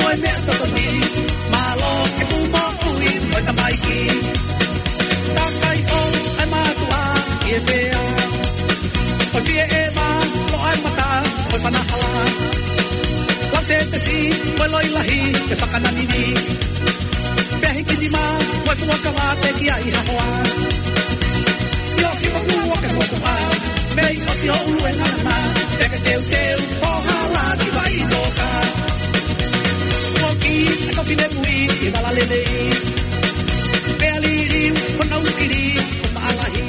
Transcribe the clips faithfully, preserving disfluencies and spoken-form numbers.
Ai meʻa totonu, mālō e kū moʻui mo e tamaiki. Takai ʻo ai mātuʻa ʻi he fea. ʻO fie ʻeva, ʻo ai mata, ʻo fanahala. Lau se te si, ʻo loi lahi, e fakananini. Pea hiki nima, ʻo fuakava te ki ai ha hoa. Sio ki moku o ke moku a, mei ʻosi ʻo ʻulu e ngana, pea ke teuteu, ʻo hala ki vai noka. Ua ki, e ka fine mui, i vala lelei. Pea liliu, ʻo nau kili, ʻo maʻalahi.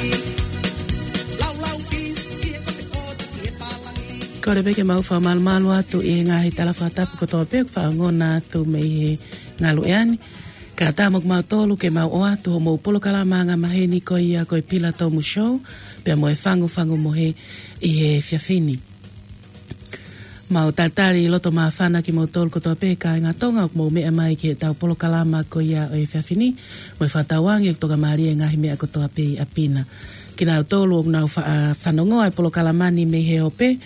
Lau lau pis, i he kote kote, i he pālangi. Kole pē ke mau fakamalumalu atu ʻi he ngaahi tala fakatapu kotoa pē ʻoku faʻa ongona atu mei he ngalu ʻeani. Ka tā mo kimautolu ke mau ʻoatu hoʻomou polokalama anga maheni ko ia ko e Pila Tomu Show, pea mo e Fangufangu Mohe ʻi he efiafi ni. Mau talitali loto māfana kimoutolu kotoa pē kāinga Tonga ʻoku mou meʻa mai ki heʻetau polokalama ko ia ʻo e efiafi ni, mo e fakatauange ʻoku tokamālie e ngaahi meʻa kotoa pē ʻi ʻapi na. Kinautolu ʻoku nau fa-, ʻa, fanongoa e polokalama ni mei he ope,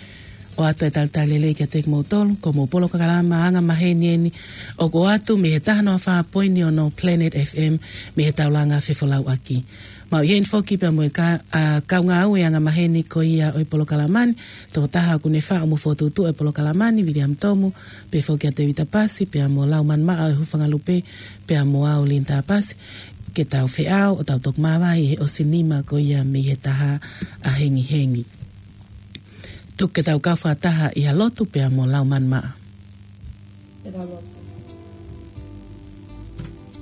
ʻoatu e talitali lelei kiate kimoutolu, ko hoʻomou polokalama anga maheni eni, ʻoku ʻoatu mei he taha noa fā poini ono Planet F M, mei he taulanga fefolauʻaki. Mau ʻi heni foki pea mo e ka-, ʻa, kaungāue anga maheni ko ia ʻo e polokalama ni, tokotaha ʻoku ne faʻu mo fokotuʻutuʻu e polokalama ni, Viliami Tomu, pehē foki ʻa Tevita Pasi, pea mo Laumanu Maʻa ʻo e Hūfangalupe, pea mo au Linda Pasi, ke tau feʻao, ʻo tau toki māvae ʻi he ʻosi nima ko ia mei he taha ʻahengihengi. Tuku ke tau kau fakataha ʻi ha lotu pea mo Laumanu Maʻa.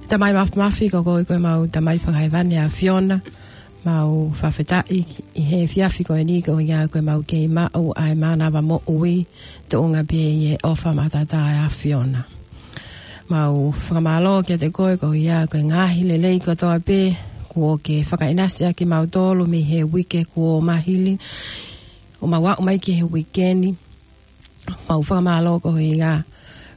Tamai Mafimafi, ko koe ko e mau Tamai Fakahēvani ʻa e ʻAfiona, mau fakafetaʻi ʻi he efiafi ko eni ko ia ko e mau kei maʻu ʻa e mānava moʻui, tuʻunga pē ʻi he ʻofa matatā ʻa e ʻAfiona. Mau fakamālō kiate koe ko ia ko e ngaahi lelei kotoa pē, kuo ke fakaʻinasi ʻaki kimautolu mei he uike kuo mā hili, ʻo mau aʻu mai ki he uike ni. Mau fakamālō ko ia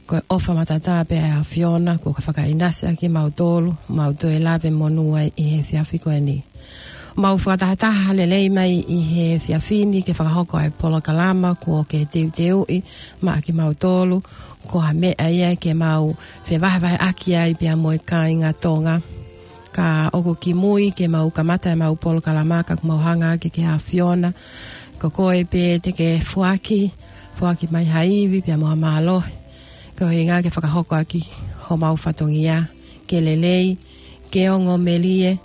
ko e ʻofa matatā pē ʻa e ʻAfiona, kuo ke fakaʻinasi ʻaki kimautolu, mau toe lave monū ai ʻi he efiafi ko eni. Mau fakatahataha lelei mai ʻi he efiafi ni ke fakahoko ʻa e polokalama kuo ke teuteuʻi maʻa kimautolu, ko ha meʻa ia ke mau fevahevaheʻaki ai pea mo e kāinga Tonga. Ka ʻoku kimui ke mau kamata ʻemau polokalama ka ʻoku mau hanga ʻaki ki he ʻAfiona, ko koe pē te ke foaki, foaki mai ha ivi pea mo ha mālohi, ko e ʻuhinga ke fakahoko ʻaki homau fatongia, ke lelei, ke ongo melie,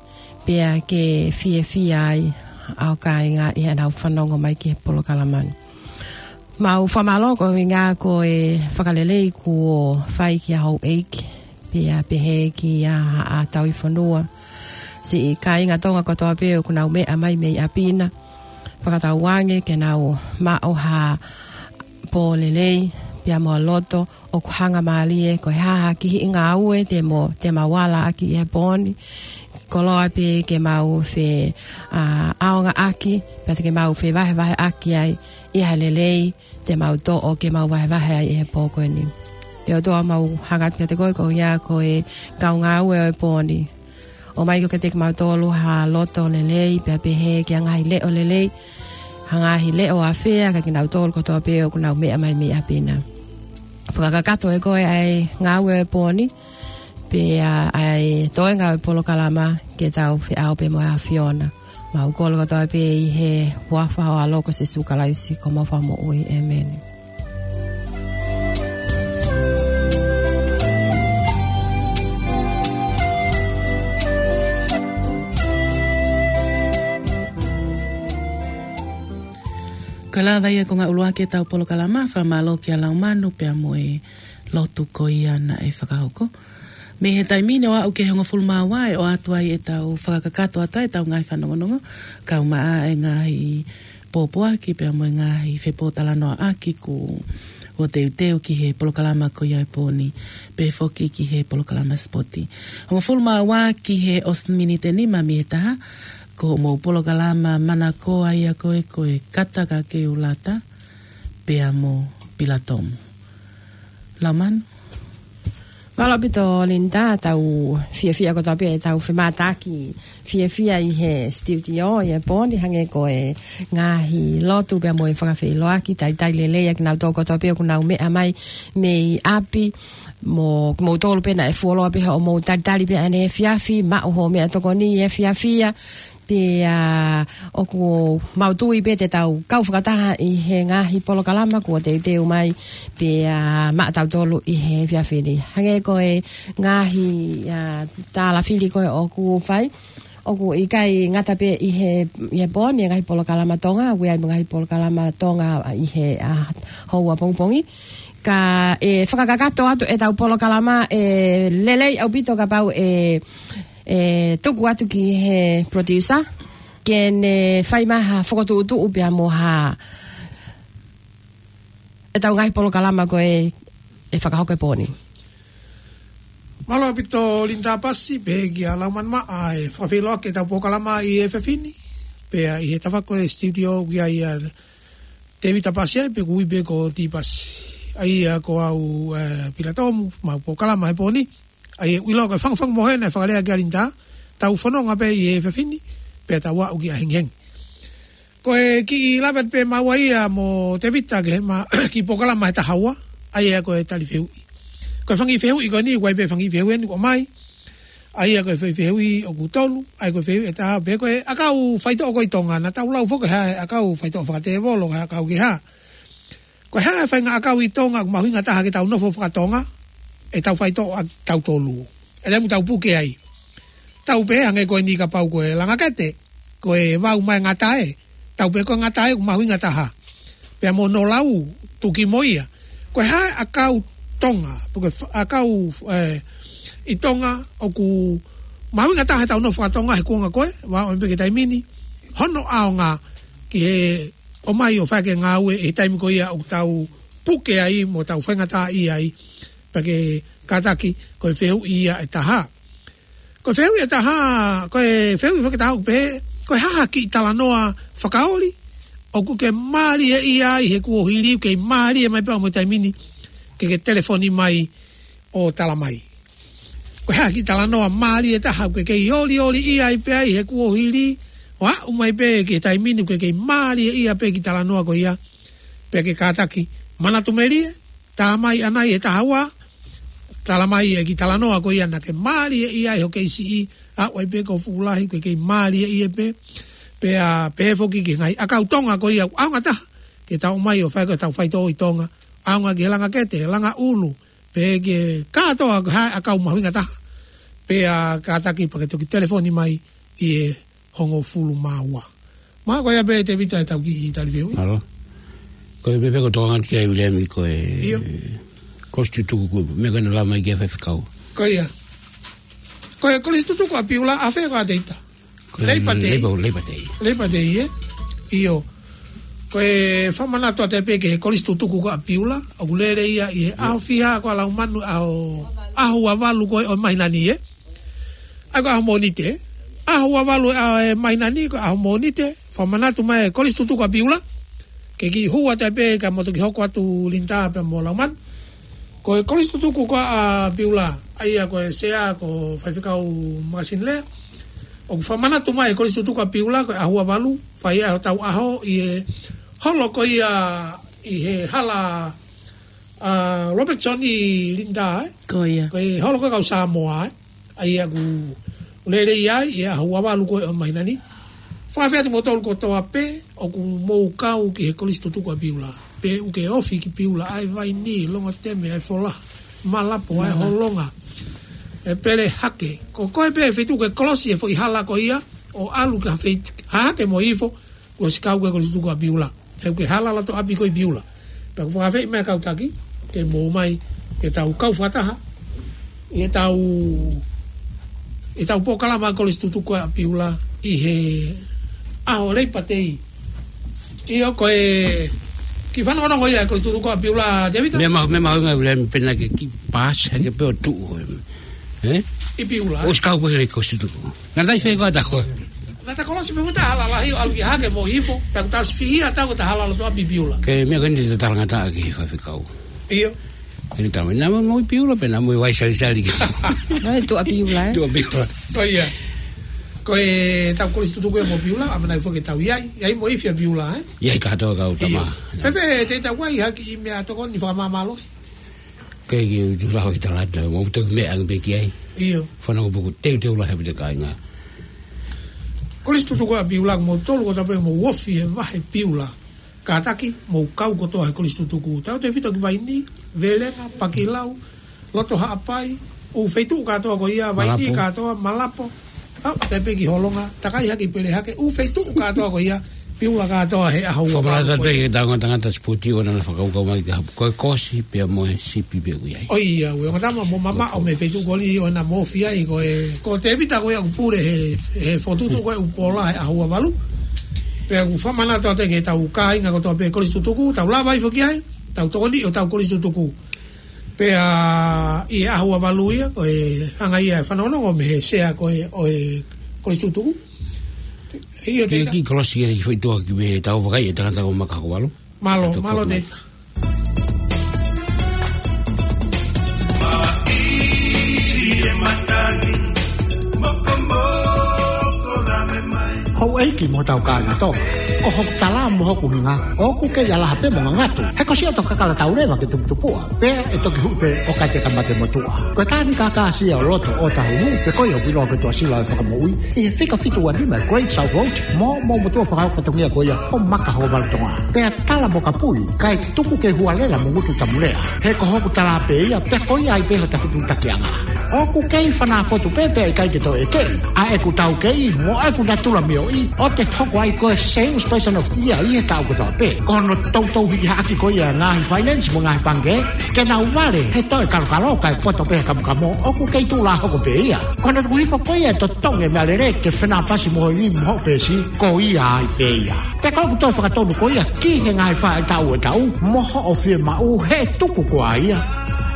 pea ke fiefia ai ʻa e kāinga ʻi heʻenau fanongo mai ki he polokalama ni. Mau fakamālō ko e ʻuhinga ko e fakalelei kuo fai kia houʻeiki, pea pehē kia Haʻa Tauhi Fonua, siʻi kāinga Tonga kotoa pē ʻoku nau meʻa mai mei ʻapi na. Fakatauange ke nau maʻu ha pō lelei, pea mo ha loto ʻoku hangamālie, ko e hā ha kihiʻi ngāue te mo, te mau ala ʻaki ʻi he pō ni. Koloa pē ke mau fe, ʻa, ʻaonga ʻaki, pea te ke mau fevahevaheʻaki ai ʻi ha lelei te mau toʻo ke mau vahevahe ai ʻi he pō ko eni. ʻE ʻOtua, mau hanga atu kiate koe ko ia ko e kau ngāue ʻo e pō ni. ʻOmai koe kiate kimautolu ha loto lelei, pea pehē ki ha ngaahi leʻo lelei, ha ngaahi leʻo ʻafea kia kinautolu kotoa pē ʻoku nau meʻa mai mei ʻapi na. Fakakakato ʻe koe ʻa e ngāue ʻo e pō ni, pea ʻa e toenga ʻo e polokalama ke tau feʻao pē mo e ʻAfiona. Mau kole kotoa pē ʻi he huafa ʻo ho ʻAlo ko Sīsū Kalaisi ko homau Fakamoʻui. ʻĒmeni. Ko e lava ia ko e ngaahi ʻuluaki ʻetau polokalama, fakamālō kia Laumanu pea mo e lotu ko ia naʻe fakahoko. Mei he taimi ni ʻo aʻu ki he hongofulu mā ua ʻe ʻoatu ai ʻetau fakakakato atu ai ʻetau ngaahi fanongonongo, kau maʻa e ngaahi pōpoaki pea mo e ngaahi fepōtalanoaʻaki kuo teuteu ki he polokalama ko ia ʻo e pō ni, pehē foki ki he polokalama sipoti. Hongofulu mā ua ki he ʻosi miniti ʻe nima mei he taha, ko hoʻomou polokalama Mana Koa ia ko e, ko e Kata Ka Ke U Lata, pea mo Pila Tomu. Laumanu. Mālō ʻaupito Linda, tau fiefia kotoa pē ʻetau femātaaki fiefia ʻi he studio ʻi he pō ni, hangē ko e ngaahi lotu pea mo e fakafeʻiloaki, talitali lelei ʻa kinautolu kotoa pē ʻoku nau meʻa mai mei ʻapi, mo, mo kimoutolu pē naʻe fuoloa pē hoʻomou talitali pē ʻaneefiafi, maʻu hoʻo meʻatokoni ʻi he efiafi ia, pea ʻoku mau tui pē te tau kau fakataha ʻi he ngaahi polokalama kuo teuteu mai pea maʻatautolu ʻi he efiafi ni. Hangē ko e ngaahi, ʻa, tālafili ko ē ʻoku fai, ʻoku ʻikai ngata pē ʻi he, ʻi he pō ni e ngaahi polokalama Tonga, ʻoku ʻi ai mo e ngaahi polokalama Tonga ʻi he, ʻa, houa pongipongi. Ka ʻe fakakakato atu ʻetau polokalama, ʻe lelei ʻaupito kapau ʻe, ʻe tuku atu ki he producer ke ne fai mai ha fokotuʻutuʻu pea mo ha ʻetau ngaahi polokalama ko ē ʻe fakahoko he pō ni. Mālō ʻaupito Linda Pasi, pehē kia Laumanu Maʻa ʻa e fakafeʻiloaki ʻetau polokalama ʻi he efiafi ni. Pea ʻi he tafaʻaki ko ē studio ʻoku ʻi ai ʻa Tēvita Pasi ai, pea ʻoku ui pē ko Tī Pasi. ʻA ia ko au, ē, Pila Tomu, mau polokalama he pō ni. ʻA ia ʻoku ʻiloa ko e fangufangu mohe naʻe fakalea kia Linda, tau fononga pē ʻi he efiafi ni, pea tau aʻu ki ʻahengihengi. Ko e kiʻi lave atu pē maua ia mo Tēvita ki he ma-, kiʻi polokalama he taha ua, ʻa ia ko e tali fehuʻi. Ko e fanga kiʻi fehuʻi ko eni, ʻoku ʻi ai pē fanga kiʻi fehuʻi eni ʻoku ʻomai. ʻA ia ko e fe-, fehuʻi ʻoku tolu, ʻa ia ko e fehuʻi ʻe taha, pe ko e ʻakau faitoʻo ko ē ʻi Tonga, naʻa tau lau foki ki he ʻakau faitō fakatēvolo, ko e ʻakau kehe. Ko e hā e faʻahinga ʻakau ʻi Tonga ʻoku mahuʻinga taha ke tau nofo faka-Tonga, ʻetau faitoʻo ʻa tautolu. ʻE lemu tau puke ai. Tau pehē hangē ko eni kapau ko e langakete, ko e vau mai ngatae, tau pehē ko e ngatae ʻoku mahuʻinga taha. Pea mo hono lau, tuki mo ia. Ko e hā e ʻakau Tonga, pe ko e fa-, ʻakau, ē, ʻi Tonga ʻoku mahuʻinga taha ʻetau nofo faka-Tonga he kuonga ko ē, ʻoku ʻomai pē ki he taimi ni, hono ʻaonga ki he ʻomai ʻo fai ʻaki e ngāue he taimi ko ia ʻoku tau puke ai mo tau faingataʻaʻia ai, pea ke kātaki ko e fehuʻi ia ʻe taha. Ko e fehuʻi ʻe taha, ko e fehuʻi fakatātā ʻoku pehē, ko e hā ha kiʻi talanoa fakaoli ʻoku ke mālieʻia ai he kuohili, ʻoku kei mālie mai pea mo e taimi ni, ke ke telefoni mai ʻo tala mai. Ko e hā ha kiʻi talanoa mālie taha ʻoku ke kei olioliʻia ai pē ai he kuohili, ʻo aʻu mai pē ki he taimi ni ʻoku ke kei mālieʻia pē kiʻi talanoa ko ia, pea ke kātaki manatu melie, tā mai ʻanai he taha ua, tala mai e kiʻi talanoa ko ia naʻa ke mālieʻia ai hoʻo kei siʻi, aʻu ai pē ki ho fuʻu lahi ʻoku ke kei mālieʻia pē, pea pehē foki ki he ngaahi ʻakau Tonga ko ia ʻoku ʻaonga taha ke tau ʻomai ʻo fai ko ē ʻetau faitoʻo ʻi Tonga, ʻaonga ki he langakete, langa ʻulu, pehē ki he kātoa ko e hā e ʻakau mahuʻinga taha, pea kātaki pea ke toki telefoni mai ʻi he hongofulu mā ua. Mā ko ia pē Tēvita ʻetau kiʻi tali fehuʻi. Mālō. Ko e meʻa pē ʻoku tokanga ki ai Viliami ko e ʻIo. Kolisi Tutuku ko e meʻa ko ē naʻe lau mai ki he faifekau. Ko ia. Ko e Kolisi Tutuku ʻa Piula ʻafē ko ā Tēvita? Ko e Labor Day. Labor, Labor Day. Labor Day, ē? ʻIo. Ko e fakamanatu atu pē ki he Kolisi Tutuku ko ē ʻa Piula, ʻoku lele ia ʻi he ʻaho fiha ko ē ʻa Laumanu, ʻaho, ʻaho ua valu ko ē ʻo e māhina ni, ē? ʻA ia ko e ʻaho Mōnite. ʻAho ua valu ʻo e māhina ni ko e ʻaho Mōnite, fakamanatu mai e Kolisi Tutuku ʻa Piula. Ke kiʻi hū atu pē kae mou toki hoko atu Linda pea mo Laumanu. Ko e Kolisi Tutuku ko ē ʻa Piula, ʻa ia ko e sea ko Faifekau Makasini Lea. ʻOku fakamanatu mai e Kolisi Tutuku ʻa Piula ko e ʻaho ua valu, fai ai hotau ʻaho ʻi he holo ko ia ʻi he hala ʻa Robertson ʻi Linda, ē? Ko ia. Ko e holo ko ē kau Samoa, ē? ʻA ia ʻoku lele ia ʻi he ʻaho ua valu ko ē ʻo e māhina ni. Fakafeʻao kimoutolu kotoa pē ʻoku mou kau ki he Kolisi Tutuku ʻa Piula. Pe ʻoku ke ofi ki Piula, ʻa e Vaini, Longoteme, ʻa e Folaha, Malapo, ʻa e Malaʻe. Holonga, ʻa e Pelehake. Ko koe pē feituʻu ʻoku ke kolosi e foʻi hala ko ia, ʻo ʻalu ki ha fei-, Hahake mo Hihifo, kuo ʻosi kau ko ē Kolisi Tutuku ʻa Piula. He ʻoku ke hala loto ʻapi ko ē ʻi Piula. Pea ʻoku fakafeʻao mai e kau taki, ke mou ō mai, ke tau kau fakataha ʻi heʻetau, ʻi heʻetau polokalama Kolisi Tutuku ʻa Piula ʻi he ʻaho Labor Day. ʻIo, ko e kiʻi fanongonongo ia Kolisi Tutuku ʻa Piula, Tēvita? Meʻa mahu-, meʻa mahuʻinga ʻa Viliami pena ke kiʻi paasi hake pē ʻo tuʻu ko ē. Ē? ʻI Piula. ʻOsi kau pē he Kolisi Tutuku. Naʻe ʻikai fai ko ata ko. Naʻa ta kolosi pē mo ta hala lahi ʻo ʻalu ki Hahake mo Hihifo, pea kuo ta ʻosi fihi ʻa e tau ko ē ta hala loto ʻapi ʻi Piula. Ko e meʻa ko eni te ta talangataʻa ki he faifekau. ʻIo. He tama, naʻa mo Piula pē, naʻa mo Vaisalisali. Naʻe tuʻa Piula, ē? Tuʻa Piula. Ko ia. Ko ʻetau kolisi tutuku ia mo Piula, ʻamanaki foki ke tau ʻi ai, ʻi ai mo ifi ʻa Piula, ē? ʻI ai kātoa kau tama. ʻIo. Fēfē, te tau ʻai ha kiʻi meʻatokoni fakamāmālohi? Kei ke u tū laho ki talata, mo u toki meʻa ange pē ki ai. ʻIo. Fanongo pē ʻoku teuteu lahi ʻaupito kāinga. Kolisi tutuku ʻa Piula, mo tolu kotoa pē mo ofi he vahe Piula. Kātaki, mou kau kotoa he kolisi tutuku. Tautefito ki Vaini, Velenga, Pakilau, Loto Haʻapai, ʻū feituʻu kātoa ko ia, Vaini Malapo. Kātoa, Malapo. Au, taʻe pē ki Holonga, takai hake Pele hake, ʻū feituʻu kātoa ko ia, Piula kātoa he ʻaho ua. Fakamanatu pē ki he tangata, tangata sipoti ʻoku na fakakaukau mai ki ha, ko e kosi pea mo e sipi pē ʻoku ʻi ai. ʻOiauē, ongo tama mo mamaʻo mei he feituʻu ko eni ʻoku na ofi ai, ko e, ko Tevita ko ia ʻoku pule he, he fokotuʻutuʻu ko ē ʻoku pola he ʻaho ua valu. Pea ʻoku fakamanatu atu ki heʻetau kāinga kotoa pē kolisi tutuku, tau lava ʻo foki ai, tau tokoni ʻo tau kolisi tutuku. Pea ʻi he ʻaho ua valu ia, ko e hanga ia ʻe fanongonongo mei he sea ko ē ʻo e kolisi tutuku. ʻIo, Tevita. Kiʻi kolosi ia ʻi he foʻi tuʻa ki he tau vakai e tangata ko Makahokovalu. Mālō, mālō, Tevita. Houʻeiki mo hotau kāinga Tonga, ko hoku tala mo hoku hinga, ʻoku kei ʻalaha pē mo ngangatu. He ko siʻoto kakala tau leva ke tuputupuʻa, pea ʻe toki huʻi pē ʻo kate ka mate motuʻa. Ko e tānaki kākā sia ʻo loto ʻo Tahuhu, pe ko ia ʻoku ʻiloa ko e Tuʻasila ʻo e Fakamoʻui, ʻi he fika fitu ua nima Great South Road, mo, mo motuʻa fakahoko fatongia ko ia ʻo Makahokovalu Tonga. Pea tala mo kapui, kae tuku ke hualela mo ngutu tamulea. He ko hoku tala pē ia, pea ko ia ai pē hota fetuʻutakiʻanga. ʻOku kei fanā fotu pē pea ʻikai ke toe ʻeke. ʻA ʻeku taukei, mo ʻeku natula mioʻi, ʻo te hoko ai ko e salesperson of the year ʻi he taʻu kotoa pē. Ko hono toutou hiki hake ko ia ngaahi finance mo ngaahi pangikē, ke nau vale he toe kalokalo kae poto pē he kamokamo, ʻoku kei tuʻu lā hoko pē ia. Ko hono tuku hifo ko ia e totongi e meʻalele ke fenāpasi mo ho ivi mo hoʻo peesi, ko ia ai pē ia. Pea ko ʻeku toe fakatonu ko ia ki he ngaahi faʻahitaʻu ʻo e taʻu, mo hoʻo fiemaʻu he tuku ko ia.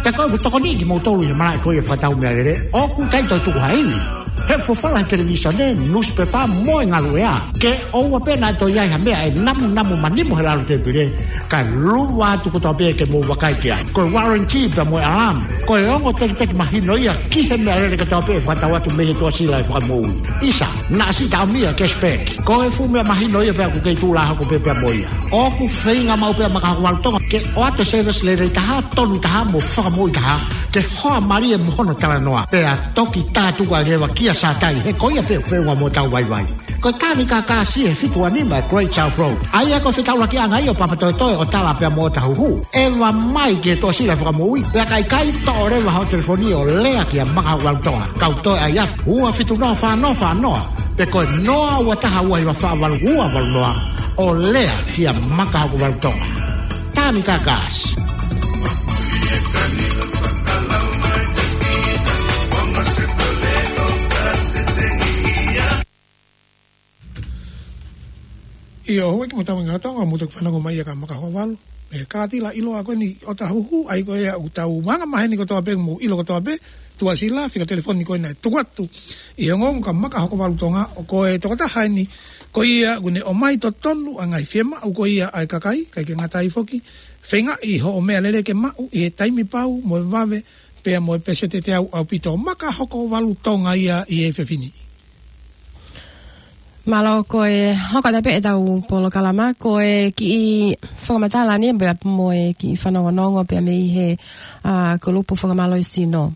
Pea ko ʻeku tokoniʻi kimoutolu ʻi he malaʻe ko ia fakatau meʻalele, ʻoku ʻikai toe tuku ha ivi. He fofala he televīsone, nusipepa mo e ngaluʻea. Ke ʻoua pē naʻa toe ʻi ai ha meʻa ʻe namunamu manimo he lalo tēpile, kae luva atu kotoa pē ke mou vakai ki ai. Ko e warranty pea mo e alarm, ko e ongo tekiteki mahino ia ki he meʻalele kotoa pē ʻe fakatau atu mei he Tuʻasila ʻo e Fakamoʻui. ʻIsa, naʻa si taʻomia cashback. Ko e fuʻu meʻa mahino ia pea ʻoku kei tuʻu lā hoko pē pea mo ia. ʻOku feinga maʻu pē ʻa Makahokovalu Tonga ke ʻoatu e service lelei taha, tonu taha mo fakamoʻui taha, ke hoa mālie mo hono talanoa. Pea toki tā tuku ʻa e leva kia Satai, he ko ia pē ʻoku feʻunga mo hotau vaivai. Ko e tānaki kākā sia he fitu ua nima Great South Road. ʻA ia ko e fetaulakiʻanga ia ʻo Papatoetoe ʻo tala pea mo Tahuhu. ʻEva mai ki he Tuʻasila ʻo e Fakamoʻui, pea ka ʻikai, toʻo leva hoʻo telefoni ʻo lea kia Makahokovalu Tonga. Kau toe ʻai atu, ua fitu noa fā noa fā noa, pe ko e noa ua taha ua hiva fā valu ua valu noa, ʻo lea kia Makahokovalu Tonga. Tānaki kākā sia. ʻIo, houʻeiki mo e tama ngaahi Tonga, mou toki fanongo mai ia kia Makahokovalu. Mei he kātila ʻiloa ko eni ʻo Tahuhu, ʻa ia ko ia ʻoku tau maʻu angamaheni kotoa pē, mou ʻilo kotoa pē, Tuʻasila, fika telefoni ko ena ʻe tuku atu ʻi he ongoongo kia Makahokovalu Tonga, ʻo ko e tokotaha eni ko ia ʻoku ne ʻomai totonu ʻa e ngaahi fiemaʻu ko ia ʻa e kakai, kae ʻikai ke ngata ai foki, feingaʻi hoʻo meʻalele ke maʻu ʻi he taimi pau mo e vave, pea mo e peseti teau ʻaupito. Makahokovalu Tonga ia ʻi he efiafi ni. Mālō, ko e hoko atu pē ʻetau polokalama, ko e kiʻi fakamatala ni pea mo e kiʻi fanongonongo pea mei he, ʻa, kulupu fakamālohisino.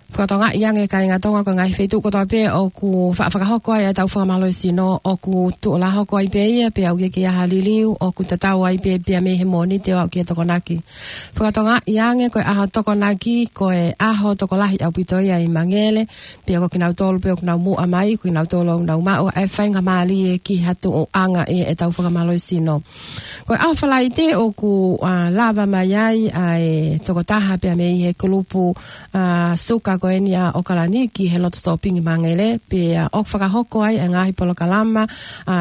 Fakatokangaʻi ange kāinga Tonga, ko e ngaahi feituʻu kotoa pē ʻoku fa-, fakahoko ai ʻetau fakamālohisino, ʻoku tuʻu lā hoko ai pē ia, pea ʻoku ʻikai ke ʻi ai ha liliu, ʻoku tatau ai pē pea mei he Mōnite ʻo aʻu ki he Tokonaki. Fakatokangaʻi ange ko e ʻaho Tokonaki, ko e ʻaho tokolahi ʻaupito ia ʻi Mangele, pea ko kinautolu pē ʻoku nau muʻa mai, ko kinautolu ʻoku nau maʻu ʻa e faingamālie ki ha tuʻuʻanga ʻi heʻetau fakamālohisino. Ko e ʻaho Falaite ʻoku, ʻa, lava mai ai ʻa e tokotaha pea mei he kulupu, ʻa, suka ko eni ʻa ʻAokalani ki he loto sōpingi Mangele, pea ʻoku fakahoko ai ʻa e ngaahi polokalama, ʻa,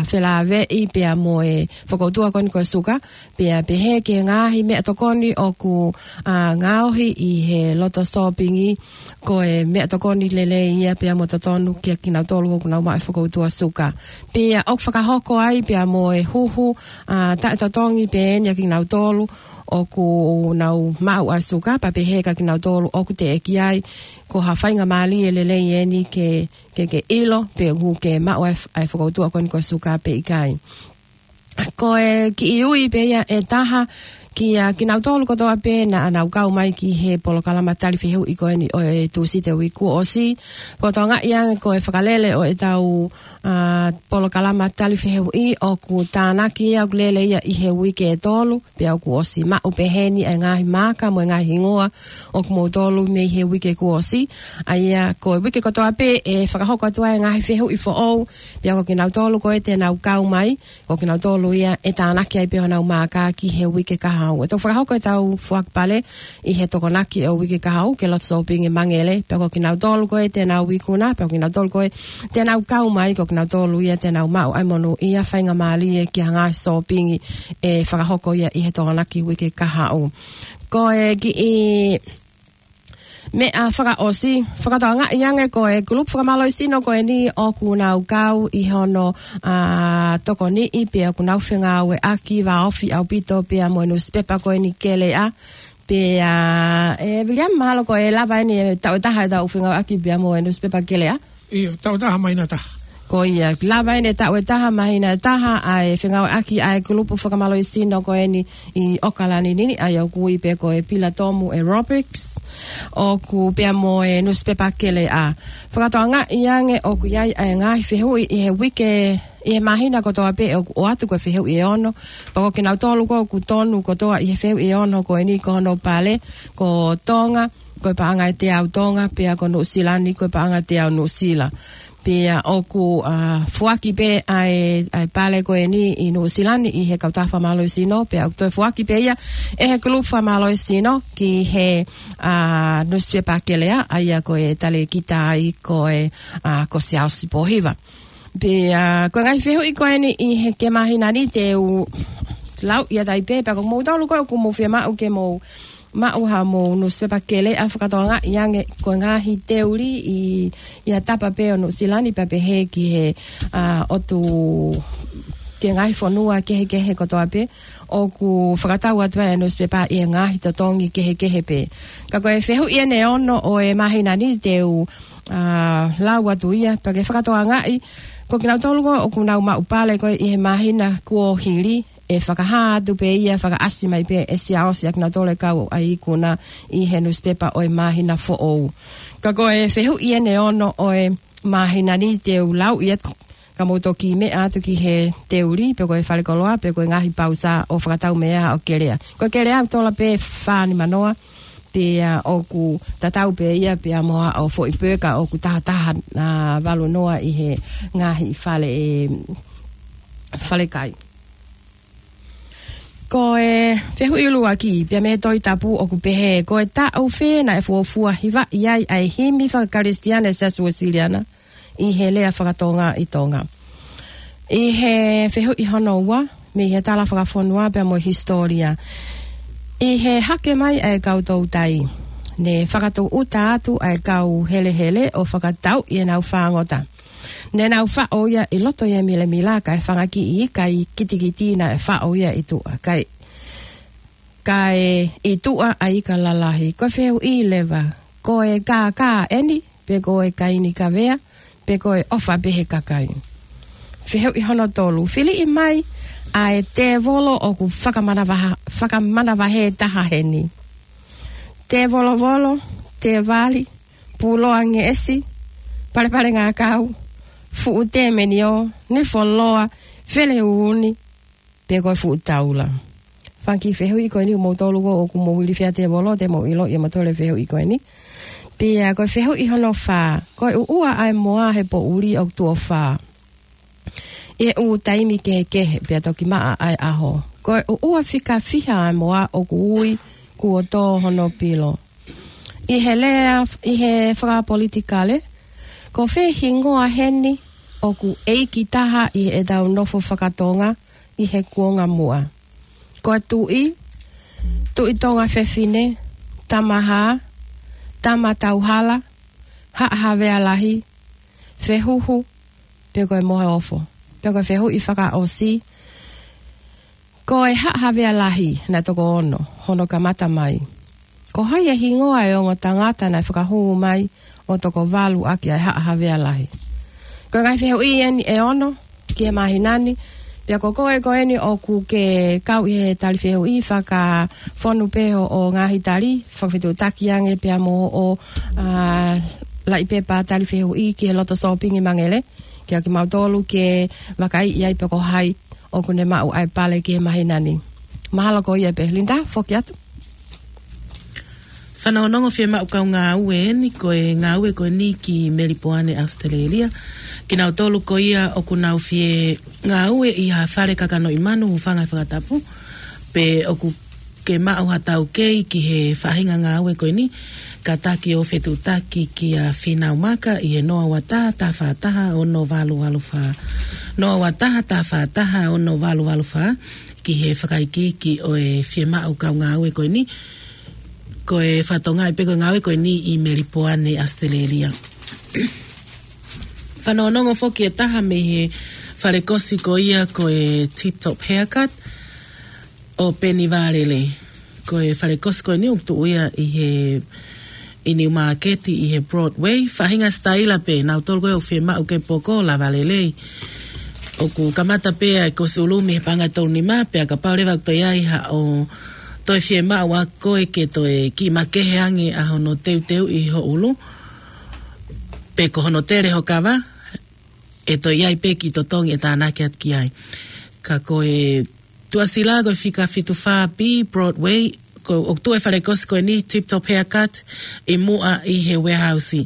felāveʻi pea mo e fokoutua ko eni ko e suka, pea pehē ki he ngaahi meʻatokoni ʻoku, ʻa, ngaohi ʻi he loto sōpingi, ko e meʻatokoni lelei ia pea mo totonu kia kinautolu ʻoku nau maʻu e fokoutua suka. Pea ʻoku fakahoko ai pea mo e huhu, ʻa, taʻetotongi pē eni ʻa kinautolu ʻoku nau maʻu ʻa e suka, pea pehē kia kinautolu ʻoku teʻeki ai, ko ha faingamālie lelei eni ke, ke, ke ʻilo, pe ʻoku ke maʻu ʻa e, ʻa e fokoutua ko eni ko e suka pe ʻikai. Ko e kiʻi ui pē ia ʻe taha, kia kinautolu kotoa pē naʻa nau kau mai ki he polokalama tali fehuʻi ko eni ʻo e Tūsite uike kuo ʻosi. Fakatokangaʻi ange ko e fakalele ʻo ʻetau, ā, polokalama tali fehuʻi ʻoku tānaki ia ʻoku lele ia ʻi he uike ʻe tolu, pea ʻoku ʻosi maʻu pē heni ʻa e ngaahi maaka mo e ngaahi hingoa ʻo kimoutolu mei he uike kuo ʻosi. ʻA ia ko e uike kotoa pē ʻe fakahoko atu ai e ngaahi fehuʻi foʻou, pea ko kinautolu ko ē te nau kau mai, ko kinautolu ia ʻe tānaki ai pē honau maaka ki he uike kahaʻu. ʻE toki fakahoko ʻetau foaki pale ʻi he Tokonaki ʻo e uike kahaʻu, ke loto sōpingi Mangele, pea ko kinautolu ko ē te nau ikuna, pea ko kinautolu ko ē te nau kau mai, ko kinautolu ia te nau maʻu ʻa e monūʻia, faingamālie ki ha ngaahi sōpingi ʻe fakahoko ia ʻi he Tokonaki uike kahaʻu. Ko e kiʻi meʻa fakaʻosi, fakatokangaʻi ange ko e kulupu fakamālohisino ko eni ʻoku nau kau ʻi hono, ā, tokoniʻi pea ʻoku nau fengāueʻaki vāofi ʻaupito pea mo e nusipepa ko eni Keleʻa. Pea, ē, Viliami, mahalo ko e lava eni e taʻu ʻe taha ʻetau fengāueʻaki pea mo e nusipepa Keleʻa. ʻIo, taʻu ʻe taha māhina ʻe taha. Ko ia, lava eni e taʻu ʻe taha māhina ʻe taha ʻa e fengāueʻaki ʻa e kulupu fakamālohisino ko eni ʻi ʻOkalani ni, ʻa ia ʻoku ui pē ko e Pilatomu Aerobics, ʻoku pea mo e nusipepa Keleʻa. Fakatokangaʻi ange ʻoku ʻi ai ʻa e ngaahi fehuʻi ʻi he uike, ʻi he māhina kotoa pē ʻoku ʻoatu ko e fehuʻi ʻe ono, pea ko kinautolu ko ē ʻoku tonu kotoa ʻi he fehuʻi ʻe ono ko eni ko hono pale, ko Tonga, ko e paʻanga ʻe teau Tonga, pea ko Nuʻusila ni, ko e paʻanga ʻe teau Nuʻusila. Pea ʻoku, ā, foaki pē ʻa e, ʻa e pale ko eni ʻi Nuʻusila ni ʻi he kautaha fakamālohisino, pea ʻoku toe foaki pē ia ʻe he kulupu fakamālohisino ki he, ā, nusipepa Keleʻa, ʻa ia ko e talēkita ai ko e, ā, ko Siaosi Pōhiva. Pea, ā, ko e ngaahi fehuʻi ko eni ʻi he, ki he māhina ni te u lau ia tai pē, pea ko moutolu ko ē ʻoku mou fiemaʻu ke mou maʻu haʻamou nusipepa Keleʻa, fakatokangaʻi ange ko e ngaahi teuli ʻi, ʻi ha tapa pē ʻo Nuʻusila ni pea pehē ki he, ā, ʻotu, ki he ngaahi fonua kehekehe kotoa pē, ʻoku fakatau atu ai e nusipepa ʻi he ngaahi totongi kehekehe pē. Ka ko e fehuʻi eni ʻe ono ʻo e māhina ni te u, ā, lau atu ia, pea ke fakatokangaʻi, ko kinautolu ko ē ʻoku nau maʻu pale ko ē ʻi he māhina kuo hili, ʻe fakahā atu pē ia, fakaʻasi mai pē ʻe Siaosi ʻa kinautolu ʻe kau ai ikuna ʻi he nusipepa ʻo e māhina foʻou. Ka ko e fehuʻi eni ʻe ono ʻo e māhina ni te u lau ia, ka mou toki meʻa atu ki he teuli, pe ko e falekoloa, pe ko e ngaahi pausa ʻo fakatau meʻa ʻo Keleʻa. Ko Keleʻa ʻoku tola pē fā nima noa, pea ʻoku tatau pē ia pea mo haʻo foʻi peka ʻoku taha taha, ā, valu noa ʻi he ngaahi fale, ē, falekai. Ko e fehuʻi ʻuluaki, pea mei he Tohi Tapu ʻoku pehē, ko e taʻu fē naʻe fuofua hivaʻi ai ʻa e himi faka-Kalisitiane ʻa e Siasi Uēsiliana ʻi he lea faka-Tonga ʻi Tonga? ʻI he fehuʻi hono ua, mei he tala fakafonua pea mo e hisitōlia. ʻI he hake mai ʻa e kau toutai, ne fakatūʻuta atu ʻa e kau helehele ʻo fakatauʻi ʻenau fāngota. Ne nau faʻo ia ʻi loto ʻi he milemila, kae fanga kiʻi ika kitekite naʻe faʻo ia ʻi tuʻa. Kae, kae ʻi tuʻa ʻa e ika lalahi. Ko e fehuʻi leva, ko e kākā eni, pe ko e kaini kavea, pe ko e ʻofa pē he kakai? Fehuʻi hono tolu, filiʻi mai ʻa e tēvolo ʻoku fakamanavaha-, fakamanavahē taha heni. Tēvolovolo, tēvali, puloa ngeʻesi, palepale ngākau, fuʻu tēmeniō, nifo loa, fele uuni, pe ko e fuʻu taula? Fanga kiʻi fehuʻi ko eni, moutolu ko ē ʻoku mou ilifia tēvolo, te mou ʻiloʻi ʻe moutolu e fehuʻi ko eni. Pea ko e fehuʻi hono fā, ko e ʻuʻua ʻa e moa he poʻuli ʻoku tuʻo fā ʻi he ʻū taimi kehekehe pea toki maʻa ʻa e ʻaho? Ko e ʻuʻua fika fiha ʻa e moa ʻoku ui kuo tō hono pilo? ʻI he lea, ʻi he fakapolitikale, ko fē hingoa heni ʻoku ʻeiki taha ʻi heʻetau nofo faka-Tonga ʻi he kuonga muʻa? Ko e Tuʻi, Tuʻi Tonga Fefine, Tamahā, Tama Tauhala, Haʻa Havea Lahi, Fehuhu, pe ko e Moheofo? Pe ko e fehuʻi fakaʻosi, Ko e Haʻa Havea Lahi, naʻe toko ono hono kamata mai. Ko hai e hingoa e ongo tangata naʻe fakahū mai ʻo toko valu ʻaki ʻa e Haʻa Havea Lahi? Ko e ngaahi fehuʻi eni ʻe ono ki he māhina ni. Pea ko koe ko eni ʻoku ke kau ʻi he tali fehuʻi, fakafonu pē hoʻo ngaahi tali, fakafetuʻutaki ange pea mo hoʻo, ʻa, laʻi pepa tali fehuʻi ki he loto sōpingi Mangele, kia kimautolu ke vakaiʻi ai pe ko hai ʻoku ne maʻu ʻa e pale ki he māhina ni. Mahalo ko ia pē. Linda, foki atu. Fanongonongo, fiemaʻu kau ngāue eni, ko e ngāue ko eni ki Melipoane, ʻAositelēlia. Kinautolu ko ia ʻoku nau fie ngāue ʻi ha fale kakanoʻi manu, hūfanga he fakatapu, pe ʻoku ke maʻu ha taukei ki he faʻahinga ngāue ko eni, kātaki ʻo fetuʻutaki kia Fīnau Maka ʻi he noa ua taha taha fā taha ono valu valu fā. Noa ua taha taha fā taha ono valu valu fā, ki he fakaikiiki ʻo e fiemaʻu kau ngāue ko eni. Ko e fatongia pē ko e ngāue ko eni ʻi Melipoane, ʻAositelēlia. Fanongonongo foki e taha mei he falekosi ko ia ko e Tip Top Haircut ʻo Peni Vālele. Ko e falekosi ko eni ʻoku tuʻu ia ʻi he, ʻi Niu Māketi ʻi he Broadway. Faʻahinga sitaila pē, nautolu ko ē ʻoku fiemaʻu ke poko, lava lelei. ʻOku kamata pē ʻa e kosi ʻulumi he paʻanga ʻe tolu nima, pea kapau leva ʻoku toe ʻi ai haʻo toe fiemaʻu ʻa koe ke toe kiʻi makehe ange ʻa hono teuteuʻi ho ʻulu, pe ko hono tele ho kava, ʻe toe ʻi ai pē kiʻi totongi ʻe tānaki atu ki ai. Ka ko e tuʻasila ko e fika fitu fā B Broadway, ko, ʻoku tuʻu e falekosi ko eni Tip Top Haircut ʻi muʻa ʻi he warehouse.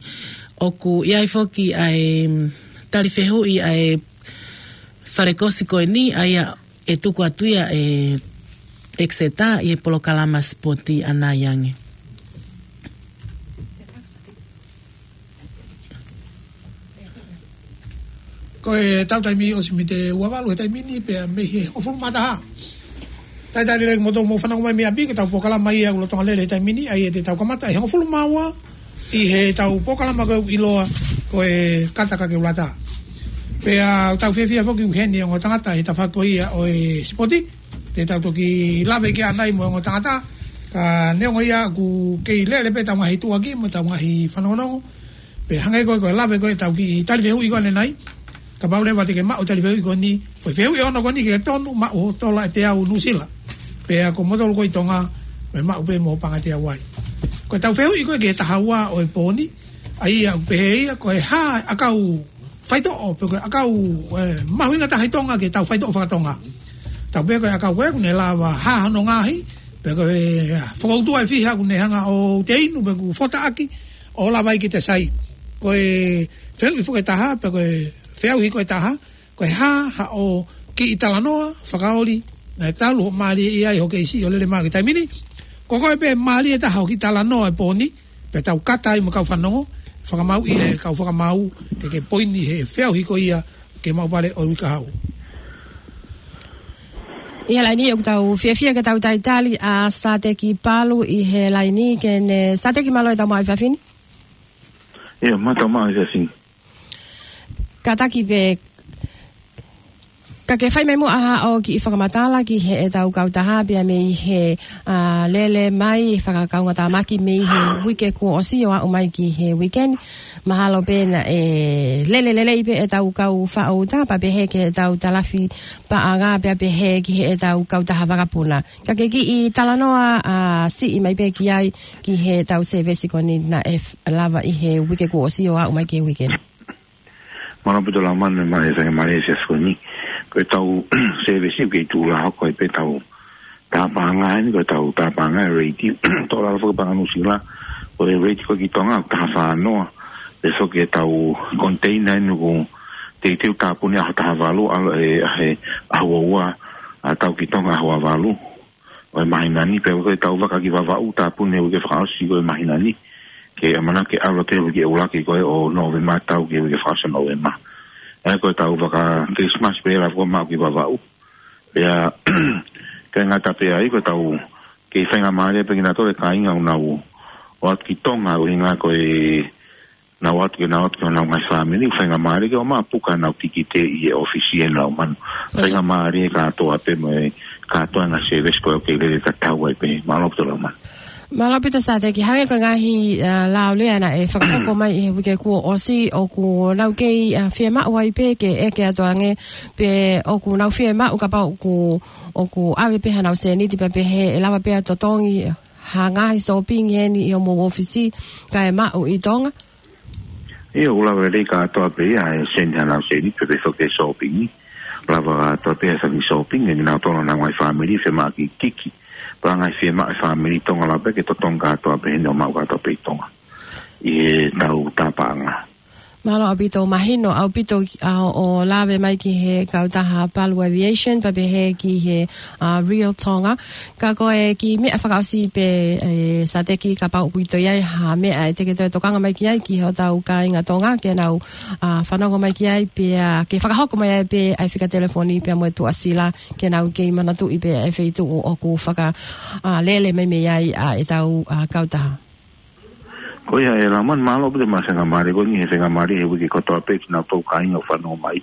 ʻOku ʻi ai foki ʻa e, mm, tali fehuʻi ʻa e falekosi ko eni, ʻa ia ʻe tuku atu ia ʻe Exeter ʻi he polokalama sipoti ʻanai ange. Ko e tau taimi ʻosi mei he ua valu he taimi ni pea mei he hongofulu mā taha. Talitali lelei kimoutolu ʻoku mou fanongo mai mei ʻapi, ko e tau polokalama ia ʻoku lolotonga lele he taimi ni, ʻa ia te tau kamata ʻi he hongofulu mā ua ʻi he tau polokalama ko ē ʻoku ʻiloa ko e Kata Kakeulata. Pea ʻoku tau fiefia foki ʻoku ʻi heni e ongo tangata he tafaʻaki ko ia ʻo e sipoti. Te tau toki lave ki ai ʻanai mo e ongo tangata, ka neongo ia ʻoku kei lele pē tau ngaahi tuʻuaki mo tau ngaahi fanongonongo. Pea hangē ko e, ko e lave ko ē tau kiʻi tali fehuʻi ko ē ʻanenai. Kapau leva te ke maʻu tali fehuʻi ko eni, foʻi fehuʻi ʻe ono ko eni ke tonu, maʻu ho tola ʻe teau Nuʻusila. Pea ko moutolu ko ē ʻi Tonga, mou maʻu pē mo e paʻanga ʻe teau ai. Ko e tau fehuʻi ko ē ki he taha ua ʻo e pō ni, ʻa ia ʻoku pehē ia, ko e hā e ʻakau faitoʻo, pe ko e ʻakau, ē, mahuʻinga taha ʻi Tonga ke tau faitoʻo fakatonga. Tau pehē ko e ʻakau ko ē ʻoku ne lava hā hono ngaohi, pe ko e, ē, fokoutua ʻe fiha ʻoku ne hanga ʻo te inu, pe ʻoku fotaʻaki, ʻo lava ai ke te sai. Ko e fehuʻi foki ʻe taha, pe ko e feʻauhi ko ē ʻe taha, ko e hā haʻo kiʻi talanoa fakaoli naʻe talu hoʻo mālieʻia ai hoʻo keisi ʻo lele mai ki he taimi ni. Ko koe pē mālie taha hoʻo kiʻi talanoa he pō ni, pea tau kata ai mo e kau fanongo, fakamāuʻi ʻe he kau fakamāu, ke ke poini he feʻauhi ko ia ki he maʻu pale ʻo e uike kahaʻu. ʻI he laini ʻoku tau fiefia ke tau talitali ʻa Sāteki Palu ʻi he laini, ke ne Sāteki, mālō e tau maʻu e efiafi ni. ʻIo, mālō e tau maʻu e efiafi ni. Kātaki pē, ka ke fai mai muʻa haʻo kiʻi fakamatala ki heʻetau kautaha pea mei he, ā, lele mai fakakaungātāmaki mei he uike kuo ʻosi ʻo aʻu mai ki he uike ni. Mahalo pē naʻe lele lelei pē ʻetau kau faʻauta, pea pehē ki heʻetau talafi paʻanga, pea pehē ki heʻetau kautaha vakapuna. Ka ke kiʻi talanoa, ā, siʻi mai pē ki ai, ki heʻetau sēvesi ko eni naʻe f-, lava ʻi he uike kuo ʻosi ʻo aʻu mai ki he uike ni. Mālō ʻaupito Laumanu, mālō e faingamālie he efiafi ko eni. Ko ʻetau sēvesi ʻoku kei tuʻu lā hoko ai pē ʻetau taha paʻanga eni, ko ʻetau taha paʻanga e reiti. Tō lalo foki paʻanga Nuʻusila, ko e reiti ko ē ki Tonga, taha fā noa. Pea foki ʻetau koniteina eni ʻoku teuteu tāpuni ʻaho taha valu, ʻalu ʻe, ʻaho, ʻaho ua ua, ʻa tau ki Tonga ʻaho ua valu ʻo e māhina ni, pea ko ʻetau vaka ki Vavaʻu tāpuni he uike fakaʻosi ko ē māhina ni. Ke ʻamanaki ke ʻalu atu he uike ʻuluaki ko ē ʻo Nōvema ʻo tau ki he uike fakaʻosi ʻo Nōvema. ʻA ia ko ʻetau vaka Christmas pē lava ko ē maʻu ki Vavaʻu. Pea, ʻikai ngata pē ai, ko ʻetau kei faingamālie pē kinautolu e kāinga ʻoku nau ō atu ki Tonga, ʻuhinga ko e nau ō atu ke nau ō atu ki honau ngaahi fāmili, faingamālie ke ō mai ʻo puka honau tikite ʻi he ʻōfisi ʻe Laumanu. ʻIo. Faingamālie kātoa pē mo e kātoa e ngaahi sēvesi ko ē ʻoku kei lele tatau ai pē. Mālō ʻaupito Laumanu. Mālō ʻaupito Sāteki, hangē ko e ngaahi, ā, lao lea naʻe fakahoko mai ʻi he uike kuo ʻosi, ʻoku nau kei, ā, fiemaʻu ai pē ke ʻeke atu ange pe ʻoku nau fiemaʻu kapau ʻoku, ʻoku ʻave pē hanau sēniti pea pehē ʻe lava pē ʻo totongi ha ngaahi sōpingi heni ʻi homou ʻōfisi kae maʻu ʻi Tonga? ʻIo, ʻoku lava lelei kātoa pē ia ʻe send hanau sēniti pea pehē foki e sōpingi. Lava kātoa pē ʻa e fanga sōpingi, ʻe kinautolu honau ngaahi fāmili, fiemaʻu ke kiki. Pea ngaahi fiemaʻu e fāmili Tonga lava pē ke totongi kātoa pē heni ʻo maʻu kātoa pē ʻi Tonga ʻi heʻetau tāpaʻanga. Mālō ʻaupito, mahino ʻaupito, ā, ʻo lave mai ki he kautaha Palu Aviation, pea pehē ki he, ā, Real Tonga. Ka ko e kiʻi meʻa fakaʻosi pē, ē, Sāteki, kapau ʻoku ʻi ai ha meʻa ʻe te ke toe tokanga mai ki ai ki hotau kāinga Tonga, ke nau, ā, fanongo mai ki ai, pea ke fakahoko mai ai pē ʻa e fika telefoni pea mo e tuʻasila, ke nau kei manatuʻi pē ʻa e feituʻu ʻoku faka, ā, lele mai mei ai ʻa ʻetau, ā, kautaha. Ko ia ē Laumanu, mālō ʻaupito maʻa e faingamālie ko eni, he faingamālie he uike kotoa pē kinautolu kāinga ʻoku fanongo mai.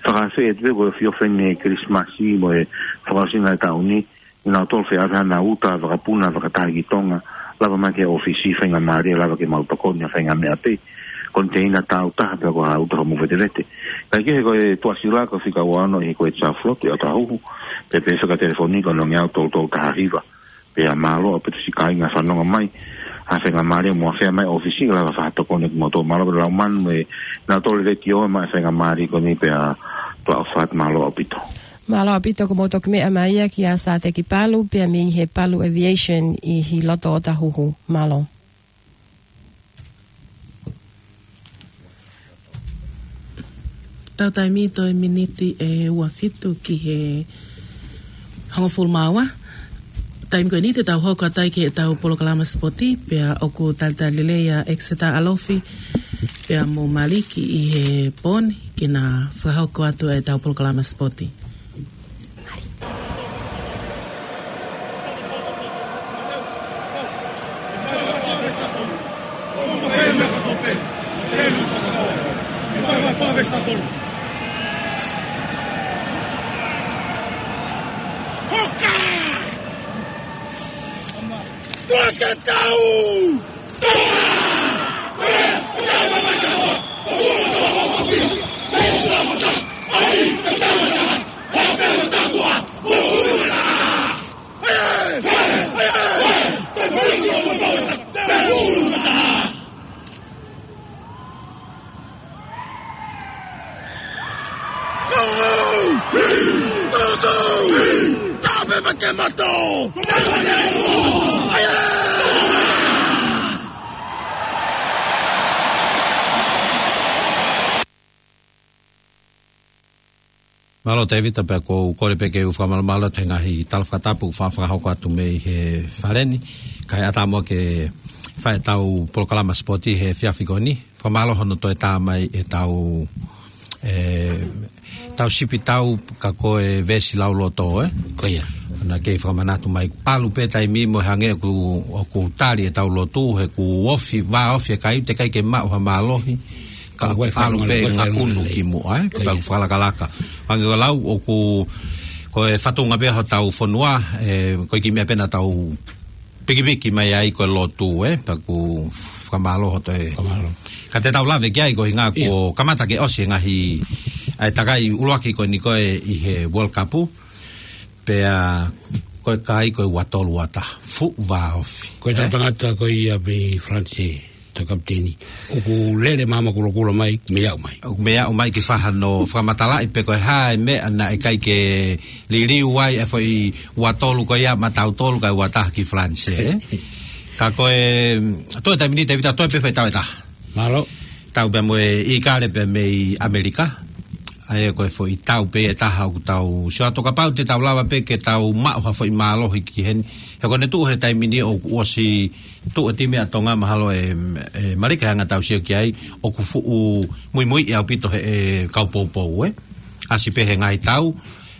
Fakaafeʻi atu pē ko e ofi ʻo e fenē Kilisimasi mo e fakaʻosinga e taʻu ni, kinautolu fie ʻave hanau uta vakapuna fakataha ki Tonga, lava mai ki he ʻōfisi, faingamālie lava ke mau tokoni ha faʻahinga meʻa pē. Koniteina tāutaha pe ko ha uta hoʻomou vetevete. Kae kehe ko e tuʻasila ko e fika ua ono ʻi he Kuwait South Float ʻi ʻAotahuhu, pea pehē fika telefoni ko e nongeau tolu tolu taha hiva. Pea mālō ʻaupito siʻi kāinga fanongo mai, ha faingamālie mo afea mai ʻōfisi, lava fakatokoni kimoutolu. Mālō ʻaupito Laumanu mo e, naʻa tolu letiō maʻa e faingamālie ko eni pea tuʻa ʻofa atu, mālō ʻaupito. Mālō ʻaupito, ko mou toki meʻa mai ia kia Sāteki Palu, pea mei he Palu Aviation ʻi he loto ʻo ʻAotahuhu. Mālō. Tau taimi toe miniti ʻe ua fitu ki he hongofulu mā ua. Taimi ko eni te tau hoko atu ai ki heʻetau polokalama sipoti, pea ʻoku talitali lelei ʻa Exeter ʻAlofi pea mo Maliki ʻi he pō ni ke na fakahoko atu ʻetau polokalama sipoti. Hoka! Tuʻa ke tau! Tape ma ke mato! Mālō Tēvita, pea ʻoku ou kole pē ke u fakamālō atu he ngaahi tala fakatapu fa-, fakahoko atu mei he fale ni, kae ʻatā muʻa ke fai ʻetau polokalama sipoti he efiafi ko eni. Fakamālō hono toe tā mai ʻetau, ē, tau sipi tau ka ko e veesi lauloto, ē? Ko ia. Naʻa ke fakamanatu mai, ʻalu pē taimi mo e hangē ʻoku, ʻoku tali ʻetau lotu, he ʻoku ofi, vāofi e kai, teʻeki ai ke maʻu ha mālohi, ka ʻalu pē ngakunu ki muʻa, ē? Ko ia. Pea ʻoku fakalakalaka. Hangē ko e lau, ʻoku, ko e fatunga pē hotau fonua, ē, ko e kiʻi meʻa pē naʻa tau pikipiki mai ai ko e lotu, ē, pea ʻoku fakamālō hoto e. Fakamālō. Ka te tau lave ki ai ko e ʻuhinga kuo kamata ke ʻosi e ngaahi, ʻa e takai ʻuluaki ko eni ko ē ʻi he World Cup, pea ko e kai ko e ua tolu ua taha, fuʻu vāofi. Ko e tau tangata ko ia mei Falanse, tau kapiteni. ʻOku lele māmani kulokula mai, mei aʻu mai. ʻOku mei aʻu mai ki fē hano fakamatalaʻi pe ko e hā e meʻa naʻe ʻikai ke liliu ai e foʻi ua tolu ko ia maʻatautolu kae ua taha ki Falanse, ē? Ka ko e, toe taimi ni Tēvita, toe pē foʻi tau ʻe taha. Mālō. Tau pē mo e ʻIkale pē mei ʻAmelika. ʻA ia ko e foʻi tau pē ʻe taha ʻoku tau sio atu kapau te tau lava pē ke tau maʻu ha foʻi mālohi ki heni. He ko ʻene tuʻu he taimi ni ʻoku ʻosi tuʻu e timi ʻa Tonga mahalo ʻe, ʻe Malika he anga ʻetau sio ki ai, ʻoku fuʻu muimui ʻaupito he, ʻe, kau poupou, ē. ʻAsi pē he ngaahi tau,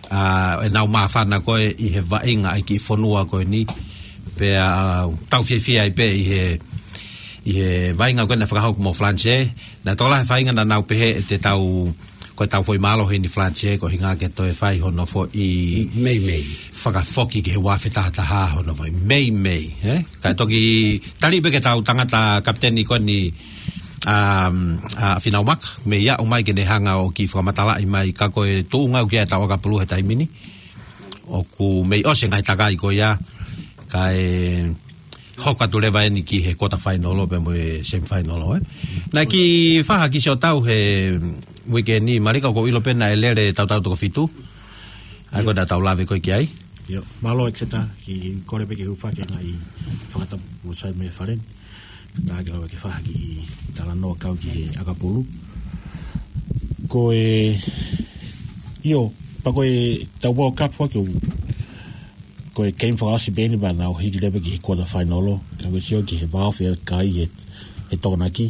ā, ʻenau māfana ko ē ʻi he vaʻinga ʻa e kiʻi fonua ko eni, pea, ā, tau fiefia ai pē ʻi he, ʻi he vaʻinga ko ē naʻe fakahoko mo Falanse, naʻe tokolahi e faʻahinga naʻa nau pehē ʻe te tau ko ʻetau foʻi mālohi ʻi Falanisē, ko e ʻuhinga ke toe fai hono foʻi meimei fakafoki ki he ua afe taha taha hono foʻi meimei, ē? Kae toki tali pē ke tau tangata kapiteni ko eni, um, ʻa Fīnau Maka, mei aʻu mai ke ne hanga ʻo kiʻi fakamatalaʻi mai, ka ko e tuʻunga ʻoku ʻi ai ʻetau ʻakapulu he taimi ni. ʻOku mei ʻosi e ngaahi takai ko ia, kae hoko atu leva eni ki he quarter final pea mo e semi final, ē. Naʻe kiʻi faha kiʻi siʻotau he weekend ni, Malika, ʻoku ou ʻilo pē naʻe lele tautau toko fitu. ʻA ia ko ʻetau lave ko ē ki ai. ʻIo, mālō ʻEkeseta, kiʻi kole pē ke hūfaki e ngaahi fakatapu kuo sai mei fale ni. Ka ke lava ke faha kiʻi talanoa kau ki he ʻakapulu. Ko e, ʻio, pea ko ʻetau World Cup foki, ko e game fakaʻosi pē eni pea nau hiki leva ki he quarter final. Ka ko e sio ki he vao fea kai he, he Tokonaki.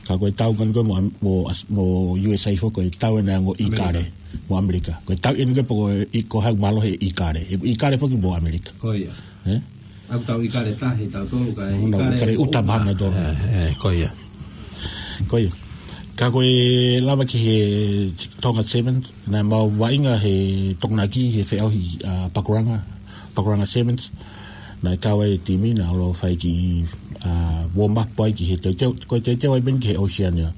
Ka ko e tau ko eni ko ē mo, mo, mo U S A foki, ko e tau ena ʻa e ongo ʻIkale mo ʻAmelika. Ko e tau eni ko ē pea ko e ʻi ko hau mālohi ʻIkale. ʻE ʻIkale foki mo ʻAmelika. Ko ia. Ē? ʻOku tau ʻIkale tahi tautolu, kae ʻIkale ʻuta mahana tolu. Ē, ē, ko ia. Ko ia. Ka ko e lava ki he Tonga Sevens, naʻa mau vaʻinga he Tokonaki he feʻauhi, ʻa, Pakuranga, Pakuranga Sevens. Naʻe kau ai e timi, naʻa nau fai kiʻi, ʻa, warm up ai ki he teuteu, ko e teuteu ai pē eni ki he Oceania.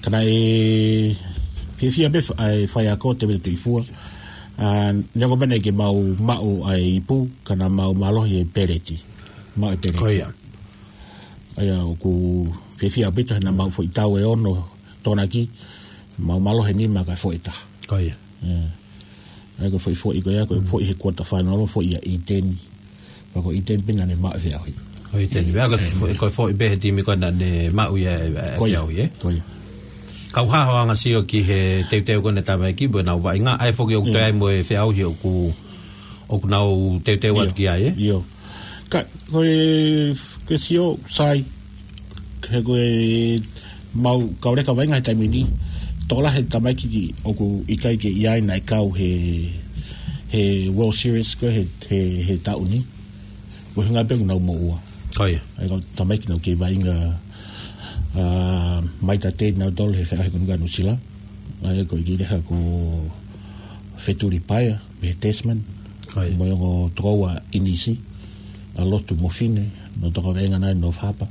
Ka naʻe fiefia pē ʻa e faiako, Tevita Tuʻifua. ʻA, neongo pē naʻe ʻikai ke mau maʻu ʻa e ipu, ka naʻa mau mālohi he peleti. Maʻu e peleti. Ko ia. ʻA ia ʻoku fiefia ʻaupito he naʻa mau foʻi tau ʻe ono Tokonaki, mau mālohi ʻe nima kae foʻi ʻe taha. Ko ia. ʻIo. ʻA ia ko e foʻi, foʻi ko ia, ko e foʻi he quarter final, foʻi ʻa ʻĪteni. Pea ko ʻĪteni pē naʻa ne maʻu e feʻauhi. Ko ʻĪteni. ʻA ia ko e foʻi, ko e foʻi pē he timi ko ē naʻa ne maʻu ia e, e feʻauhi, ē? Ko ia. Kau hā hoʻo anga sio ki he teuteu ko eni ʻa e tamaiki, pea nau vaʻinga, ʻa ia foki ʻoku toe ai mo e feʻauhi ʻoku, ʻoku nau teuteu atu ki ai, ē? ʻIo. Ka, ko e, ko e sio, sai, he ko e mau kau leka vaʻinga he taimi ni, tokolahi e tamaiki ʻoku ʻikai ke ʻi ai naʻe kau he, he World Series ko ē he, he, he taʻu ni. Ko e ʻuhinga pē ʻoku nau moʻua. Ko ia. ʻA ia ko e tamaiki naʻa nau kei vaʻinga, ʻa, mai tatei nautolu he feʻauhi ko eni ʻa Nuʻusila. ʻA ia ko e kiʻi leka ko Fetuli Paea, mei he Tasman. Ko ia. Mo e ongo tokoua ʻInisi, ʻa Lotu Mofine, naʻa nau toka vaʻinga nai North Harbour.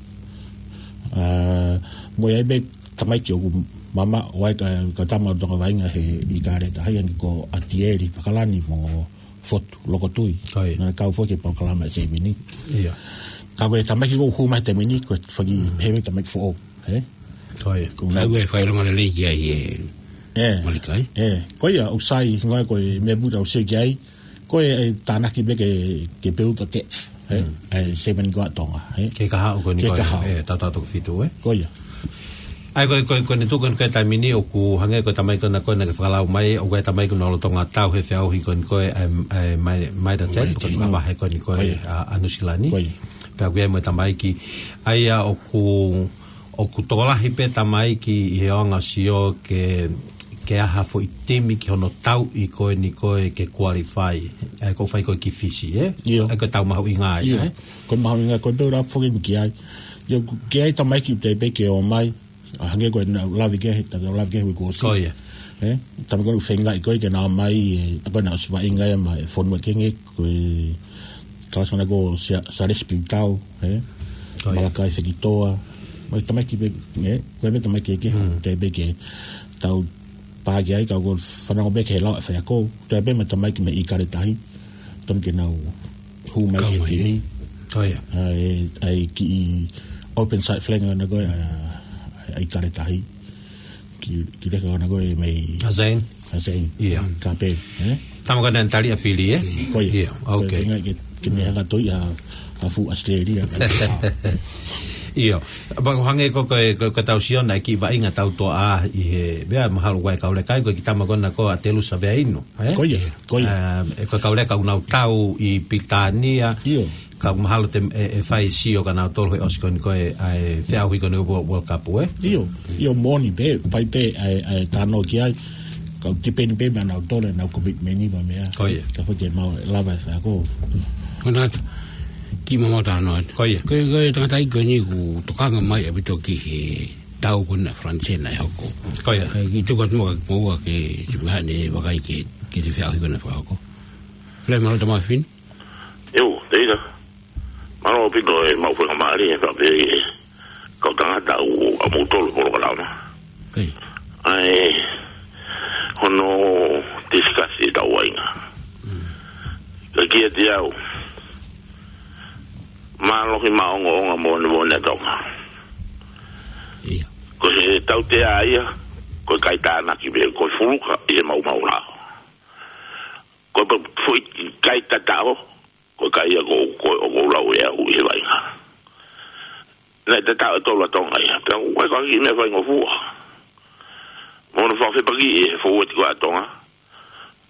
ʻA, mo e ʻi ai pē tamaiki ʻoku mamaʻo ai ka, ka tama toka vaʻinga he ʻIkale tahi, ʻa ia ko ʻAtieli Pakalani mo Fotu Lokotui. Ko ia. Naʻa nau kau foki he polokalama ʻa e taimi ni. ʻIo. Ka ko e tamaiki ʻoku hū mai he taimi ni, ko e fanga pehē tamaiki foʻou, ē? Ko ia. Ko e ʻuhinga ʻoku fai e failonga lelei ki ai ē. Ē. Malika, ē? Ē. Ko ia, ʻoku sai, ʻuhinga ko e meʻa pē ʻoku tau sio ki ai, ko e, ʻe tānaki pē ke, ke build a debt, ē? Mm. ʻA e Seven ko ē ʻa Tonga, ē? Ke kahaʻu ko eni ko e, ē, tautau toko fitu, ē? Ko ia. ʻA ia ko e, ko e, ko eni tuku ko eni ko e taimi ni ʻoku hangē ko e tamaiki ko ena ko ē naʻa ke fakalau mai, ʻoku ʻi ai e tamaiki ʻoku nau lolotonga tau he feʻauhi ko eni ko e, ʻa e, ʻa e Mitre, Mitre ten, Mitre ten, ko e fanga vahe ko eni ko e, ko ia, ʻa, ʻa Nuʻusila ni. Ko ia. Pea ʻoku ʻi ai mo e tamaiki. ʻA ia ʻoku, ʻoku tokolahi pē tamaiki ʻi he anga sio ke, ke ʻi ai ha foʻi timi ki hono tauʻi ko eni ko e ke qualify. ʻA ia ko e fai ko ē ki Fisi, ē? ʻIo. ʻA ia ko e tau mahuʻinga ia, ʻio, ē? Ko e mahuʻinga ko e pē ʻoku lava foki eni ki ai. ʻIo, ʻoku ʻi ai e tamaiki ʻoku teʻeki pē ke ō mai. ʻA, hangē ko e naʻa ku lave ki ai, ta lave ki ai he uike kuo ʻosi. Ko ia. Ē? Tamaiki ko ē ʻoku feingaʻi ko ē ke nau ō mai, ē, ʻa ko ē naʻe ʻosi vaʻinga ia maʻa e fonua kehe, ko e kalasi ko ena ko Sia-, Sialesi Piutau, ē? Ko ia. Malakai Fekitoa. Mo e tamaiki pē, ē? Ko e pē tamaiki kehe, mm, teʻeki pē ke tau pā ki ai, ka ʻoku ou fanongo pē ki he lau ʻa e faiako. Teʻeki pē mo e tamaiki mei ʻIkale tahi. Tonu ke nau hū mai ki he timi. Ko ia. ʻA e, ʻa e kiʻi open side flag ko ena ko e, ʻa, ʻa, ʻa ʻIkale tahi. Kiʻi, kiʻi leka ko ena ko e mei ʻa Zane. ʻA Zane. ʻIo. Ka pē, ē? Tama ko ena naʻe tali ʻa Pili, ē? Ko ia. ʻIo, ko e, OK. Feinga ke, ke ne hanga ʻo toʻo ʻa, ʻa fuʻu ʻAositelēlia. ʻIo. Pea ʻoku hangē ko e, ko e, ko e tau sio naʻe kiʻi vaʻinga tau toʻa ʻi he, meʻa mahalo ʻoku ʻi ai e kau leka ai, ko e kiʻi tama ko ena ko ʻAtelusa Veainu. Ē? Ko ia, ko ia. Ā, ʻe ko e kau leka ʻoku nau tau ʻi Pilitānia. ʻIo. Ka ʻoku mahalo te, ʻe, ʻe fai sio kia nautolu he ʻosi ko eni ko e, ʻa e feʻauhi ko eni World, World Cup, ē? ʻIo, ʻio moʻoni pē, fai pē, ʻa e, ʻa e talanoa ki ai. Ka ʻoku tipeni pē meia nautolu, ʻenau commitment mo e meʻa. Ko ia. Ka fai ke mau lava e faiako. Ko ena, kiʻi maumau talanoa. Ko ia. Ko e, ko e tangataʻeiki ko eni ʻoku tokanga mai ʻaupito ki he tau ko ena Falanisē naʻe hoko. Ko ia. Kae kiʻi tuku atu muʻa kiate koe ke sipika ne vakai ki he, ki he feʻauhi ko ena naʻe fakahoko. Fale mālō Tamafini. ʻIo, teila. Mālō ʻaupito e maʻu faingamālie, faʻa pehē ki he kau tangata ʻoku ʻamoutolu polokalama. Ko ia. ʻA e hono tisikasi ʻetau vaʻinga. Mm. Ka kiate au, mālohi maʻongoʻonga moʻoni moʻoni ʻa Tonga. Ia. Ko e tautea ia, ko e kai tānaki pē, ko e fuluka ʻi he maumau lao. Ko e foʻi kai tataʻo, ko e kai ia ko, ko, ʻoku ou lau ʻe au ʻi he vaʻinga. Naʻe tataʻo ʻe tolu ʻa Tonga ia. Pea ʻoku ʻikai ko ha kiʻi meʻa faingofua. Mo hono fakafepakiʻi ʻe he fōueti ko ē ʻa Tonga.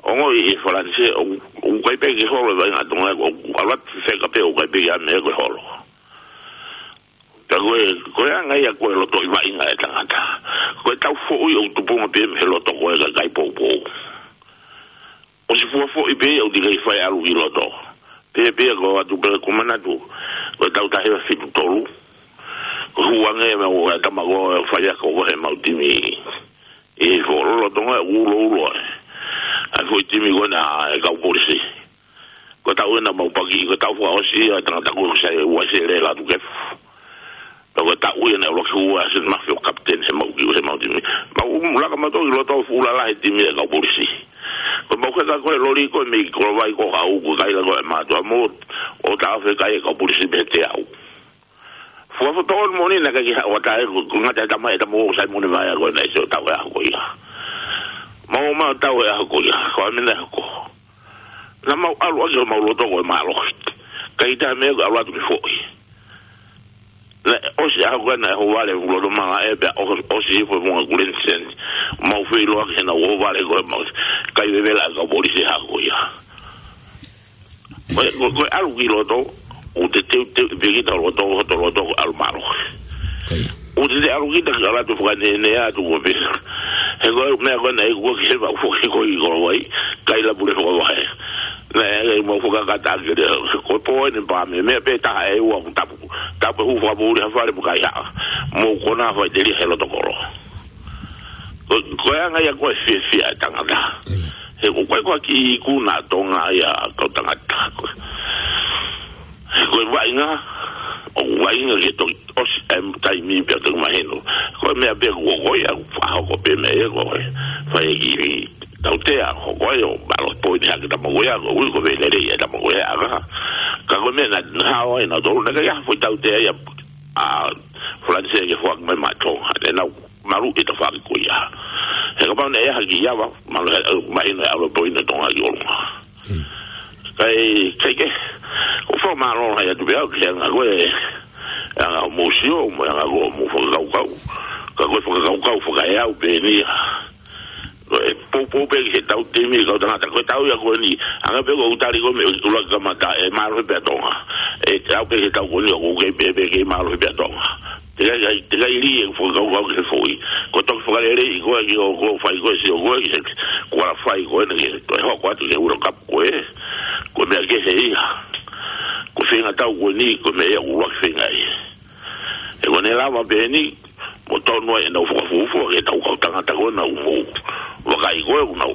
Ongoʻi ʻe Falanisē, ʻoku, ʻoku ʻikai pē ke holo e vaʻinga ʻa Tonga, ʻoku ʻalu atu fefeka pē ʻoku ʻikai pē ke ʻi ai ha meʻa ko e holo. Pea ko e, ko e anga ia ko e lotoʻi vaʻinga ʻa e tangata. Ko e tau foʻi ʻoku tupunga pē mei he loto ko e kakai poupou. ʻOsi fua foʻi pē ia ʻoku teʻeki fai ʻalu ki loto. Pehē pē ia ko atu pē ko e manatu. Ko e tau taha hiva fitu tolu. Ko e hū ange mei he tama ko e faiako ko e mau timi. ʻI he foʻi lolotonga ʻoku uloulo ai. ʻA e foʻi timi ko ena ʻa e kau polisi. Ko e tau ena mau paki, ko e tau fakaʻosi ia ʻa e tangata ko ē ʻoku sai ua sele la tukefu. Pea ko e taʻu ia naʻe ʻuluaki hū ʻa Sini Mafi ʻo kapiteni he mau kiʻi, he mau timi. Mau laka mautolu ki loto fuʻu lalahi e timi ʻa e kau polisi. Ko e mau heka ko e loli ko e mei Kolovai ko e hau ko e kaila ko e mātuʻa mo, ʻo taʻofi e kai ʻa e kau polisi mei he teau. Fua foto on moni naʻe ʻikai ke haʻu ʻa e, ko e ngata e tama, e tama ʻo Saimone Vaea ko ena ʻi he tau e ʻaho ko ia. Mau ō mai ʻo tau e ʻaho ko ia, ko e meʻa naʻe hoko. Naʻa mau ʻalu ʻaki homau loto ko e mālohi. ʻIkai ke ʻi ai ha meʻa ko e ʻalu atu ke foʻi. Naʻe ʻosi e ʻaho ko ena ʻe ʻohovale e loto mala ē pea ʻo, ʻosi hifo e funga kuleni seni. Mau feʻiloaki he naʻa ʻohovale ko e mau. Kai vevela ʻa e kau polisi he ʻaho ko ia. Ko e, ko e, ko e ʻalu ki loto, ʻoku te teuteu pē kita loto, hoto loto ko e ʻalu mālohi. Ko ia. ʻOku te te ʻalu kita ki ʻalu atu fakaneʻeneʻe atu ko pē. He ko e meʻa ko ena ʻe ʻikai ke fai foki ko ē ʻi Kolovai, kaila pule fakavahe. Naʻe, ʻe mau fakakata ake lea, ko e pō eni pā meʻa, meʻa pē taha ʻe ua ʻoku tapu. Tapu e hū fakapoʻuli ha fale mo e kaihaʻa. Mo e konā faʻiteliha he loto kolo. Ko, ko e anga ia ko e fiefia e tangata. Ko ia. He ko e, ko e, ko e kiʻi ikuna ʻa Tonga ia kau tangata ko ē. He ko e vaʻinga, ʻoku vaʻinga ke toki ʻosi e taimi pea toki mahino. Ko e meʻa pē ko, ko ia, fakahoko pē meʻa ia ko e, fai e kiʻi tautea, ko, ko ia, ʻo mālohi poini hake tama ko ia, ko e ui ko e lelei e tama ko ia, ʻa ka. Ka ko e meʻa naʻa, naʻa hao ai nautolu, naʻe ʻikai ha foʻi tautea ia, ʻa Falanisē ke foaki mai maʻa Tonga, naʻa nau malu ʻi he tafaʻaki ko ia. He kapau naʻe ʻi ai ha kiʻi ava, malu he, mahino e ʻalu e poini ʻa Tonga ki ʻolunga. Hmm. Kae, kae kehe, ʻoku ou fakamālō lahi atu pē au ki he anga ko ē, anga hoʻomou sio, mo e anga ko hoʻomou fakakaukau. Ka ko e fakakaukau fakaeau pē eni ia. Ko e poupou pē ki he tau timi kau tangata, ko e tau ia ko eni, anga pē ko e tali ko ē mei he ʻuluaki kamata, ʻe mālohi pē ʻa Tonga. ʻE tau pē ki he tau ko eni, ʻoku kei pē, pē kei mālohi pē ʻa Tonga. Teʻeki ai, teʻeki ai lī e fakakaukau ki he foʻi. Ko e toki fakaleleiʻi koe ki hoʻo, ko e fai ko ē, sio ko ē ki he, ko e ala fai ko ē naʻa ke toe hoko atu ki he World Cup ko ē. Ko e meʻa kehe ia. Ko e feinga tau ko eni, ko e meʻa ia ʻoku ʻuluaki feinga ai. He ko ʻene lava pē eni, mo tonu ai ʻenau fakafuofua ki he tau kau tangata ko ē naʻa mou vakai ko ē ʻoku nau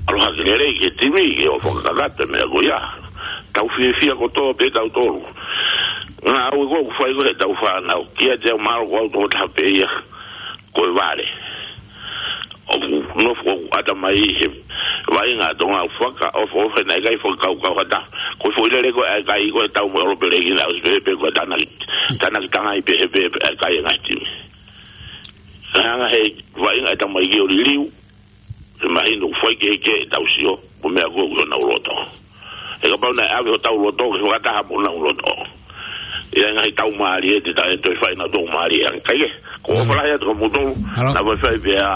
ʻalu hake lelei ki he timi, ke ō fakakakato e meʻa ko ia. Tau fiefia kotoa pē tautolu. Ngāue ko ē ʻoku fai ko ē he tau fānau. Kiate au mahalo ko au tokotaha pē ia. Ko e vale. ʻOku nofo ʻoku ʻata mai he vaʻinga ʻa Tonga ʻoku fakaʻofoʻofa naʻe ʻikai fakakaukau ha taha. Ko e foʻi lele ko ē ʻa e kai ko ē tau mo e ʻolopelekina ʻosi pē pē ko e tānaki, tānaki tangai pē he pē pē ʻa e kai e ngaahi timi. Ka hanga he vaʻinga ʻe tamaiki ʻo liliu, he mahino ʻoku fai kehekehe ʻetau sio, mo e meʻa ko ē ʻoku ʻi honau loto. He kapau naʻe ʻave hotau loto, ke fakataha mo honau loto. ʻI ai e ngaahi tau mālie, te tau toe fai ʻenau tau mālie ange. Kae kehe, ko e ʻofa lahi atu kia moutolu, naʻa faifai pē ā,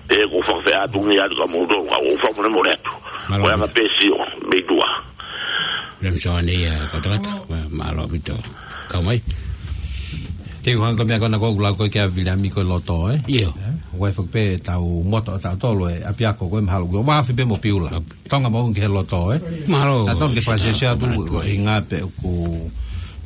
pea ko e fakafeʻātungia atu kia moutolu, ka ʻoku ou fakamolemole atu. Ko e anga pē sio, mei tuʻa. Lem so ane ia, kau tangata, mālō ʻaupito. Kau mai. Te u hanga ko e meʻa ko ena ʻoku lau ko ē kia Viliami ko e loto, ē? ʻIo. Ē? ʻOku ʻi ai foki pē ʻetau moto ʻatautolu ē, ʻapiako ko ē mahalo. ʻOku ou afe pē mo Piula. Tonga mo ʻOngi ki he loto, ē? Mālō. Naʻa tonu ke fakasiosio atu, ʻuhinga pē ʻoku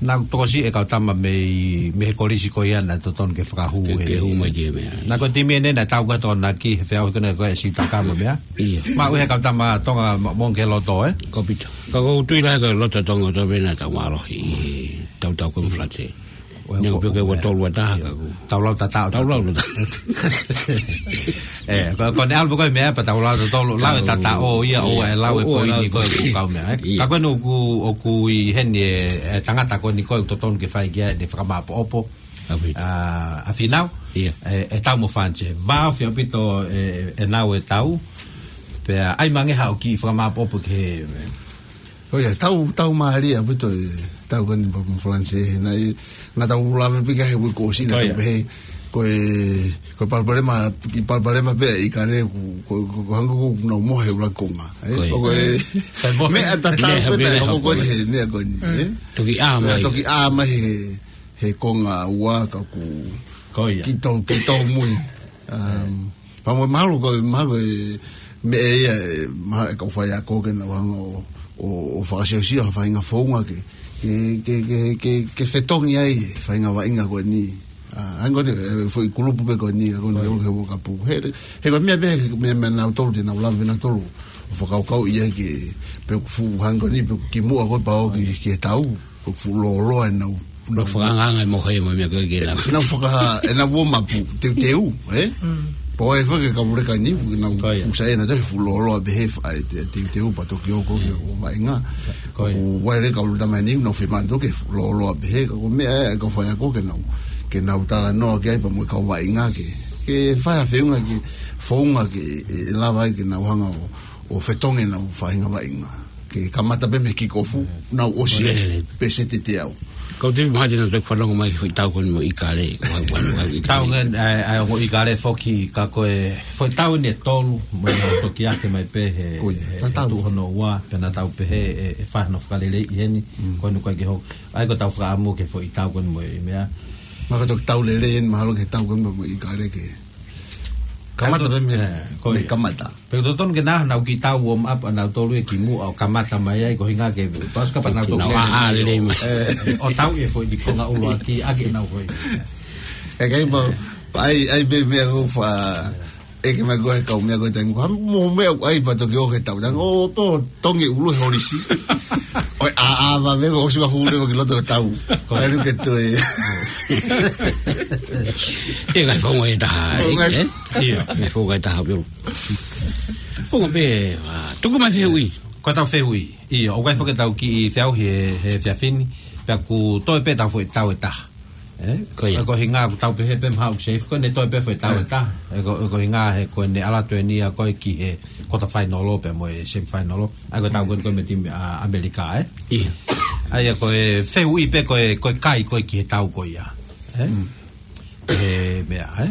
Naʻa ku tokosiʻi e kau tama mei, mei he kolisi ko ia naʻe totonu ke fakahū Ke, he ke hū mai ki he meʻa. Naʻa ko e timi eni naʻe tau ko e Tokonaki, he feʻauhi ko ena ko e Siutaka mo e meʻa. Ia. Maʻu he kau tama Tonga mo, mo ke loto, ē? Ko pita. Ka ko u tui lahi ko e loto Tonga ʻo tau vena tau mālohi. Tau tau ko e Falanisē. Ua Neu ko pio ke ua tolu ua taha ka ku. Tau lau tatau. Tau lau tatau. Ē, ko, ko ʻene ʻalu pē ko e meʻa pea tau lau tatau, lau e Tau- tatau, ʻo ia, ʻo ia, e lau e ʻo, ʻo e lau poini e ko e poini. Kau meʻa, ē. Ia. Ka ko eni ʻoku, ʻoku ʻi heni e, e tangata ko eni ko e totonu ke fai ki ai ʻene fakamāʻopoʻopo. ʻA Finau. ʻA, ʻa Finau. Ia. E, e tau mo Falanisē. Vāofi ʻaupito e, e nau e tau. Pea ʻai mangeha ʻo kiʻi fakamāʻopoʻopo ki he Ko ia, tau, tau mālie ʻaupito e tau ko eni pea mo Falanisē, he naʻe, naʻa tau lave pē ki ai he uike kuo ʻosi naʻa Ko tau ia. pehē, ko e, ko e palopalema, kiʻi palopalema pē ʻa ʻIkale ko, ko, ko, ko e hangē ko ʻenau mohe ʻuluaki konga, ē? Ko ia. Ko e, Ko e mohe. meʻa tatau Meʻa pē pē naʻe naʻe hoko hoko ko eni ia. he, meʻa ko eni, ē? Toki ʻā Meʻa mai. toki ʻā mai he, he konga ua ka ku Ko ia. kiʻi tau, kiʻi tau mui. Um, pea mo e mahalo ko e, mahalo e meʻa ia, e, mahalo e kau faiako ke nau hanga ʻo, ʻo, ʻo fakasiosio ha faʻahinga founga ke, ke, ke, ke, ke, ke fetongi ai e faʻahinga vaʻinga ko eni. ʻA, hangē ko eni, e, foʻi kulupu pē ko eni, ko eni Ko ia. he, he World Cup. He, he ko e meʻa pē, he meʻa, meʻa nautolu, te nau lava pē nautolu ʻo fakakaukauʻi ai ke, pe ʻoku fuʻu hangē ko eni, pe ʻoku kimuʻa ko e pau ki, ki he tau. Ko e fuʻu lōloa ʻenau, Lo ʻenau fakaangaanga e mohe mo e meʻa ko ē ke nau. ʻenau faka-, ʻenau uomapu, teuteu, ē? Mm. Pea ʻoku ʻi ai foki e kau leka ni, ʻenau Ko ia. fusa ʻenau toe fuʻu lōloa pehē fa-, ʻa e te-, teuteu pea toki hoko ki he vaʻinga. Ko ia. ʻOku ʻi ai e kau tama ni, ʻenau fiemaʻu ke fuʻu lōloa pehē, ka ko e meʻa ē, kau faiako ke nau, ke nau talanoa ki ai pea mo e kau vaʻinga ke, ke fai ha feʻunga ke, founga ke, ʻe lava ai ke nau hanga ʻo, ʻo fetongi ʻenau faʻahinga vaʻinga. Ke kamata pē mei he kikofu, nau ʻosi Lelei. pē se tete au. Kau te mahalo naʻa te fanongo mai ki he foʻi tau ko eni mo ʻIkale, ua, ua, ua, ʻIkale. Tau ngen, ʻa e, ʻa e ongo ʻIkale foki ka ko e, foʻi tau eni ʻe tolu, mo e toki ake mai pē he, Ko ia, he, he tatau. tuʻu hono ua, pea naʻa tau pehē, ʻe, ʻe fai hano fakaleleiʻi heni, Mm. ko eni ko e ke hoko. ʻA ia ko e tau fakaʻamu ki he foʻi tau ko eni mo e meʻa. Ma ka toki tau lelei eni mahalo ki he tau ko eni mo ʻIkale ke. Kamata Kato-, pē mei, ē, ko mei ia. kamata. Pea totonu ke nau, nau kiʻi tau warm up ʻanautolu ʻe kimuʻa ʻo kamata mai ai ko e ʻuhinga ke, pasu ka pea nau Ke toki nau lele ʻā, ʻā mai lelei ʻo, mai. ʻo tau e foʻi konga ʻuluaki, ʻa ke nau foʻi. ʻE kai pa, pa ʻai, ʻai pē meʻa ko fa, ʻeke mai ko e kau meʻa ko e taimi ko, hangē mo e meʻa ʻoku ʻai pea toki ō ki he tau. Tanga, ʻo, ʻo, tongi ʻulu he holisi. ʻOi, ʻā, ʻā, ma me ko ʻosi ma hū leva ki loto tau. Ko. ʻAlu ke toe. ʻE kai founga ʻe taha, Founga. ē? Ia. ʻE founga ʻe taha, pio. Founga pē, ʻa, tuku mai fehuʻi. Ko e tau fehuʻi. Ia, ʻoku ʻi ai foki e tau kiʻi fehuʻi he, he efiafi ni. Pea kuo toe pē tau foʻi tau ʻe taha. Ē? Ko ia. Ko e ʻuhinga ʻoku tau pehē pē mahalo ʻoku safe ko ʻene toe pē foʻi tau ʻe taha. ʻE ko, ko e ʻuhinga he ko ʻene ʻalu atu eni ia ko e ki he quarter final pea mo e semi final. ʻA ia ko e tau ko eni ko e mei he timi ʻa ʻAmelika, ē? Ia. ʻA ia ko e fehuʻi pē ko e, ko e kai ko ē ki he tau ko ia. Ē? Mm. ʻE meʻa, ē?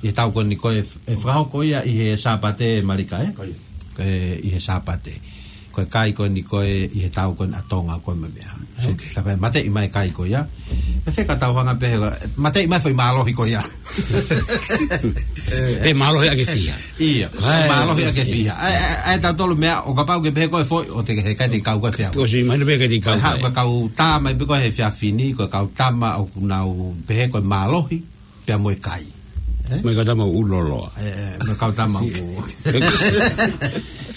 ʻI he tau ko eni ko e, ʻe fakahoko ia ʻi he Sāpate Malika, ē? Ko ia. ʻE, ʻi he Sāpate. Ko e kai ko eni ko e ʻi he tau ko eni ʻa Tonga ko e meʻa. Ok. Ka pea mateʻi mai kai ko ia. Pea fē ka tau hanga pē he, mateʻi mai foʻi mālohi ko ia. Pe mālohi ʻa ke fiha. Ia, Ai. mālohi ʻa ke fiha. ʻAi, ʻai, ʻai, tautolu meʻa, ʻo kapau ke pehē ko e foʻi, ʻo te ke he kai te kau ko e fehuʻi. ʻOsi, mahino pē kai te kau Ko e ha-, ko e. ko e kau tama, pe ko e he efiafi ni, ko e kau tama, ʻoku nau pehē ko e mālohi. Pea mo e kai. Ē? Mo e kau tama ʻulu lōloa. Ē, ē, mo e kau tama ʻulu.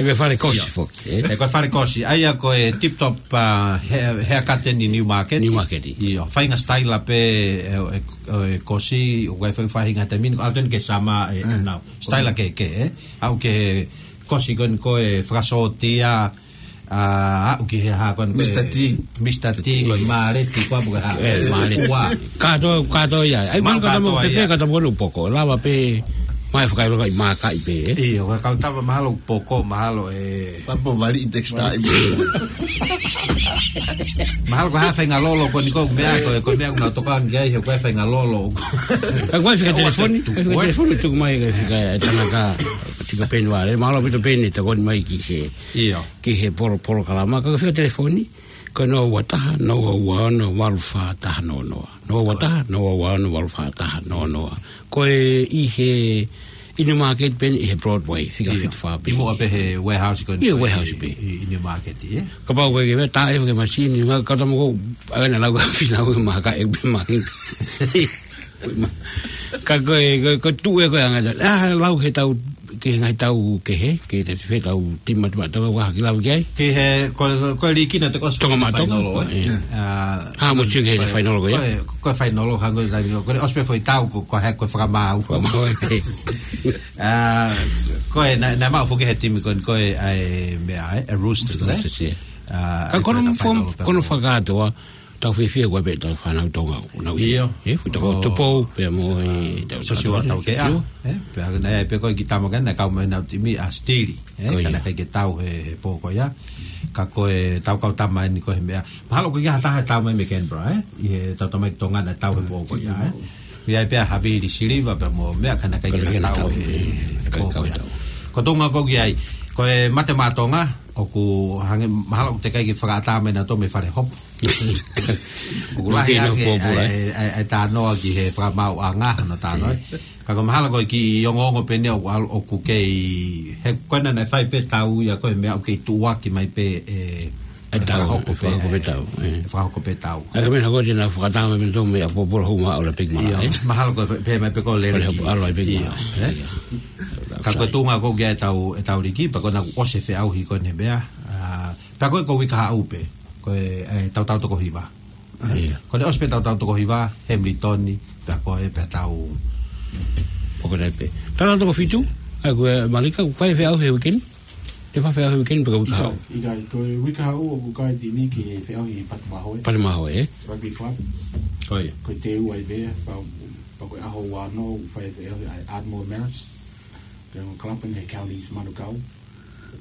ʻE ko e fale kosi Ia. foki, ē? ʻE ko e fale kosi. ʻA ia ko e Tip Top, ʻa, he, he akate ni Newmarket. Newmarket. Ia, faʻahinga sitaila pē, ʻe, ʻe, ʻe kosi, ʻoku ʻi ai foʻi faʻahinga taimi ni, ʻalu atu eni ki he summer, ē, ʻE. nau. Sitaila kehekehe, ē? Aʻu ki he kosi ko eni ko e fakasōtia, ʻa, aʻu ki he hā ko eni ko e Mister T. Mister T, ko e Maleti, ko e ʻapu ko e hā. Ē, Maleti. Ua. Kātoa, kātoa ia. ʻAi, Mau mahalo kātoa kātoa ia. pē, kātoa ʻulu poko. Lava pē, mai fakailo kai mākai pē, ē? Ia, ko e kau tama mahalo poko, mahalo ē. Papo vali i teksta i. Mahalo ko e hā faʻahinga lolo ko eni ko e meʻa ko e, ko e meʻa ʻoku nau tokanga ki ai, he ko e faʻahinga lolo. Ka ko e fika Ua telefoni, tu, ka fika ua. telefoni, tuku mai ka fika e tangata, tika peni vale. Mahalo ʻaupito peni, tokoni mai ki he Ia. ki he polo-, polokalama, ka fika telefoni, ko e noa ua taha, noa ua ono, valu fā taha noa noa. Noa ua taha, noa ua ono, valu fā taha noa noa. Ko e ʻi he, ʻi Newmarket pē ʻi he Broadway, fika ʻIo. fitu fā pē. ʻI muʻa pē he warehouse ko ē ʻIo, ko ē warehouse pē. ʻi, ʻi Newmarket, ē? Kapau ko e ke mea, tā e ke masini, ngā kata mo ko, ʻa na lau ka fina ue maka e pe maki. Ka ko e, ko, ko tuʻu e ko e anga, ʻa, lau he tau, ke ngaahi tau kehe, ke te fe tau tima tima tau wa ki lau ki ai. Ki he, ko, ko, ko e liki naʻe te ko Tonga Maʻa Tonga, fainolo, ē? ʻIo. ʻA, Ha, mo sio ki he ko e, fainolo ko ia? ko e, ko e fainolo, hangē ko e taimi, ko e ʻosi pē foʻi tau, ko, ko e, ko e fakamaau. Fakamaau, ē. ʻA, ko e, naʻe, naʻe maʻu foki he timi ko ē, ko e, ʻa e, meʻa, ē, e Roosters, ē? Roosters, ē. ʻA, Ka ko e kono ko e fo-, fainolo pē kono mo. fakakātoa, tau fiefia ko e pē tau fānau Tonga, nau ʻIo. ʻi, ʻi, futa ko Ko Tupou, pea mo e, tau, Sosiua tau, Taukeʻa, Sosiua. ē? Pea naʻe pē ko e ki tama ka naʻe kau mai nau timi ʻa Stili, ē? Ko Ka ia. naʻe ʻikai ke tau he, he pō ko ia. Ka ko e tau kau tama eni ko e he meʻa. Mahalo ko e ki ha taha tau mai mei Canberra, ē? ʻI he tau tama mai ki Tonga naʻe tau he pō ko ia, ē? ʻI ai pē ʻa Havili Siliva pea mo meʻa ka naʻe ʻikai ke Ka naʻe tau tau he, he, he he pō ko ia. Ko Tonga ko ki ai. Ko e Mate Maʻa Tonga, ʻoku hangē, mahalo ʻoku teʻeki ke fakaʻatā mai nautolu mei fale hopo. ʻOku lahi Kino ake, pōpula, ē? ʻa e, ʻa e, ʻa e tānoa ki he fakamaauʻanga, hono tānoa. Ka ko mahalo ko e kiʻi ongoongo pē eni ʻoku ʻalu, ʻoku kei, he ko ena naʻe fai pē tau ia ko e meʻa ʻoku kei tuʻuaki mai pē, ē, ʻE tau, fakahoko ʻe pē, fakahoko pē ē, tau, ē. ʻe fakahoko pē tau. ʻA e ka mena ko e te na fakaʻatā mai mei tō mei a pōpula huma ʻo la peki mala, Ia, ē? mahalo ko e pē mai pē ko e lele Pale ki. ʻalu ai peki Ia, mala. ē? Ia. Ka ko e tuʻunga ko e ki ai e tau, e tau liki, pea ko ena kuo ʻosi e feʻauhi ko eni he meʻa. ʻA, pea ko e ko e uike kahaʻu pē, ko e, e, tautau toko hiva. Ia. Ko ena ʻosi pē tautau toko hiva, Hamilton, pea ko e pea tau. Poko nai pē. Tautau toko fitu, ʻa ko e Malika, ko e feʻauhi he uike ni? Te fai feʻauhi he uike ni pe ko e uike kahaʻu? ʻIkai, ʻikai, ko e uike kahaʻu ʻoku kai timi ki he feʻauhi Patumahoe. Patumahoe, ē? Rugby Club. Ko ia. Ko e teu ai pē, pea, pea ko e ʻaho ua noa, ʻoku fai feʻauhi ʻa e Ardmore Marist. Ko e club eni he Counties Manukau.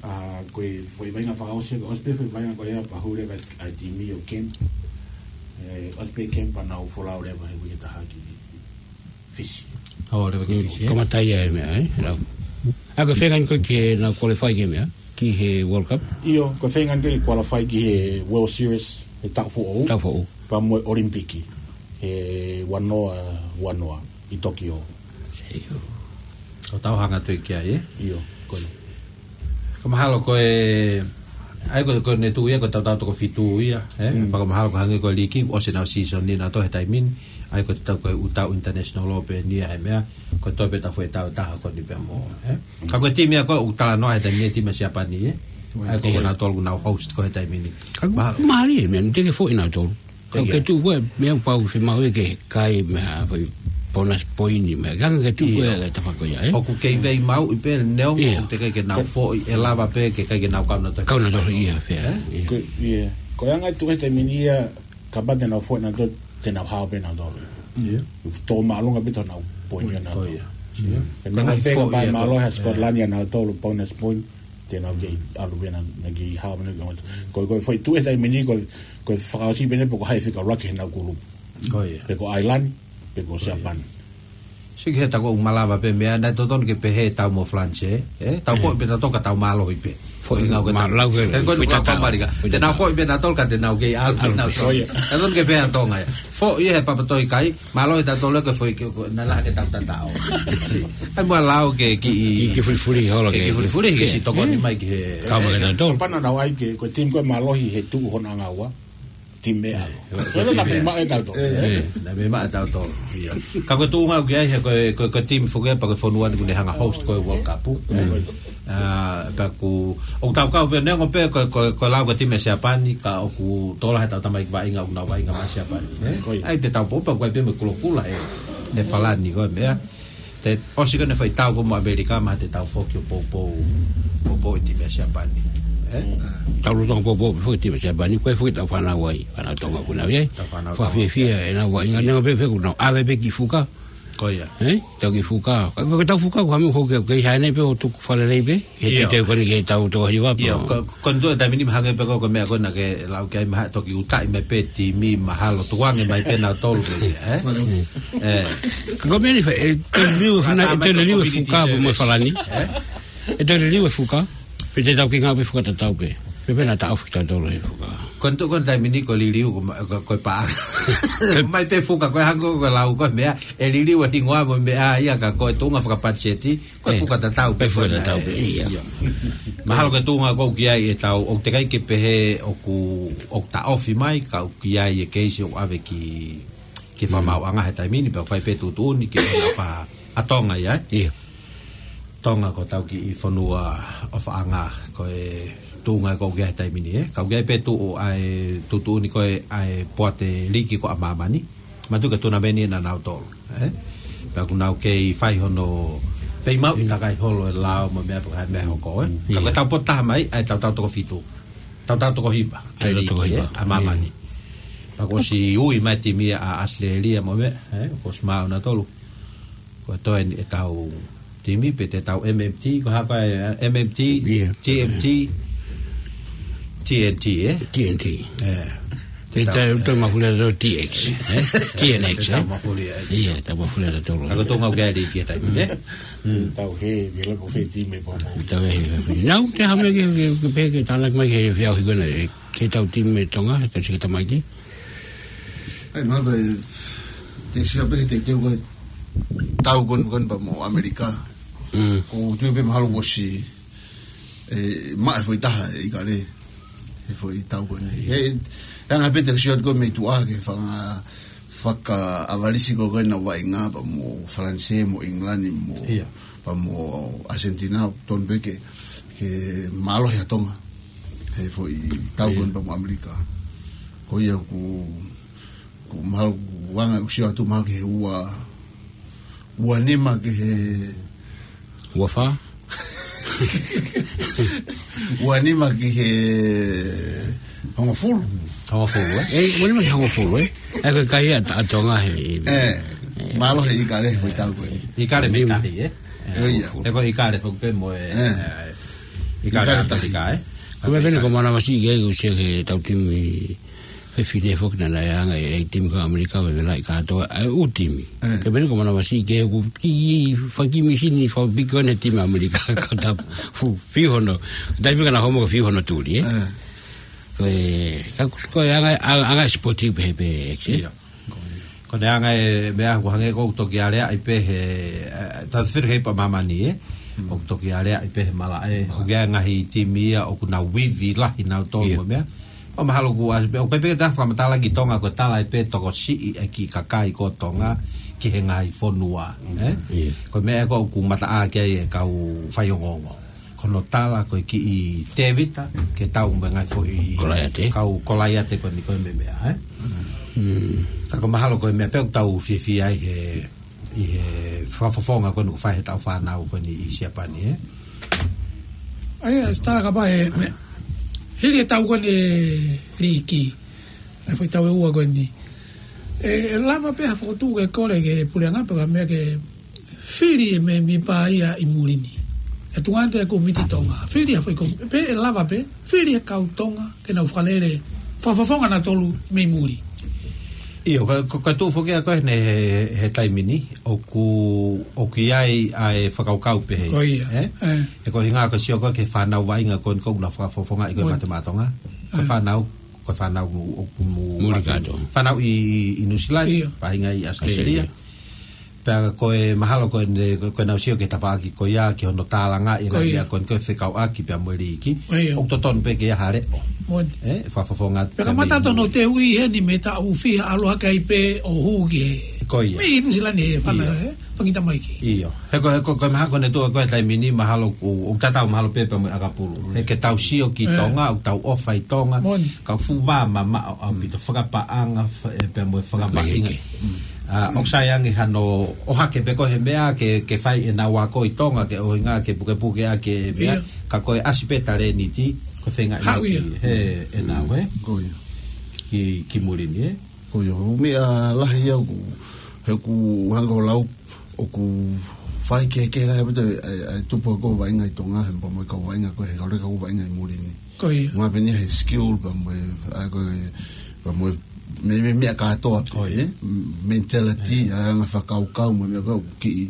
ʻA, ko e foʻi vaʻinga fakaʻosi, ko e ʻosi pē foʻi vaʻinga ko ia pea hū leva ʻa e timi ʻo Kemp. ʻE, ʻosi pē Kemp pea nau folau leva he uike taha ki Fisi. ʻO, leva ki Fisi, ē? Kamata ia e meʻa, ē? Lau. ʻA, ko e feinga ko ē ke nau qualify ki he meʻa, ki he World Cup? ʻIo, ko e feinga ko ē ke qualify ki he World Series, he taʻu foʻou. Taʻu foʻou. Pea mo e ʻOlimipiki, he ua noa, ua noa, ʻi Tokyo. ʻIo. ʻO tau hanga atu ki ai, ē? ʻIo, ko ia. Ka mahalo ko e, ʻa ia ko, ko ʻene tuʻu ia, ko e tautau toko fitu ia, ē? Mm. Pea ko mahalo ko e hangē ko e liki, ʻosi ʻenau season ni nautolu he taimi ni, ʻa ia ko e tau ko e ʻū tau international ʻo pē eni ia he meʻa, ko e toe pē tau foʻi tau ʻe taha ko eni pea mo, ē? Ka ko e timi ia ko ē ʻoku talanoa he taimi ni timi ʻa Siapani, ē? ʻA ia ko ʻIo. nautolu ʻoku nau host ko ē he taimi ni. Ka Mahalo. mālie, meʻa, te ke foʻi nautolu. Ka Ko ia. ke tuʻu ko e, meʻa pau se mau e ke kai meʻa, foʻi bonus point meʻa. Ka ke tuʻu ko e ʻIo. tafa ko ia, ē? ʻOku kei vei mau i pē neongo, ʻIo. ʻoku teʻeki ke nau foʻi, ʻe lava pē ke ʻikai ke nau kau nautolu. Kau nautolu ia, fea. Ē? ʻIo. Ko, ʻio. Ko e anga e tuʻu he taimi ni ia, kapau te nau foʻi nautolu, te nau hao pē nautolu. ʻIo. Tō māʻolunga pē tō nau point ia Ko nautolu. ia. ʻIo. He Ka meʻa ngai pē foʻi ka pai ia mālō ko ha Scotland ia nautolu bonus point, te nau kei ʻalu pē na, na kei hao pē na kei. Ko, ko e foʻi tuʻu he taimi ni, ko, ko e fakaʻosi pē eni pe ko hai fika laki he nau kulupu. Ko ia. Pe ko Ireland, pe ko Ko ia. Siapani. Siki he ta ko ʻoku malava pē meʻa, naʻe totonu ke pehē tau mo France, ē? Tau ʻIo. foʻi pē tautolu ka tau mālohi pē. Foʻi Foʻi ngau ke ma-, tau. lau ke, He ko e foʻi nau tatau. kau Malika. Te nau foʻi pē nautolu ka te nau kei ʻalu pē Alo, nautolu. ʻio. Totonu ke pehē ʻa Tonga ia. Foʻi he papatoi kai, mālohi tautolu ke foʻi ke, ko, na la ke tau tatau. Ai mua lau ke ki Ki, ki fulifuli holo ke, ke. ki fulifuli, ke si tokoni mai ki he. Kau mai ke tautolu. Pana nau ai ke, ko e timi ko e mālohi he tuʻu hono anga ua. Timi ʻe alo. Ko e na mei maʻa e tautolu, ē? Ē, na mei maʻa e tautolu. ʻIo. Ka ko e tuʻunga ʻoku ʻi ai he ko e, ko e, ko e timi foki ia pea ko e fonua ni ʻoku ne hanga host ko e World Cup. ʻA, pea ʻoku, ʻoku tau kau pē neongo pē ko e, ko e, ko e lau ko e timi ʻa Siapani, ka ʻoku tola he tau tamai ki vaʻinga, ʻoku nau vaʻinga mai Siapani, ē? Ko ia. ʻAi te tau pō, pea ʻoku ʻi ai pē mo e kulokula he, he Falani ko e meʻa. Te ʻosi ko ʻene fai tau ko mo ʻAmelika, mahalo te tau foki ʻo poupou, poupou ʻi timi ʻa Siapani. Ē? Tau loto poupou foki timi ʻa Siapani, ko e foki tau fānau ai, fānau Tonga ʻoku nau ʻi ai. Tau fānau Tonga. Fakafiefia ʻenau vaʻinga, neongo pē foki ʻoku nau ʻave pē ki fuka. Ko ia. Ē? Tau ki fuka. Ka, ka tau fuka, ko hami foki, ke ʻi heni pē ʻo tuku fale lei pē. He ʻIo. te te koni ke tau tō hiva pē. ʻIo, ko, ko e tuʻu he taimi ni mahalo pē ko, ko e meʻa ko ena ke lau ki ai mahalo toki ʻutaʻi mai pē timi mahalo tuange mai pē nautolu pē, ē? Ē. Ka ko e meʻa ni fai, ʻe te liliu e fana-, ʻe te liliu e fuka pē mo e Falani. Ē? ʻE te liliu e fuka, pea te tau kei ngāue pē fuka tatau pē. Pea naʻa taʻofi kitautolu he fuka. Ko e tuʻu ko e taimi ni ko e liliu ko ma-, ko, ko e paʻanga. Mai pē fuka ko e hangē ko e lau ko e meʻa, ʻe liliu e hingoa mo e meʻa ia ka ko e tuʻunga fakapatiseti, ko e Eh, fuka tatau pē ko e fuka ko e tatau meʻa, pē, eh, ia. Ia. Mahalo ko e tuʻunga ko ē ʻoku ʻi ai e tau, ʻoku teʻeki ai ke pehē ʻoku, ʻoku taʻofi mai, ka ʻoku ʻi ai e keisi ʻoku ʻave ki, ki he Mm. fakamaauʻanga he taimi ni, pea fai pē tuʻutuʻuni ki he ʻofa ʻa Tonga ia, eh? Ia. Tonga ko hotau kiʻi fonua ʻofaʻanga, ko e tuʻunga ko ē ʻoku ʻi ai he taimi ni, eh? Ka ʻoku ʻi ai pē tuʻu ʻa e tuʻutuʻuni ko ē ʻa e poate liki ko ē ʻa māmani. Mātuʻaki ko e tunameni ʻa nautolu, eh? Pea ʻoku nau kei fai hono feimauʻi Mm. takai holo e lao mo e meʻa pea ko e meʻa hoko, eh? Ka ko e Ia. tau potu taha mai, ʻa e tautau toko fitu. Tautau toko hiva, ʻa e Tautau toko liki, hiva. eh? ʻA māmani. Ia. Pea kuo ʻosi ui mai e timi ʻa ʻAositelēlia mo e meʻa, eh? Kuo ʻosi maʻu nautolu. Ko e toe eni ʻetau timi, pe te tau M M T, ko e hā ko ē, M M T, Ia. T M T, T N T, eh? T N T. Eh. Te Te tau, tau, eh. tau mafuli atu T X, eh? T N X, Te tau eh? mafuli atu. Ia, tau mafuli atu. Ka ko e tuʻunga ʻoku ʻi ai e liki he taimi ni, eh? Mm. Tau he, vela ko fē timi pōpō. Tau he, he, he. Nau, te hame ke, ke, ke pē ke tānaki mai ke fia ʻohi kona, eh, ke tau timi Tonga, he tau sika tamaki. ʻAi, mahalo ko e, te sio pē he te, te ko e tau ko eni, ko eni pea mo ʻAmelika. Mm. Ko u tui pē mahalo kuo ʻosi, eh, maʻu e foʻi taha e ʻIkale. He foʻi tau ko eni. He, he anga pē te sio ko e mei tuʻa ke fanga, fakaʻavalisi ko ē naʻa nau vaʻinga pea mo Falanisē, mo ʻIngilani, mo, Ia. pea mo ʻAsentina, tonu pē ke, ke mālohi ʻa Tonga. He foʻi tau Ia. ko eni pea mo ʻAmelika. Ko ia ʻoku, ʻoku mahalo ʻoku anga ʻoku sio atu mahalo ki he ua, ua nima ki he Ua fā? Ua nima ki he hongofulu. Hongofulu, eh? Eh, ua nima ki he hongofulu, eh? Eh, ko e kai ʻa, ʻa Tonga he, Eh, eh, mālohi e ʻIkale he foʻi tau ko ē. ʻIkale mei Nima. tahi, eh? Io, ia. Hongofulu. He ko e ʻIkale foki pē mo e, Eh. eh, ʻIkale ʻIkale tahi. ʻAmelika, eh? Ko e meʻa pē eni ko e manavasiʻi ke u sio ki he tau timi fefine foki naʻa nau anga e, e timi ko ē ʻAmelika, vevelaʻi kātoa, ʻa e ʻū timi. Eh. Ko e meʻa eni ko e manavasiʻi ke u ki, fakakīmisi ni fakapiko ʻene timi ʻAmelika, ka ta fu, fiu hono, taimi ka na homo ka fiu hono tuli, eh? Eh. Ko e, ka, ko e anga, anga, anga sipoti pē, pē, eh? Ia. Ko e anga e meʻa ʻoku hangē ko ʻoku toki aleaʻi pē he, eh, tau fitu kei pa māmani, eh? Mm. ʻOku toki aleaʻi pē he malaʻe, ʻoku ʻi ai e ngaahi timi ia, ʻoku nau ivi lahi nautolu Ia. mo e meʻa. ʻO mahalo kuo ʻasi pē, ʻoku ʻikai pē ke ta fakamatala ki Tonga, ko e tala ʻe pē tokosiʻi e kiʻi kakai ko Tonga ki he ngaahi fonua, eh? Ia. Ko e meʻa ko ē ʻoku mataʻaki ai e kau faiongoongo. Ko hono tala ko e kiʻi tēvita ke tau mo e ngaahi foʻi Kolaiate. kau Kolaiate ko eni ko e meʻa, eh? Mm. Ka ko e mahalo ko e meʻa pē ʻoku tau fiefia ai he ʻi he fakafofonga ko eni ʻoku fai he tau fānau ko eni ʻi Siapani, eh? ʻAi, ʻa Sita, kapau he meʻa, hili e tau ko eni e liki, ʻa e foʻi tau ʻe ua ko eni. ʻE, ʻe lava pē ha fokotuʻu ke kole ki he puleʻanga pe ko ha meʻa ke fili e mēmipa ia ʻi muli ni. ʻE tuʻu atu e kōmiti Tonga. Fili ha foʻi kō-, pe ʻe lava pē, fili e kau Tonga ke nau fakalele, fakafofonga nautolu mei muli. ʻIo, ka, ka, ka tuʻu foki ʻa ko ē he, he, he taimi ni, ʻoku, ʻoku ʻi ai ʻa e fakakaukau pehē, Ko ia. eh? Eh. ʻE ko e hinga ko e sio ko ē ki he fānau vaʻinga ko eni ʻoku nau fakafofongaʻi ko ē Moʻoni. mate maʻa Tonga. Ko e Eh. fānau, ko e fānau ʻoku mo-, Muli mate-, kātoa. fānau ʻi, ʻi, ʻi Nuʻusila ni, ʻIo. vaʻinga ʻi ʻAositelēlia. ʻAositelēlia. Pea ko e mahalo ko ʻene, ko, ko ʻenau sio ki he tafaʻaki ko ia, ki hono tālangaʻi Ko ia. ia ko eni ko e fekauʻaki pea mo e liki. Ko ia. ʻOku totonu pē ke ʻi ai ha leʻo. Moʻoni. Eh, fakafofonga Pea ka mei mata tonu muli. te ui heni mei taʻu fiha ʻalu hake ai pē ʻo hū ki he. Ko ia. Mei Nuʻusila ni e fana, ʻIo. eh, fanga tamaiki. ʻIo. He ko, he ko, ko e mahalo ko ʻene tuʻu ko ē he taimi ni mahalo ʻoku, ʻoku tatau mahalo pē pea mo e ʻakapulu. He ke tau sio ki Eh. Tonga, ʻoku tau ʻofa ʻi Tonga, Moʻoni. ka fuva mamaʻo ʻaupito fakapaʻanga, fa-, eh, pea mo e fakavaʻinga. Fakavaʻinga. ʻA, ʻoku sai ange hano ʻohake pē ko ē he meʻa ke, ke fai ʻenau ako ʻi Tonga ke ʻuhinga ke pukepuke ʻaki e meʻa, ʻIo. ka ko e ʻasi pē talēniti, ko e feinga Haʻu ia. ki he ʻenau, eh? Ko ia. Ki, ki muli ni, eh? Ko ia, ʻo meʻa lahi ia ʻoku, he ʻoku hanga ʻo lau, ʻoku fai kehekehe lahi ʻaupito e, e, e tupu ko ē vaʻinga ʻi Tonga, he pea mo e kau vaʻinga ko ē, he kau leka ko ē vaʻinga ʻi muli ni. Ko ia. Ngā pē eni he skill, pea mo e, ʻa ko e, pea mo e, me, me, meʻa kātoa pē, Ko ia. eh? Mentality, ʻa e anga fakakaukau, mo e meʻa ko ē ʻoku kiʻi,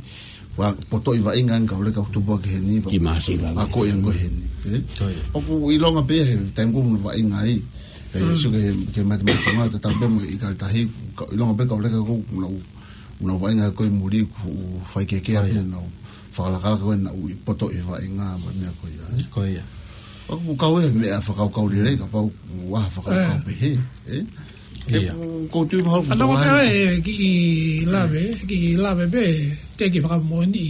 Ua potoʻi vaʻinga ʻa e kau leka ʻoku tupu hake heni. Ki māsila. Ako ia ko heni. Eh? Ko ia. ʻOku ʻilonga pē he taimi ko ē ʻoku nau vaʻinga ai. Eh, Mm. so ke, ke mate mate ngā te tau pē mo e kau tahi. Ka ʻilonga pē kau leka ko ē ʻoku nau, ʻoku nau vaʻinga ko ē muli ʻoku fai kehekehe Ko ia. pē nau. Fakalakalaka ko ē nau ʻi potoʻi vaʻinga mo e meʻa ko ia, eh? Ko ia. ʻOku kau e meʻa fakakaukau lelei kapau ʻoku ʻi ai ha fakakaukau Eh. pehē, eh? Ia. ʻOku ou tui mahalo ʻoku Ana tau waka ai. e ki lave, ki lave pē, te ki fakamoʻoni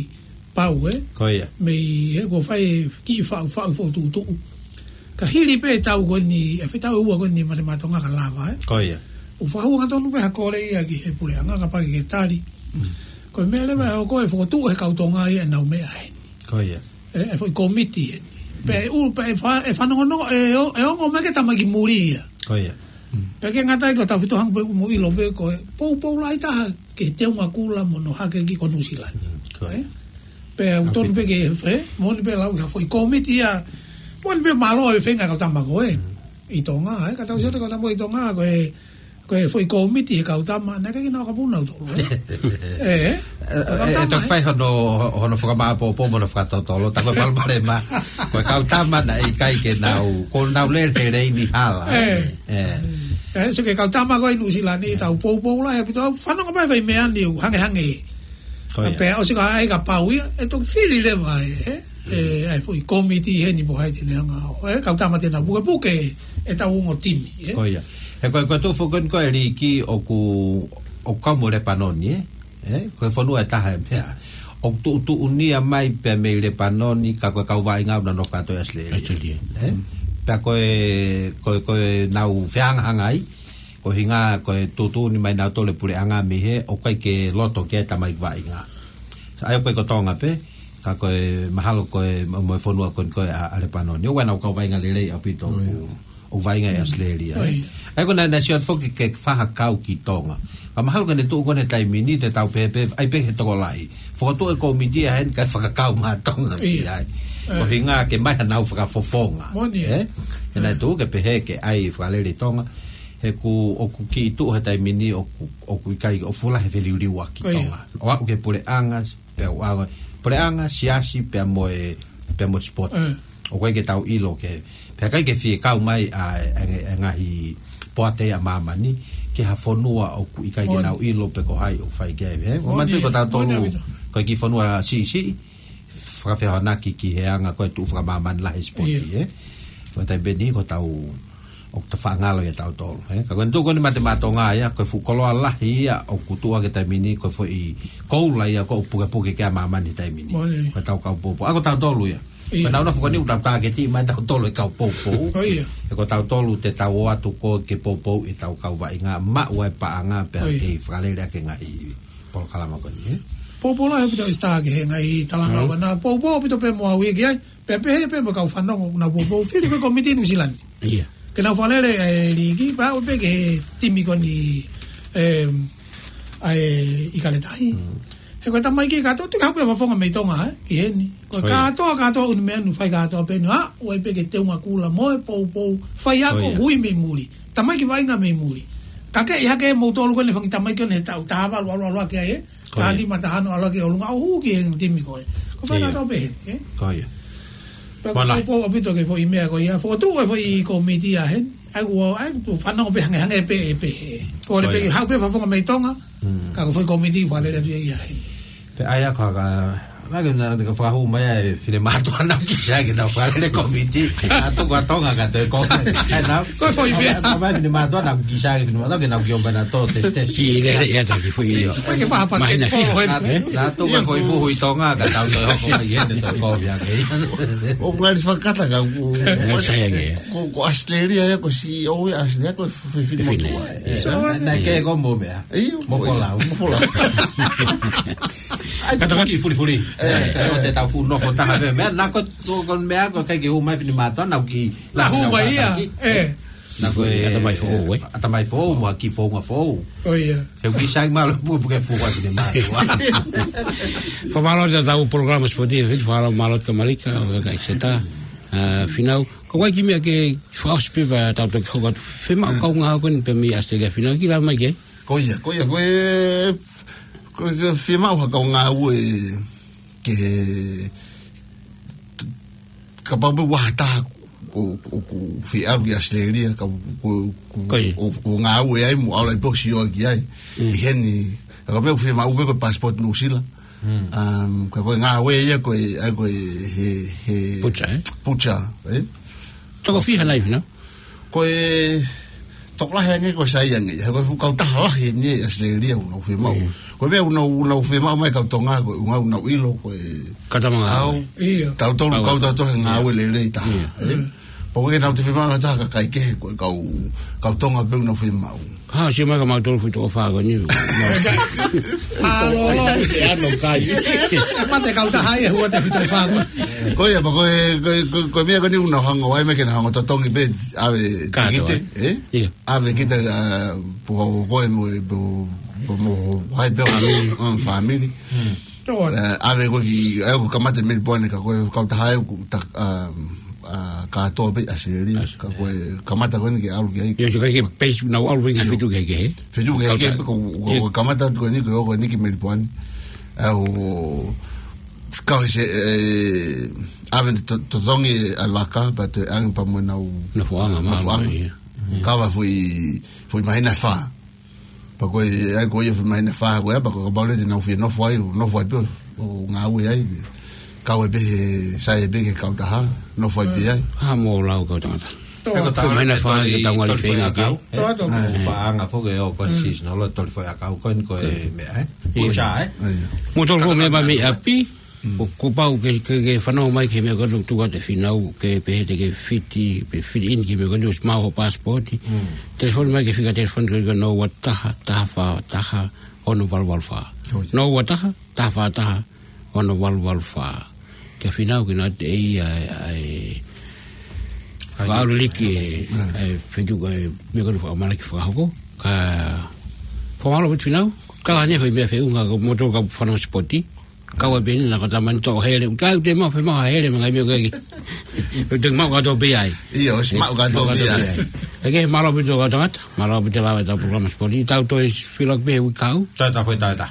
pau, eh? Ko ia. Mei he ko e fai ki faʻu faʻu foʻi tuʻutuʻu. Ka hili pē tau ko eni, e fetau ua ko eni mate matonga ka lava, eh? Ko ia. ʻOku fakahū angatonu pē ha kole ia ki he puleʻanga kapau ke tali. Mm. Ko e meʻa leva ʻoku fokotuʻu he kau Tonga ia ʻenau meʻa heni. Ko ia. E, e foʻi kōmiti heni. Pea ʻe ʻulu, pea ʻe fa-, ʻe fanongonongo, ʻe o-, ʻe ongo mai ke tamaiki muli ia. Ko ia. Pea ke ngata ai ko e tau fitu hanga pē mo ʻilo pē ko e poupou lahi taha ke teunga kula mo hono hake ki ko Nuʻusila ni. Mm, ko ia. Eh? Pea ʻoku tonu pē ke, eh, moʻoni pē lau ia foʻi kōmiti ia, moʻoni pē mālō e feinga kau tama ko ē. Mm. ʻI Tonga, eh? Ka tau sio atu kau tama ʻi Tonga, ko e Ko e foʻi kōmiti he kau tama, naʻe ʻikai ke nau kapuna ʻautolu, eh? Eh, eh? E, Ko e kau e, tama, e toki eh? fai hono, hono fakamāʻopoʻopo mo hono fakatotolo, tā ko e palopalema. Ko e kau tama naʻe ʻikai ke nau, ko nau lele he leini hala. Eh. Eh. Eh, so ke kau tama ko ē ʻi Nuʻusila ni, tau poupou lahi ʻaupito, fanongo mai fai meʻa ni, ʻoku hangehangē. Ko ia. Pea ʻosi ka ai ka pau ia, ʻe toki fili leva, eh? E, ai foʻi kōmiti heni po hai te ne hanga ʻo, e, kau tama te nau pukepuke e tau ongo timi, e. Ko ia. He ko e, ko e tuʻu foki ko ē Liki ʻoku, ʻoku kau mo Lepanoni, e. E, ko e fonua ʻe taha e meʻa. ʻOku tuʻutuʻunia mai pē mei Lepanoni, ka ko e kau vaʻinga ʻoku nau nofo kātoa ʻi ʻAositelēlia. ʻAositelēlia. E. Pea ko e, ko e, ko e nau fehangahangai, ko e ʻuhinga, ko e tuʻutuʻuni mai nautolu e puleʻanga mei hē, ʻoku ʻikai ke loto ki ai e tamaiki vaʻinga. ʻA ia ko e ko Tonga pē, ka ko e mahalo ko e mo, mo e fonua ko eni ko ē ʻa, ʻa Lepanoni. ʻOku ʻi ai ʻenau kau vaʻinga lelei ʻaupito ʻoku, ʻoku vaʻinga ʻi ʻAositelēlia, e. ʻA ia ko ʻenau, ʻenau sio atu foki ke fakakau ki Tonga. Ka mahalo ko ʻene tuʻu ko ē he taimi ni te tau pehē pē, ʻai pē he tokolahi. Fokotuʻu e kōmiti ia heni kae fakakau mai Tonga ki ai. Ko e ʻuhinga ke ʻomai hanau fakafofonga. Moʻoni, e. He naʻe tuʻu ke pehē ke ʻai fakalele Tonga. He ʻoku, ʻoku kiʻi tuʻu he taimi ni ʻoku, ʻoku ʻikai, ʻoku fuʻu lahi e feliuliuaki Tonga. ʻO aʻu ki he puleʻanga, pea ʻoku ʻalu, puleʻanga, siasi, pea mo e, pea mo e sipoti. ʻOku ʻikai ke tau ʻilo ke, pea ʻikai ke fie kau mai ʻa e, e, e ngaahi poate ʻa māmani, ki ha fonua ʻoku ʻikai ke nau ʻilo pe ko hai ʻoku fai ki ai, e. ʻO manatuʻi ko tautolu, ko e kiʻi fonua siʻisiʻi, fakafehoanaki ki he anga ko e tuʻu fakamāmani lahi e sipoti, e. Ko e taimi pē ni ko tau, ʻoku ta faʻa ngalo ia tautolu, e. Ka ko ʻene tuʻu ko eni mate maʻa Tonga ia, ko e fuʻu koloa lahi ia, ʻoku tuʻu ake taimi ni, ko e foʻi koula ia, ʻoku pukepuke ki ai ʻa māmani taimi ni. Ko e tau kau poupou. ʻA ko tautolu ia. Ko ʻenau nofo ko eni ʻoku tau tāketi mai tautolu e kau poupou. He ko tautolu te tau ō atu ko ē ke poupou ʻi he tau kau vaʻinga maʻu ai e paʻanga pea kei fakalele ʻaki e ngaahi polokalama ko eni, e. Poupou lahi ʻaupito ʻEsita ki he ngaahi talanoa ko ena. Poupou ʻaupito pē mo au ia ki ai. Pea pehē pē mo e kau fanongo ʻoku nau poupou. Fili ko e kōmiti Nuʻusila ni. Ia. Ke nau fakalele e Liki, pea ʻoku pehē ki he timi ko eni, e, ʻa e ʻIkale Tahi. He ko e tamaiki kātoa, te ke haʻu pē fafonga mei Tonga, e, ki heni. Ko e kātoa, kātoa ʻū meʻa ʻoku fai kātoa pē eni, a, ʻoku ʻai pē ke teunga kula mo e poupou, fai ako hui mei muli. Tamaiki vaʻinga mei muli. Ka ke ʻi hake moutolu ko eni fanga tamaiki ko eni he taʻu taha valu ʻalu ʻalu ʻaki ai, e. Taha nima, taha ono ʻalu ʻaki ʻolunga ʻo hū ki he timi ko ē. ʻOku fai kātoa pē heni, e. Ko ia. Pea ʻoku poupou ʻaupito ki he foʻi meʻa ko ia. Fokotuʻu e foʻi kōmiti ia heni. ʻA ia ʻoku, ʻa ia ʻoku fanongo pē hangehangē pē ʻe pehē. Ko e ʻai pē ke haʻu pē fafonga mei Tonga. Ka ko e foʻi kōmiti fakalele atu ia heni. Pea ʻai ʻa e kaka, naʻa ke na, na ka fakahū mai ʻa e finemātuʻa naʻa ku kisa ke nau fakalele kōmiti. Naʻa tuku ʻa Tonga ka toe kōmiti. ʻAi nau. Ko e foʻi meʻa. Naʻa mai finemātuʻa naʻa ku kisa ke finemātuʻa ke nau kiʻi ʻomai nautolu ʻo tesitesi. Kiʻi lele ia taki foʻi. Ke paha pasiketipolo heni. Naʻa, naʻa tuku e foʻi fuhu ʻi Tonga ka tau toe hoko mai heni toe kōmiti ake. ʻOku ngali fakakata ka ʻoku. Ngali sai ange. Ko, ko ʻAositelēlia ia ko e C E O ia ʻAositelēlia ko e fefine motuʻa. Fefine. Naʻe ke ko mo meʻa. ʻIo. Mo ko lau. Mo ko lau. ʻAi, ka taki fulifuli. E, ʻo te tau fuʻu nofo taha pē meʻa, naʻa ko, ko, ko meʻa ko e ʻikai ke hū mai finemātuʻa, naʻa ku kiʻi. Naʻa hū mai ia, e. Naʻa ko e ʻatamai foʻou, e. ʻAtamai foʻou, mo e kiʻi founga foʻou. ʻO ia. Ke u kiʻi sai mālō pukepuke fuʻu ʻa finemātuʻa. Fakamālō atu ki he tau polokalama sipoti, fakamālō mālō atu kia Malika, ʻo e kakai ʻEsita, a, Finau. Ko e kiʻi meʻa ke fakaʻosi pē pea tau toki hoko atu. Fiemaʻu kau ngāue ko eni pē mei ʻAositelēlia Finau, kiʻi lave mai ki ai. Ko ia, ko ia, ko e, ko e, ko e fiemaʻu ha kau ngāue, ke, kapau pē ʻoku ʻi ai ha taha ʻoku, ʻoku, ʻoku fie ʻalu ki ʻAositelēlia, ka ʻoku, ʻoku, ʻoku, Ko ia. ʻo, ʻo ngāue ai mo ʻalu ai pē ʻo sio ki ai. Mm. ʻI heni, ka ko e meʻa ʻoku fiemaʻu pē ko e passport Nuʻusila. Mm. Um, ka ko e ngāue ia ko e, ʻa ia ko e he, he Butcher, eh? Butcher, eh? Toko fiha nai fina? Ko e tokolahi ange ko e sai ange. He ko e fuʻu kautaha lahi eni ʻi ʻAositelēlia ʻoku nau fiemaʻu. Mm. Ko e meʻa ʻoku nau, ʻoku nau fiemaʻu mai kau Tonga ko e ʻuhinga ʻoku nau ʻilo ko e Katamanga. ʻAu. Ia. Tautolu Au. kau tautolu he ngāue lelei taha. Ia. Eh? Mm. Pea ko e nau te fiemaʻu ha taha kakai kehe ko e kau, kau Tonga pē ʻoku nau fiemaʻu. Ha, sio mai ka mautolu fuʻu toko fā ko eni. Alo, alo. Te ano kai. Mate kautaha ia, hua te fuʻu toko fā ko eni. Ko ia, pea ko e, ko e, ko e, ko e meʻa ko eni ʻoku nau hanga ʻo ʻai mai ke nau hanga ʻo totongi pē, ʻave Kātoa, tikite, eh? eh? Ia. ʻAve kita, uh, pea ko koe mo, pea, pea mo, hai pē, um, family. Hmm. Tō. Eh, ʻave koe ki, ʻa ia ʻoku kamata Melipoane ka ko e kautaha ʻoku ta-, um, uh, kātoa pē ʻAositelēlia. As-, Ka ko e kamata ko eni ke ʻalu ki ai. Ia, so ka ke peisi nau ʻalu ki Io. Fetuʻu kehekehe. Fetuʻu kehekehe, Kautaha. pea ko, ko, Ia. ko e kamata ko eni, ko, ko eni ki Melipoane. ʻA ia ʻoku kau he se, eh, ʻave to-, totongi ʻa e vaka, pea toe ʻange pea mo ʻenau Nofoʻanga, nofoʻanga. mālō, ia. Kava foʻi, foʻi māhina ʻe fā. Pea ko e, ʻa ia ko ia foʻi māhina ʻe fā ko ia, pea ko e kapau leva te nau fie nofo ai, nofo ai pē ʻo, ʻo ngāue ai. Kau ai pē he, sai ai pē ki he kautaha, nofo ai pē ai. Ha, mo lau kau tangata. Tō. He ko e Foʻi māhina ʻe fā ke tau ngali feinga ke. Tō, tō. Faʻahinga foki ʻo ko e Mm. seasonal, ʻo toli foʻi ʻakau ko eni ko e Ko e. meʻa, eh? Ia. Pucha, eh? Ia. Mo tolu ko e meʻa mai mei ʻapi, Mm. ʻoku pau ke, ke, ke fanongo mai ki he meʻa ko eni tuku atu e finau, ke pehē te ke fiti, pe fiti in ki he meʻa ko eni ʻosi maʻu ho passport. Mm. Telefoni mai ki he fika telefoni ko eni ko e noa ua taha, taha fā taha, ono valu valu fā. Ko ia. Noa ua taha, taha fā taha, ono valu valu fā. Ke finau ke nau te ia, ai, Ai. faʻaulu liki e, Mm. e fetuʻu ko e meʻa ko eni fakamalaki fakahoko. Ka, fakamālō ʻaupito finau, ka la ne fai meʻa feʻunga ko moto ka fanongo sipoti. Kau ai pē eni na ko e tamani toʻo hele. Ka ʻoku te maʻu fe maʻu ha hele mo e ngaahi meʻa ko ē. ʻOku te maʻu kātoa pē ai. Ia, ʻosi maʻu kātoa pē ai. Ē, ke mālō ʻaupito kau tangata, mālō ʻaupito lava ʻetau polokalama sipoti. Tau toe filo pē he uike kahaʻu. Tau, tau foʻi tau ta.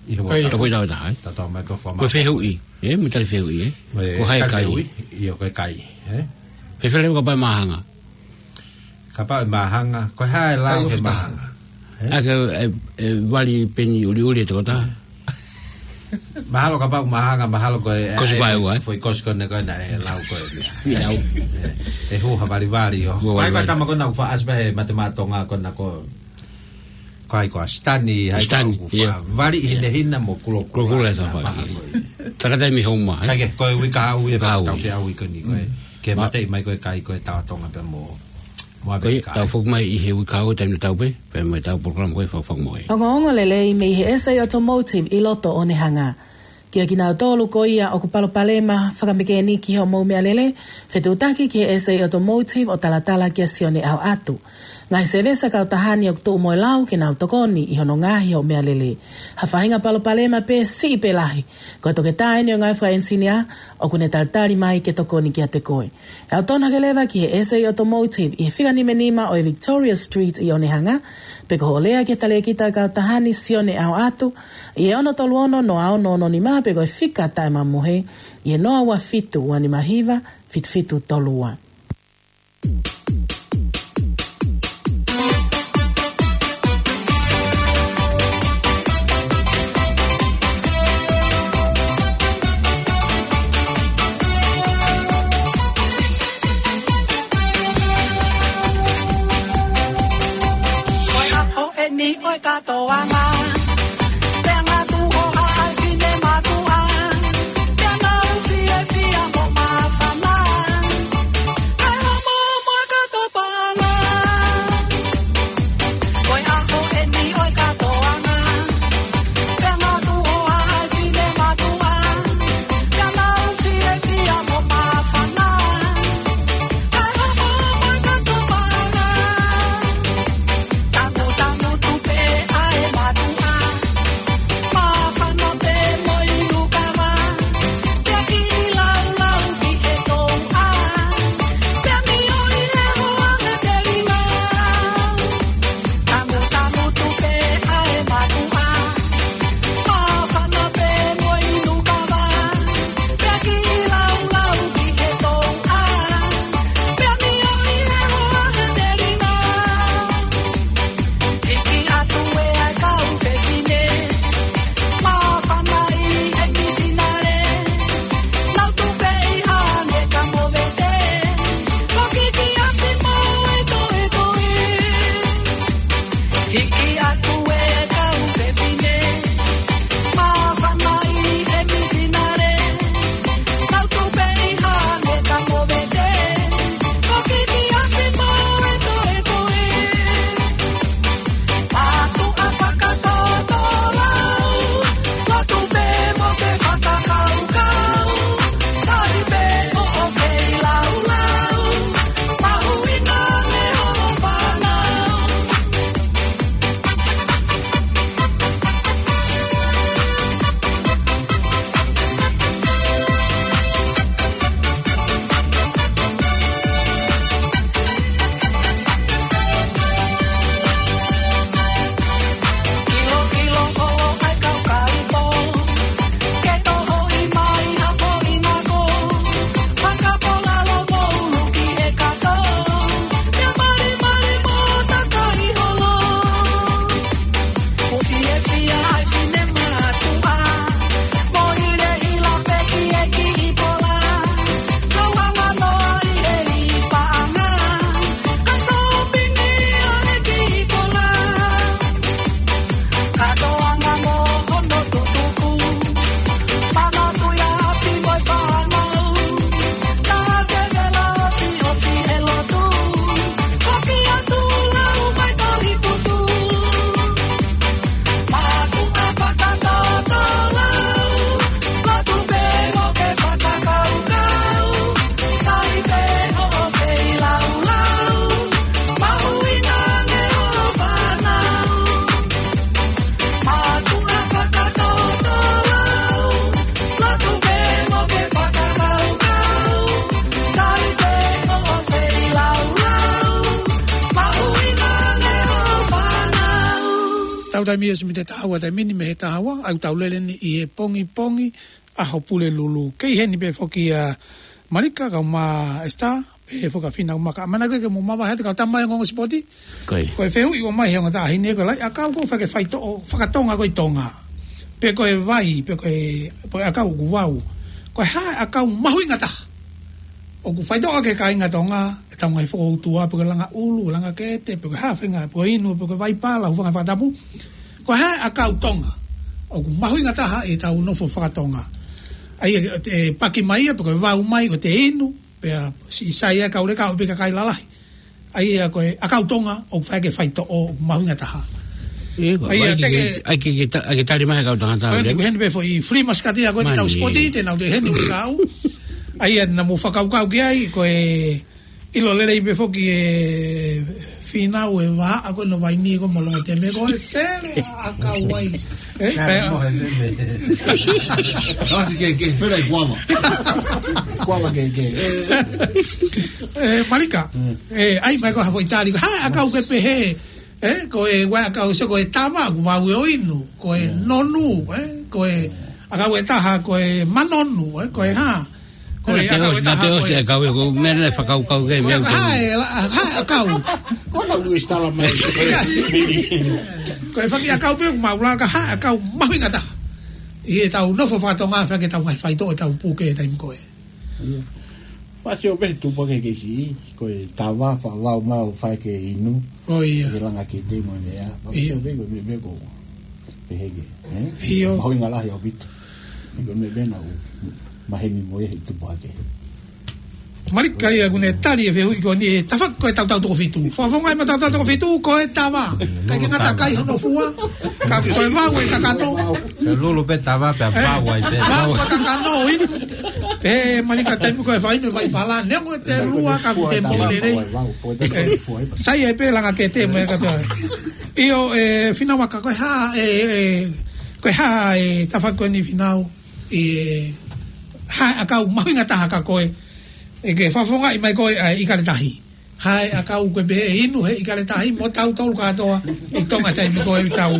ʻI he Ko ia. uike Tau foʻi tau ta, hai. Tau tau mai ko e fua Ko e maʻu. fehuʻi, ē, mo e tali fehuʻi, ē. Ko hai kai. Ko e tali fehuʻi, ia ko e kai, ē. Fēfē kapau ʻe māhanga. Kapau ʻe māhanga, ko e hā e lau Kai he ofi taha. māhanga. Ē? ʻA ke, e, e, vali peni uliuli e tokotaha. Mahalo kapau māhanga, mahalo ko e, Kosi e, vaeua, ē? foʻi kosi ko ena ko ena e lau ko e. Ia lau. E, e hū ha valivali ʻo. Hū ha Ko e valivali. ko e tama ko ena ʻoku faʻa ʻasi pē he matemateʻi Tonga ko ena ko. Ko hai ko ʻAsitani, hai Sitani, ko ʻoku ia. faʻa vali ʻi Ia. hinehina mo kulokula. Kulokula e Nā tafa. paha ko ia. Takataimi homa, ē? Kae kehe, ko e uike kahaʻu ia Kahaʻu. tau fie ʻalu ko eni ko e. Ke Ma- mateʻi mai ko e kai ko e tau Tonga pea mo. Mo Ko ia, Amerika, tau ē? foki mai ʻi he uike kahaʻu taimi tatau pē, pea mo ʻetau polokalama ko e Fakamoʻui. Ongoongo lelei mei he S A Automotive ʻi loto Onehunga. Kia kinautolu ko ia ʻoku palopalema fakamekēniki hoʻomou meʻalele, fetuʻutaki ki he S A Automotive ʻo talatala kia Sione ʻAhoʻatu. Ngaahi sēvesi kautaha ni ʻoku tuʻu mo e lau ke nau tokoni ʻi hono ngaohi hoʻo meʻalele. Ha faʻahinga palopalema pē siʻi pe lahi, ko e toketā eni ʻo e ngaahi fakaʻenisinia ʻoku ne talitali mai ke tokoni kiate koe. ʻE ʻalu tonu hake leva ki he S A Automotive ʻi he fika nima nima ʻo e Victoria Street ʻi Onehunga, pe ko hoʻo lea ki he talēkita kautaha ni Sione ʻAhoʻatu, ʻi he ono tolu ono noa ono ono nima pe ko e fika taʻemamohe, ʻi he noa ua fitu ua nima hiva fitu fitu tolu ua. Ko e ʻaho eni ʻo e kātoanga. Pea ngatu ʻo haʻa e fine matuʻa. Pea ngau fiefia mo māfana. Kae homo mo e kātoanga. Ko e ʻaho eni ʻo e kātoanga. Pea ngatu ʻo haʻa e fine matuʻa. Pea ngau fiefia mo māfana. Kae homo mo e kātoanga. Tangutangu tupe ʻa e matuʻa. Hiki atu e kau fefine, māfana ʻi he misinale, tau tupe ʻi hangē ka movete, ko kiki afi mo e toetoe. Mātuʻa fakatōtōlau, lotu pē mo ke fakakaukau, sali pē hoʻo feilaulau, mahuʻinga ange hoʻo fānau. Kātoanga mo hono tutuku, fānau tuʻi afi mo e fānau, ka ke vela ʻosi ʻosi e lotu, foki atu lau mai tohi putu. Mātuʻa fakatōtōlau, lotu pē mo ke fakakaukau, sali pē hoʻo feilaulau, mahuʻinga ange hoʻo fānau. Mātuʻa fakatōtōlau, lotu pē mo ke fakakaukau, sali pē hoʻo feilaulau, mahuʻinga ange hoʻo fānau. Tau taimi ʻosi mei he taha ua taimi ni, mei he taha ua, ʻoku tau lele ni ʻi he pongipongi ʻaho Pulelulu. Kei heni pē foki ʻa Malika, kau mai Esta, pehē foki ʻa Fina, kau mai ka mana koe ke mou mavahe atu kau tama e ongoongo sipoti. Ko e. Ko e fehuʻi ʻoku ʻomai he ongo taʻahine ko e lahi ʻakau ʻoku faʻa ke faitoʻo fakatonga ko e Tonga. Pe ko e vai, pe ko e, pe ko e ʻakau ʻoku vau. Ko e hā e ʻakau mahuʻinga taha ʻoku faitoʻo ʻaki e kāinga Tonga, ʻetau ngaahi fokoutua, pe ko e langa ʻulu, langa kete, pe ko e hā fenga, pe ko e inu, pe ko e vaipala, hūfanga he fakatapu. Ko e hā e ʻakau Tonga ʻoku mahuʻinga taha ʻi heʻetau nofo fakatonga. ʻA ia, ʻe paki mai ia, pe ko e vau mai, ʻo te inu, pea siʻi sai ʻa e kau leka ʻo pē kakai lalahi. ʻA ia ko e ʻakau Tonga ʻoku faʻa ke faitoʻo mahuʻinga taha. ʻIo, ko e, ʻa ia ʻai ke, ke, ke, ʻai ke, ke ta-, ʻai ke tali mai ʻe he kau tangata ko eni, lele. Ko heni pē foʻi free mascati ʻa ko eni tau sipoti, te nau te heni ʻo kau. ʻA ia naʻa mou fakakaukau ki ai, ko e ʻilo lelei pē foki ʻe Fina ʻa e vaʻa ko ē ʻo Vaini ko Molongo Teme ko e fele ʻakau ai. ʻE, pea. Kasi ke, ke fele kuava. Kuava ke, ke. ʻE, Malika. Mm. ʻE, ʻai mai ko ha foʻi tali, ko e hā e ʻakau ke pehē, ʻe, ko e ʻū ʻakau, so ko e tava, ʻoku vau ʻo inu, ko e nonu, ʻe, ko e ʻakau ʻe taha, ko e manonu, ʻe, ko e hā. Ko e ʻakau ʻe taha, ko e ʻakau ʻe, ko e meʻa naʻe fakakaukau ke, ko e meʻa ʻakau ʻe, la-, hā e ʻakau. Ko e lau ʻi stala mai. Ko e fanga ʻakau pē ʻoku mau laka, hā e ʻakau mahuʻinga taha ʻi heʻetau nofo fakatonga, faʻa ke tau ngaahi faitoʻo ʻetau puke he taimi ko ē. ʻIo. Fasi ʻo pehē tupu ke ke si, ko e tava, faʻa vau mai ʻo faʻa ke inu. ʻIo. Ke langa kete mo e meʻa. ʻIo. Fasi ʻo pehē ko e meʻa, meʻa ko. Pehē ke, ʻe? ʻIo. Mahuʻinga lahi ʻaupito. Ko e meʻa, meʻa naʻa ku maheni mo ia he tupu hake. Malika ia ʻoku ne tali e fehuʻi ko eni he tafaʻaki ko ē tautau toko fitu. Fakafofongaʻi mai tautau toko fitu, ko e tava. ʻIkai ke ngata kai hono fua. Ka ko e vau ʻe kakano. Lulu pē tava pē, ʻe? Vau ai pē. Vau ʻe kakano, inu. ʻE, Malika taimi ko ē fai inu e vaipala, neongo ʻete lua ka ʻoku te moʻui lelei. ʻE, sai ai pē langa kete mo e katoa. ʻIo, ʻe, Fina Vaka, ko e hā, ʻe, ʻe, ko e hā, ʻe, tafaʻaki ko eni Fina ʻo, ʻe, hā e ʻakau mahuʻinga taha kia koe, ʻe ke fakafofongaʻi mai ko ē ʻa e ʻIkale Tahi. Hā e ʻakau ʻoku ke pehē ʻe inu he ʻIkale Tahi mo tautolu kātoa ʻi Tonga taimi ko ē ʻoku tau,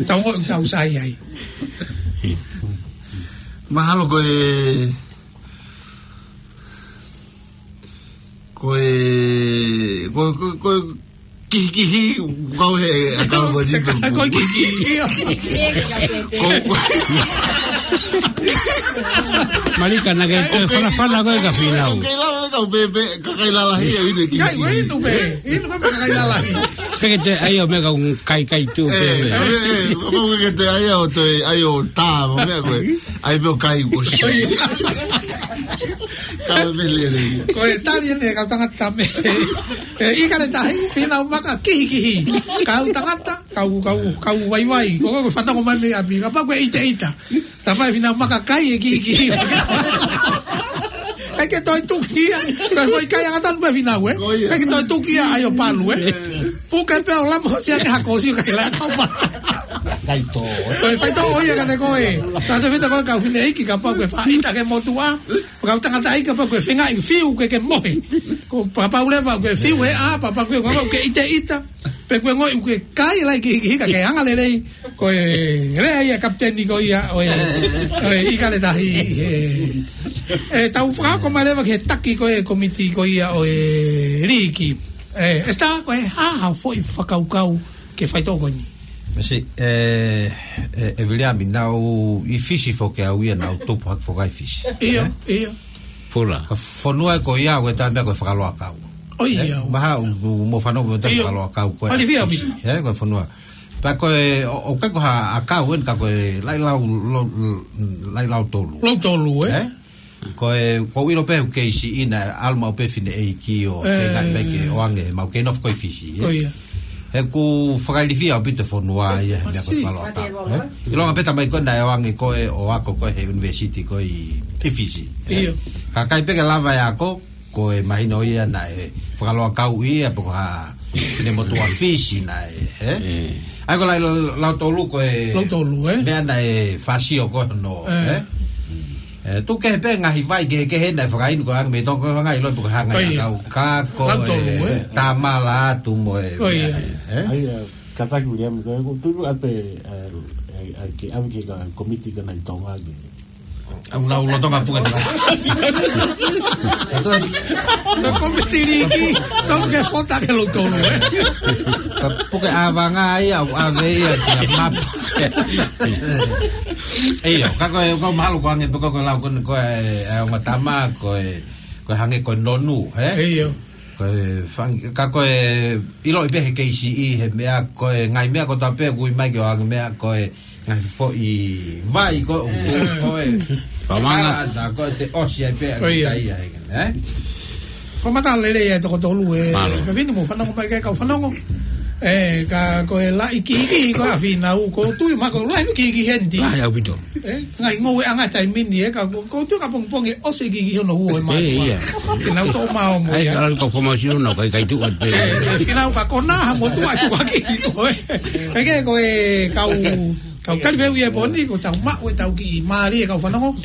tau ongoʻi ʻoku tau sai ai. Mahalo ko e, ko e, ko, ko, ko e kihikihi, kau he, kau ko e tito. Ko e kihikihi. Ko, ko. Malika naʻa ke toe fanafana ko ē kia Fina ʻo. Kei lava kau pē, pē, kakai lalahi ʻe inu e kihikihi. Kai, ko e inu pē, inu pē kakai lalahi. Ke te ai o mea ka un kai kai tu pe. Eh, eh, eh, ko ke te ai o te ai o tā, mo mea ko e. Ai pe o kai ko si. Ka me lele. Ko e tali ʻeni e kau tangata me. E, ʻIkale Tahi, Fīnau Maka, kihikihi. Kau tangata, kau, kau, kau vaivai. Ko, ko, ko fanongo mai mei ʻapi, kapau ko e ʻiteʻita. Tapai Fīnau Maka kai e kihikihi. ʻIkai ke toe tuki ia. Ko e foʻi kai angatonu pē Fīnau, ē? Ko ia. ʻIkai ke toe tuki ia ai o palu, ē? Puke pē ʻo lama hosi ake hako hosi kai la kau ma. Kai tō. Ko e faitoʻo ia kiate koe. Tautefito ko e kau fineʻeiki kapau ko e faʻita ki he motuʻa. Kau tangataʻeiki kapau ko e fengaʻi fiu ke ke mohe. Ko kapau leva ko e fiu he ʻā, kapau ko e, ko e ʻiteʻita. Pe ko e ngoʻi ko e kai lahi kihikihi ka ke anga lelei. Ko e lea ia kapiteni ko ia ʻo e, ʻo e ʻIkale Tahi, e, e, tau fakahoko mai leva ki he taki ko e komiti ko ia ʻo e liiki. E, Esitā, ko e hā haʻo foʻi fakakaukau ki he faitoʻo ko eni? Mesi, e, e, e Viliami, naʻá ku ʻi Fisi foki au ia, naʻá ku tupu hake foki ʻi Fisi. ʻIo, ʻio. Pula. Ko e fonua ko ia, ko e taimi ko e fakaloakau. ʻIo. Mahalo ʻoku mou fanongo mo e fakaloakau ko e Fisi. Ē, ko e fonua. Pea ko e, ʻo, ʻoku ʻikai ko ha ʻakau ʻeni ka ko e laʻi lau, lo, laʻi lautolu. Lautolu, ē? Ē? Ko e, ko u ʻilo pē ʻoku kei siʻi naʻe ʻalu maʻu pē fineʻeiki ʻo fengaʻi mai ke ʻoange, mau kei nofo ko ē ʻi Fisi, ē? Ko ia. He ʻoku fakailifia ʻaupito e fonua ia, he meʻa ko e fakaloakau, ē? ʻIlonga pē tamai ko ē naʻe ʻoange ko ē ʻo ako ko ē he university ko ē ʻi, ʻi Fisi, ē? ʻIo. Ka ʻikai pē ke lava e ako, ko e mahino ia naʻe fakaloakau ia, pe ko ha finemotuʻa Fisi naʻe, ē? ʻE. ʻA ia ko e laʻi lautolu ko e meʻa naʻe fāsio ko ē hono, ē? ʻE, tuku kehe pē ngaahi vai kehekehe naʻe fakainu ko e ʻoange mei Tonga ko e ngaahi ʻilo pe ko e hā e ngaahi ʻakau ka ko e, ē? Tamala atu mo e meʻa, ē? ʻA ia, kātaki Viliami, ko e, ko e tuʻu atu pē, ē, ē, ē, ke ʻave ki he komiti ko ena ʻi Tonga ke ʻAu lau lolotonga puke. Ko e komiti liiki, tonu ke fota ke lautolu, ē? Ka puke ʻavanga ia, ʻave ia ki he mapa. ʻIo, ka ko e, ko e mahalo ko e ʻoange pē ko e, ko e lau ko ē, ko e, e ongo tama, ko e, ko e hangē ko e nonu, ē? ʻIo. Ko e fang-, ka ko e ʻiloʻi pē he kei siʻi he meʻa ko e ngaahi meʻa kotoa pē ʻoku ui mai ke ʻoange meʻa ko e ngaahi foʻi vai ko ē ʻoku ko e. Pamanga. Ala ʻa ko e te ʻosi ai pē ʻa ko ia. Ko ia he, ē? Ko e mata lelei ʻa e toko tolu ē. Mālō. Fefine mo fanongo mai ke kau fanongo. Ē, ka ko e laʻi kihikihi ko ē ʻa Fīnau ko e tui ma ko e laʻi kihikihi heni. Laʻi ʻaupito. Ē, ngaahi ngoueʻanga taimi ni, ē, ka ko, ko e tuʻu ka pongipongi ʻosi e kihikihi hono huo e mātuʻa. Ē, ia. Ke nau toʻo maʻu mo ia. ʻAi, ka lalo ka foma sino nau kai kai tuʻu atu pē. Ē, ē, Fīnau ka kona ha motuʻa tuʻaki. Ko e, ē, ke ko e kau, kau tali feu ia poni, ko ʻetau maʻu ʻetau kiʻi mālie kau fanongo.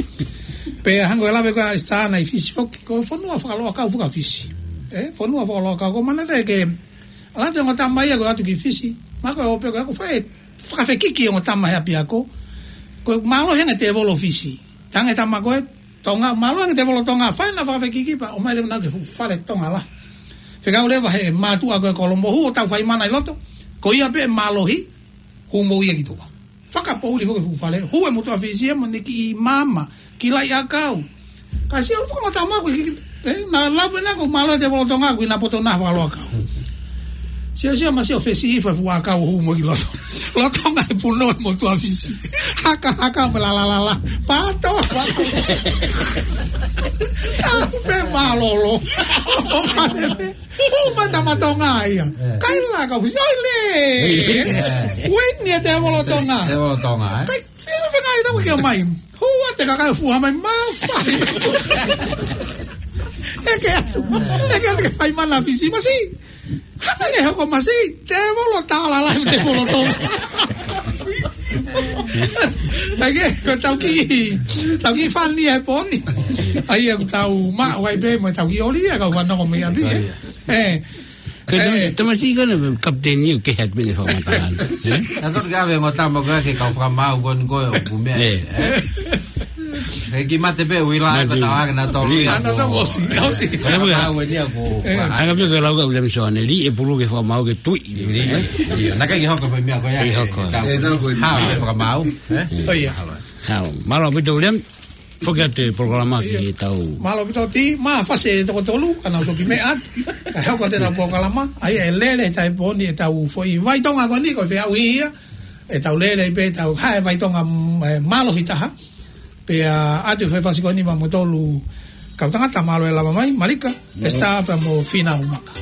Pea hangē ko e lave ko ē ʻa Esitā naʻe ʻi Fisi foki, ko e fonua fakaloakau faka-Fisi. Ē, fonua fakaloakau ko e manatu ke, ʻalu atu e ongo tama ia ko e ʻatu ki Fisi. Ma ko e ō pē ko e ʻaku fai fakafekiki ongo tama he ʻapiako. Ko e mālohi ange tēvolo Fisi. Tange tama ko ē Tonga, mālohi ange tēvolo Tonga, fai ʻena fakafekiki pea ʻomai leva naʻa ke fuʻu fale Tonga lahi. Fekau leva he mātuʻa ko ē Kolomohu ʻo tau fai mana ʻi loto. Ko ia pē mālohi, hū mo ia ki tuʻa. Fakapoʻuli foki fuʻu fale, hū e motuʻa Fisi ia mo ʻene kiʻi maama, kiʻi laʻi ʻakau. Ka sio ʻalu foki ongo tama ko ē ki, ē, naʻa lau pē naʻa ko e mālohi tēvolo Tonga ko ʻena poto naʻa fakaloakau. Sio, sio, ma sio fesi ʻi he fuʻu ʻakau hū mo ki loto. Lolotonga e punou e motuʻa Fisi. Haka, haka, mo e la, la, la, la. Pato, pato. Tapu pē mālōlō. ʻO mane pē. Hū mai tama Tonga ia. Ē. Kai la kau Fisi. ʻOi lē. Ē. Uini e tēvolo Tonga. Tēvolo Tonga, ē? Kai fia fengai tau ke mai. Hū atu e kakai fuha mai mafai. ʻEke atu. ʻEke atu ke fai mana Fisi. Masi. Hana ne hoko masi. Tēvolo tala la tēvolo Tonga. ʻAi ke, ko ʻetau kiʻi, ʻetau kiʻi fani e poni. ʻAi ʻoku tau maʻu ai pē mo ʻetau kiʻi ʻoli ia kau fanongo mei ʻapi, ē. Ē. Ko e tam-, tamasiʻi ko ena kapiteni ʻoku kehe atu pē ʻene fakamatala. Ē? Naʻa tonu ke ʻave ongo tama ko ē ke kau fakamaau ko eni ko e ʻoku meʻa. Ē. Ē? He kiʻi mate pē ʻuhila ai ko e tau hake naʻa tolu ia. Naʻa tolu ʻosi, ʻosi. Ko e fakamaau eni ia ko. Ē. Anga pē ko e lau ka ule miso ane li e pulu ke fakamaau ke tui. Li, ē? Li. Naʻa ke hoko pē meʻa ko ia. Ke hoko. Tau. Ē, tau ko eni. Hao e fakamaau, ē? ʻO ia. Hao. Mālō ʻaupito Viliami. Foki atu e polokalama ki he tau. Mālō ʻaupito Tī, mā fasi e toko tolu, ka nau toki meʻa atu. Kae hoko atu e tau polokalama, ʻa ia ʻe lele he taimi pō ni e tau foʻi vai Tonga ko eni, ko e feʻauhi ia. ʻE tau lele ai pē tau, hā e vai Tonga, mm, e mālohi taha. Pea ʻoatu e foʻi fasi ko eni maʻa moutolu kau tangata, mālō e lava mai, Malika, Esita pea mo Fīnau Maka.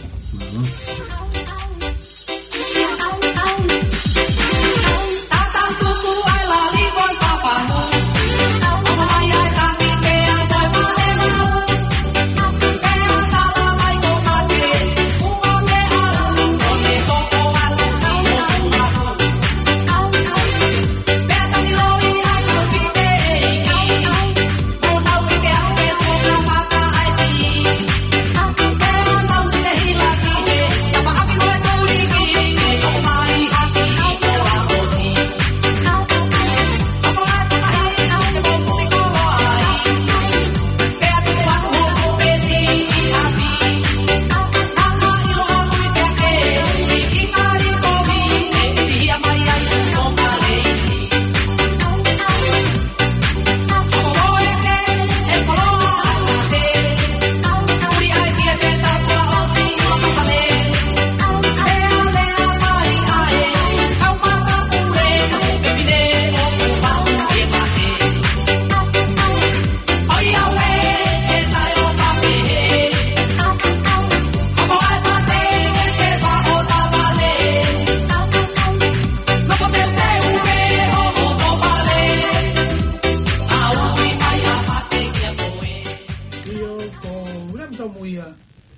ʻIo, ko Uliami Tomuia,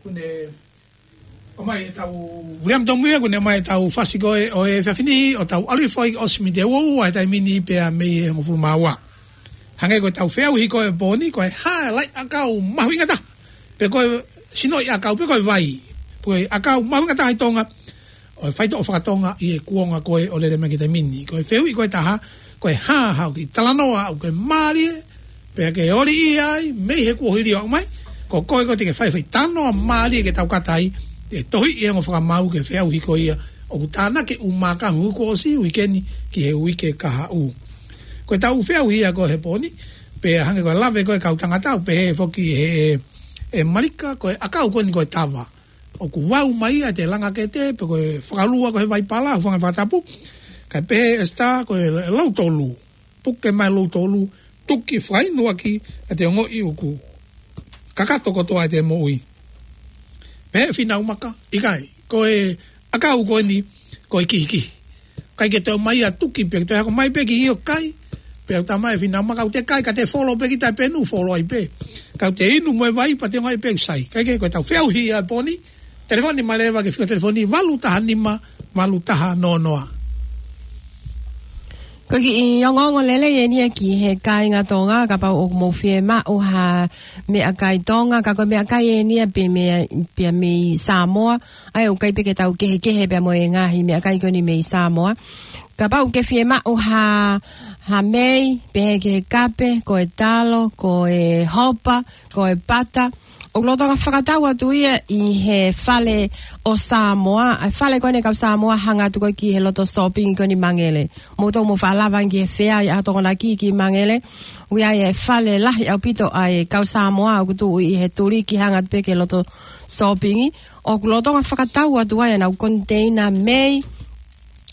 ko ʻene ʻomai e tau, Uliami Tomuia, ko ʻene ʻomai e tau fasi ko ē ʻo e efiafi ni, ʻo tau ʻalu hifo ai ʻo ʻosi mite uaua he taimi ni pea mei he hongofulu mā ua. Hangē ko e tau feʻauhi ko ē pō ni, ko e hā e laʻi ʻakau mahuʻinga taha. Pe ko e sinoʻi ʻakau, pe ko e vai. Ko e ʻakau mahuʻinga taha ʻi Tonga, ʻo e faitoʻo fakatonga ʻi he kuonga ko ē ʻo lele mai ki he taimi ni. Ko e fehuʻi ko ē ʻe taha, ko e hā haʻo kiʻi talanoa ʻoku ke mālie, pea ke oliʻia ai, mei he kuohili ʻo aʻu mai, ko koe ko ē te ke fai e foʻi talanoa mālie ke tau kata ai, ʻe tohiʻi e ongo fakamau ki he feʻauhi ko ia, ʻoku tānaki ʻe Umakahu kuo ʻosi uike ni ki he uike kahaʻu. Ko e tau feʻauhi ia ko ē he pō ni, pea hangē ko e lave ko ē ʻa e kau tangata, ʻoku pehē foki ʻe, ʻe, ʻe Malika, ko e ʻakau ko eni ko e tava. ʻOku vau mai ia ʻi he langa kete, pe ko e fakalua ko ē he vai pala, ʻoku hangē fakatapu. Kae pehē ʻe Esita, ko e loutolu. Puke mai loutolu, tuki fakainu ʻaki, ʻa e ongoʻi ʻoku kakato kotoa ʻete moʻui. Pehē ʻe Fīnau Maka, ʻikai, ko e ʻakau ko eni, ko e kihikihi. ʻIkai ke toe ʻomai ʻa e tuki pē, ke toe hoko mai pē ki ʻio kai, pea ʻoku talamai ʻe Fīnau Maka ʻoku te kai, ka te folo pē ki taʻepenu, folo ai pē. Ka ʻoku te inu mo e vai, pea te ongoʻi pē ʻoku sai. ʻIkai ke, ko e tau feʻauhi ia pō ni, telefoni mai leva ki he fika telefoni valu taha nima, valu taha noa noa. Ko e kiʻi ongoongo lelei eni ia ki he kāinga Tonga, kapau ʻoku mou fiemaʻu ha meʻakai Tonga, ka ko e meʻakai eni ia pē mei, pē mei Samoa, ʻa ia ʻoku ʻikai pē ke tau kehekehe pea mo e ngaahi meʻakai ko eni mei Samoa. Kapau ʻoku ke fiemaʻu ha, ha mei, pehē ki he kape, ko e talo, ko e hopa, ko e pata, ʻoku lolotonga fakatau atu ia ʻi he fale ʻo Samoa, ʻa e fale ko eni ʻa e kau Samoa hanga atu ko ē ki he loto sōpingi ko eni Mangele. Mou tau mou faʻa lava ange ki he fea ʻi ʻAhotokonaki ki Mangele. ʻOku ʻi ai e fale lahi ʻaupito ʻa e kau Samoa ʻoku tuʻu ʻi he tuliki hanga atu pē ki he loto sōpingi. ʻOku lolotonga fakatau atu ai ʻenau koniteina mei,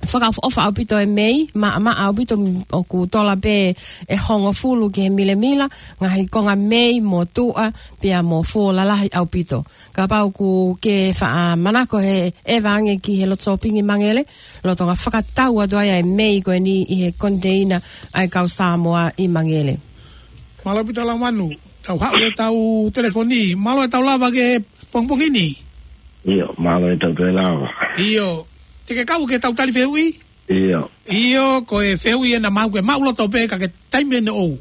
fakaʻofoʻofa ʻaupito e mei, maʻamaʻa ʻaupito, ʻoku tola pē ʻe hongofulu ki he milemila, ngaahi konga mei mo tuʻa, pea mo fō lalahi ʻaupito. Kapau ʻoku ke faʻa manako he ʻeva ange ki he loto sōpingi Mangele, lolotonga fakatau atu ai ʻa e mei ko eni ʻi he koniteina ʻa e kau Samoa ʻi Mangele. Mālō ʻaupito Laumanu, tau haʻu e tau telefoni, mālō e tau lava ki he pongipongi ni. ʻIo, mālō e tau toe lava. ʻIo, te ke kau ke tau tali fehuʻi? ʻIo. ʻIo, ko e fehuʻi ena maʻau ke maʻuloto pē ka ke taimi ʻene ʻou.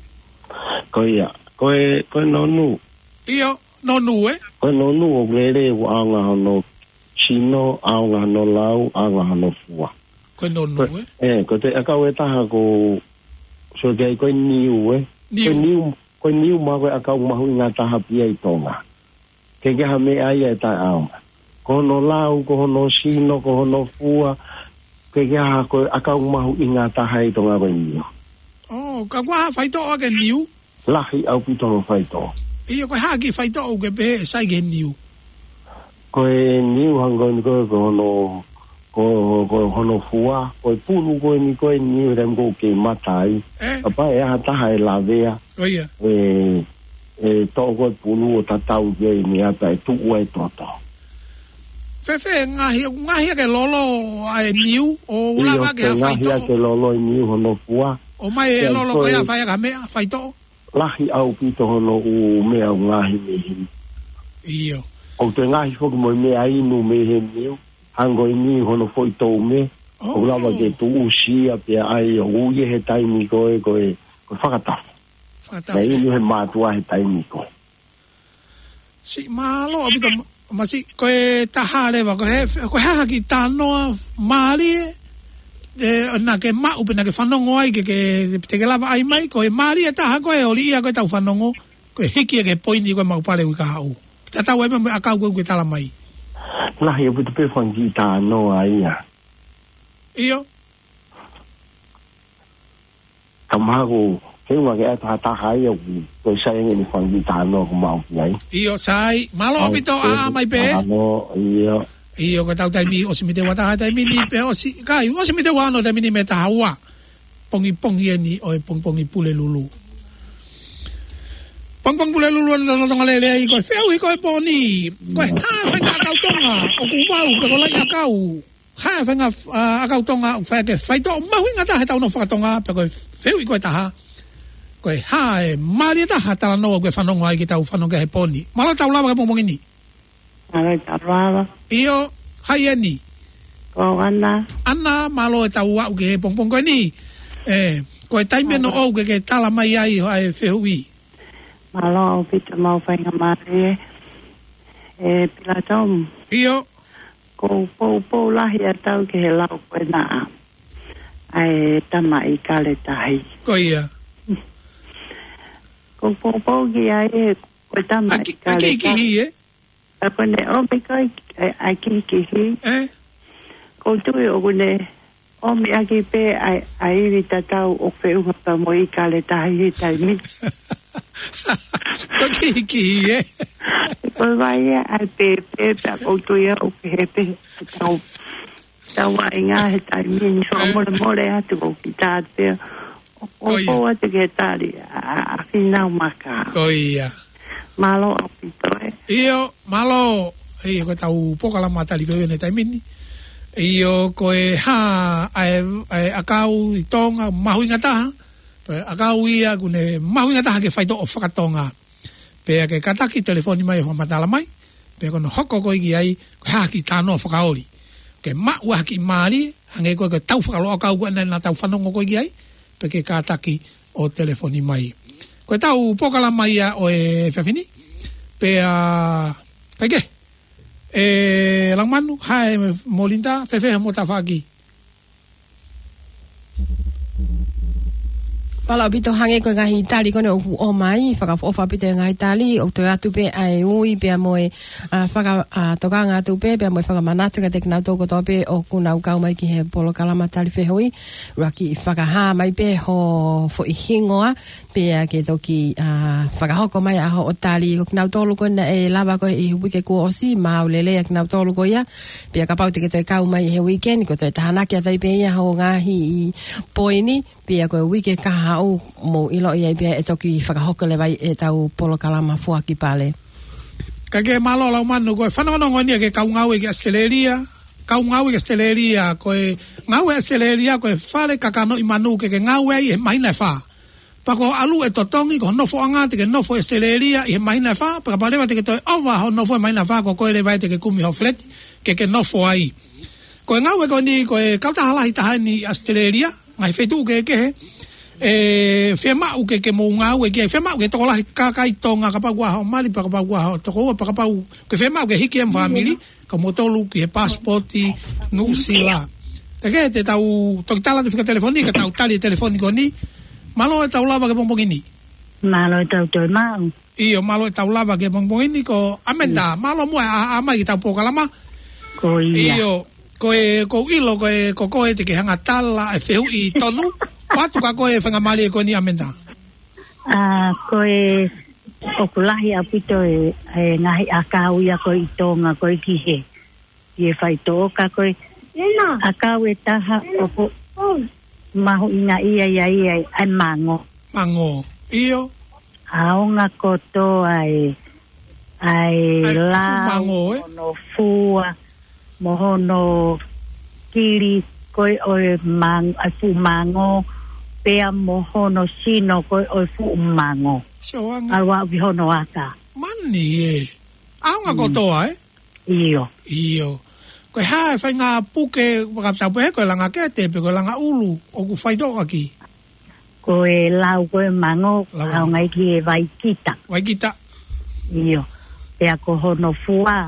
Ko ia, ko e, ko e nonu. ʻIo, nonu ē? Ko e nonu ʻoku lele ʻoku ʻaonga hono sino, ʻaonga hono lau, ʻaonga hono fua. Ko e nonu ē? ʻE, ko e ʻakau ʻe taha ko, so ke ai ko e niu ē? Niu. Ko e niu, ko e niu maʻu ko e ʻakau mahuʻinga taha pē ia ʻi Tonga. Ke ke ha meʻa ia ʻe taʻeʻaonga. Ko hono lau, ko hono sino, ko hono fua. Ke ke ha ko e ʻakau mahuʻinga taha ʻi Tonga ko e niu. ʻŌ, ka ʻoku ʻi ai ha faitoʻo ʻaki e niu? Lahi ʻaupito hono faitoʻo. ʻIo, ko e hā e kiʻi faitoʻo ʻoku ke pehē ʻe sai ki he niu? Ko e niu hangē ko eni ko e, ko hono, ko, ko hono fua, ko e pulu ko eni ko e niu he taimi ko ē ʻoku ke mata ai. Ē? Kapau ʻe ai ha taha ʻe lavea. ʻIo. ʻE, ʻe toʻo ko e pulu ʻo tatau ki ai ʻe meʻa pea ʻe tuʻu ai e toto. Fēfē, ngaahi, ngaahi ʻaki e lolo ʻa e niu, ʻo ʻIo, lava ke ke ha ngaahi faitoʻo. ʻaki e lolo e niu hono fua. ʻOmai e Pea lolo ko ko e ʻe fai ʻaki ha meʻa, faitoʻo. Lahi ʻaupito hono ʻū meʻa ʻoku ngaahi mei heni. ʻIo. ʻOku toe ngaahi foki mo e meʻa inu mei he niu, hangē ko e niu hono foʻi toume, ʻOku lava ke tuʻusi ia pea ʻai ʻo ui ia he taimi ko ē, ko e, ko e fakatafu. Fakatafu. Naʻe inu he mātuʻa he taimi ko ē. Siʻi mālō ʻaupito ma-, Masi, ko e taha leva, ko e, ko e hā ha kiʻi talanoa mālie, ē, naʻa ke maʻu pe naʻa ke fanongo ai ke, ke, te ke lava ʻai mai, ko e mālie taha ko ē ʻo liʻia ko ē ʻetau fanongo, ko e hiki ia ki he poini ko ē maʻu pale ui ka haʻu. Tatau ai pē mo e ʻakau ko ē ʻoku ke tala mai. Lahi ʻaupito pē fanga kiʻi talanoa ia. ʻIo. Ka mahalo, ke unga ke ʻai ha taha ia ʻoku, ko e sai ange ʻene fanga kiʻi talanoa ʻoku maʻu ki ai. ʻIo, sai. Mālō ʻaupito, ʻa, mai pē. Ano, ʻio. ʻIo, ko ʻetau taimi ʻosi mei he ua taha taimi ni pē ʻosi. Kai, ʻosi mei he ua ono taimi ni mei he taha ua. Pongipongi eni ʻo e pongipongi Pulelulu. Pongipongi Pulelulu ʻa e Tonga Lelei, ko e fehuʻi ko ē pō ni. Ko e hā e faʻahinga ʻakau Tonga ʻoku vau, pe ko e laʻi ʻakau. Hā e faʻahinga, ʻa, ʻakau Tonga ʻoku fai ʻaki e faitoʻo mahuʻinga taha heʻetau nofo faka-Tonga, pea ko e fehuʻi ko ē ʻe taha. Ko e hā e mālie taha talanoa ʻoku ke fanongo ai ki heʻetau fanongo ki ai he pō ni. Mālō e tau lava ki he pongipongi ni. Mālō e tau lava. ʻIo, hai eni. Ko Ana. Ana, mālō e tau aʻu ki he pongipongi ko eni. Ē, ko e taimi eni ʻoku ke, ke tala mai ai ʻa e fehuʻi. Mālō ʻaupito mo e faingamālie. ʻE Pilatomu. ʻIo. ʻOku ou poupou lahi atu au ki he lau ko ena ʻa e tamaʻi kale tahi. Ko ia. ʻOku ou poupou ki ai he ko e tamaʻi kale tahi. ʻAki, ʻaki kihi, ē? Ka ko ʻene ʻomi ko ē ʻa e kihikihi. Ē? ʻOku ou tui ʻoku ne ʻomi ʻaki pē ʻa e, ʻa e ivi tatau ʻoku feʻunga pea mo e kale tahi he taimi ni. Ko e kihikihi, ē? Ko e vai ē ʻa e pēpē pea ʻoku ou tui au ʻoku kehe pē ʻetau, ʻetau vaʻinga he taimi ni. Fakamolemole atu ʻoku kiʻi tā pē. ʻOku ou poupou atu ki he tali ʻa, ʻa, ʻa Fīnau Maka. Ko ia. Mālō ʻaupito ē. ʻIo, mālō. ʻIo, ko ʻetau polokalama tali fehuʻi ʻi he taimi ni. ʻIo, ko e hā ʻa e, ʻa e ʻakau ʻi Tonga mahuʻinga taha. Pea ʻakau ia ʻoku ne mahuʻinga taha ke faitoʻo faka-Tonga. Pea ke kātaki telefoni mai ʻo fakamatala mai. Pea ko hono hoko ko ē ki ai, ko e hā ha kiʻi talanoa fakaoli. Ke maʻu ha kiʻi mālie, hangē ko ē ko ʻetau fakaloloʻakau ko ē naʻa, naʻa tau fanongo ko ē ki ai, pea ke kātaki ʻo telefoni mai. Ko ʻetau polokalama ia ʻo e efiafi ni, pea, kae kehe, ʻe Laumanu, hai mo Linda, fēfē hoʻomo tafaʻaki? Mālō ʻaupito, hangē ko e ngaahi tali ko eni ʻoku ʻomai, fakaʻofoʻofa ʻaupito e ngaahi tali, ʻoku toe atu pē ʻa e ui pea mo e, ʻa, faka-, ʻa, tokanga atu pē, pea mo e fakamanatu kiate kinautolu kotoa pē ʻoku nau kau mai ki he polokalama tali fehuʻi, ʻuluaki fakahā mai pē ho foʻi hingoa, pea ke toki, ʻa, fakahoko mai ʻa hoʻo tali. Ko kinautolu ko ē naʻe lava ko ē ʻi he uike kuo ʻosi, mālō e lelei ʻa kinautolu ko ia. Pea kapau te ke toe kau mai he uike ni, ko e toe tānaki atu ai pē ia hoʻo ngaahi poini, pea ko e uike kahaʻu mou ʻiloʻi ai pē ʻe toki fakahoko leva ai ʻetau polokalama foaki pale. Kae kehe, mālō Laumanu, ko e fanongonongo eni ia ki he kau ngāue ki ʻAositelēlia, kau ngāue ki ʻAositelēlia, ko e ngāue ʻAositelēlia, ko e fale kakanoʻi manu ke ke ngāue ai he māhina ʻe fā. Pea ko e ʻalu e totongi, ko hoʻo nofoʻanga te ke nofo ʻi ʻAositelēlia ʻi he māhina ʻe fā, pea kapau leva te ke toe ʻova hoʻo nofo he māhina ʻe fā, ko koe leva ia te ke kumi hoʻo feleti, ke ke nofo ai. Ko e ngāue ko eni, ko e kautaha lahi taha eni ʻi ʻAositelēlia, ngaahi feituʻu kehekehe, ʻe fiemaʻu ke, ke mou ngāue ki ai, fiemaʻu ke tokolahi kakai Tonga, kapau ʻoku ʻi ai hoʻo mali, pea kapau ʻoku ʻi ai hoʻo tokoua, pea kapau, ke fiemaʻu ke hiki ʻa e fāmili, ka mou tolu ki he pasipoti Nuʻusila. Kae kehe, te tau toki tala atu e fika telefoni, ka tau tali e telefoni ko eni. Mālō e tau lava ki he pongipongi ni. Mālō e tau toe maʻu. ʻIo, mālō e tau lava ki he pongipongi ni, ko Amenda, mālō muʻa e ʻā, ʻā mai ki heʻetau polokalama. Ko ia. ʻIo, ko e, ʻoku ou ʻilo ko e, ko koe te ke hanga ʻo tala e fehuʻi tonu. ʻOatu kia koe e faingamālie ko eni Amenda. ʻA, ko e, ʻoku lahi ʻaupito e, e ngaahi ʻakau ia ko ē ʻi Tonga ko ē ki he, ki he faitoʻo ka ko e, ʻakau ʻe taha ʻoku mahuʻinga ia ia ia ʻa e mango. Mango. ʻIo. ʻAonga kotoa e, ʻa e ʻA e fuʻu lau, mango, ē? Mo hono fua, mo hono kili ko ē ʻo e mang-, ʻa e fuʻu mango, pea mo hono sino ko ē ʻo e fuʻu mango. Sio ange. ʻAlu aʻu ki hono aka. Mani ē. ʻAonga Mm. kotoa, ē? ʻIo. ʻIo. Ko e hā e faʻahinga puke, fakatapu he ko e langa kete, pe ko e langa ʻulu, ʻoku faitoʻo ʻaki? Ko e lau ko ē mango, Lau. ʻaonga ia ki he vaikita. Vaikita. ʻIo. Pea ko hono fua,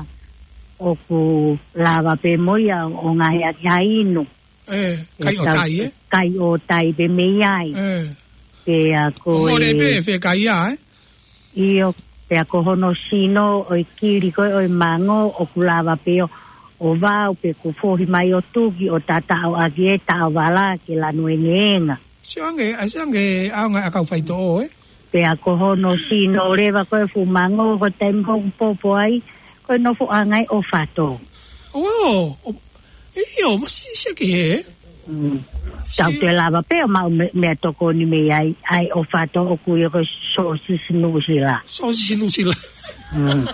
ʻoku lava pē mo ia ʻo ngaohi ʻaki ha inu. ʻE, kai ʻo tai, ē? Kai ʻo tai pē mei ai. ʻE. Pea ko ʻO mole e pē, fē kai ia, ē? ʻIo, pea ko hono sino ʻo e kili ko ē ʻo e mango ʻoku lava pē ʻo, ʻo vau pe ʻoku fohi mai ʻo tuki ʻo tataʻo ʻaki e taʻovala ke lanu engeenga. Sio ange, ʻa sio ange ʻaonga ʻakau faitoʻo, ē? Pea ko hono sino leva ko ē fuʻu mango ko e taimi ko ē ʻoku popo ai, ko e nofoʻanga ʻo e ʻofato. ʻO, ʻo, ʻio, masiʻi siʻaki hē. Mm. Tau Sio. te lava pē ʻo maʻu me-, meʻatokoni mei ai, ʻa e ʻofato ʻoku ui ko e sōsisi Nuʻusila. Sōsisi Nuʻusila. Mm.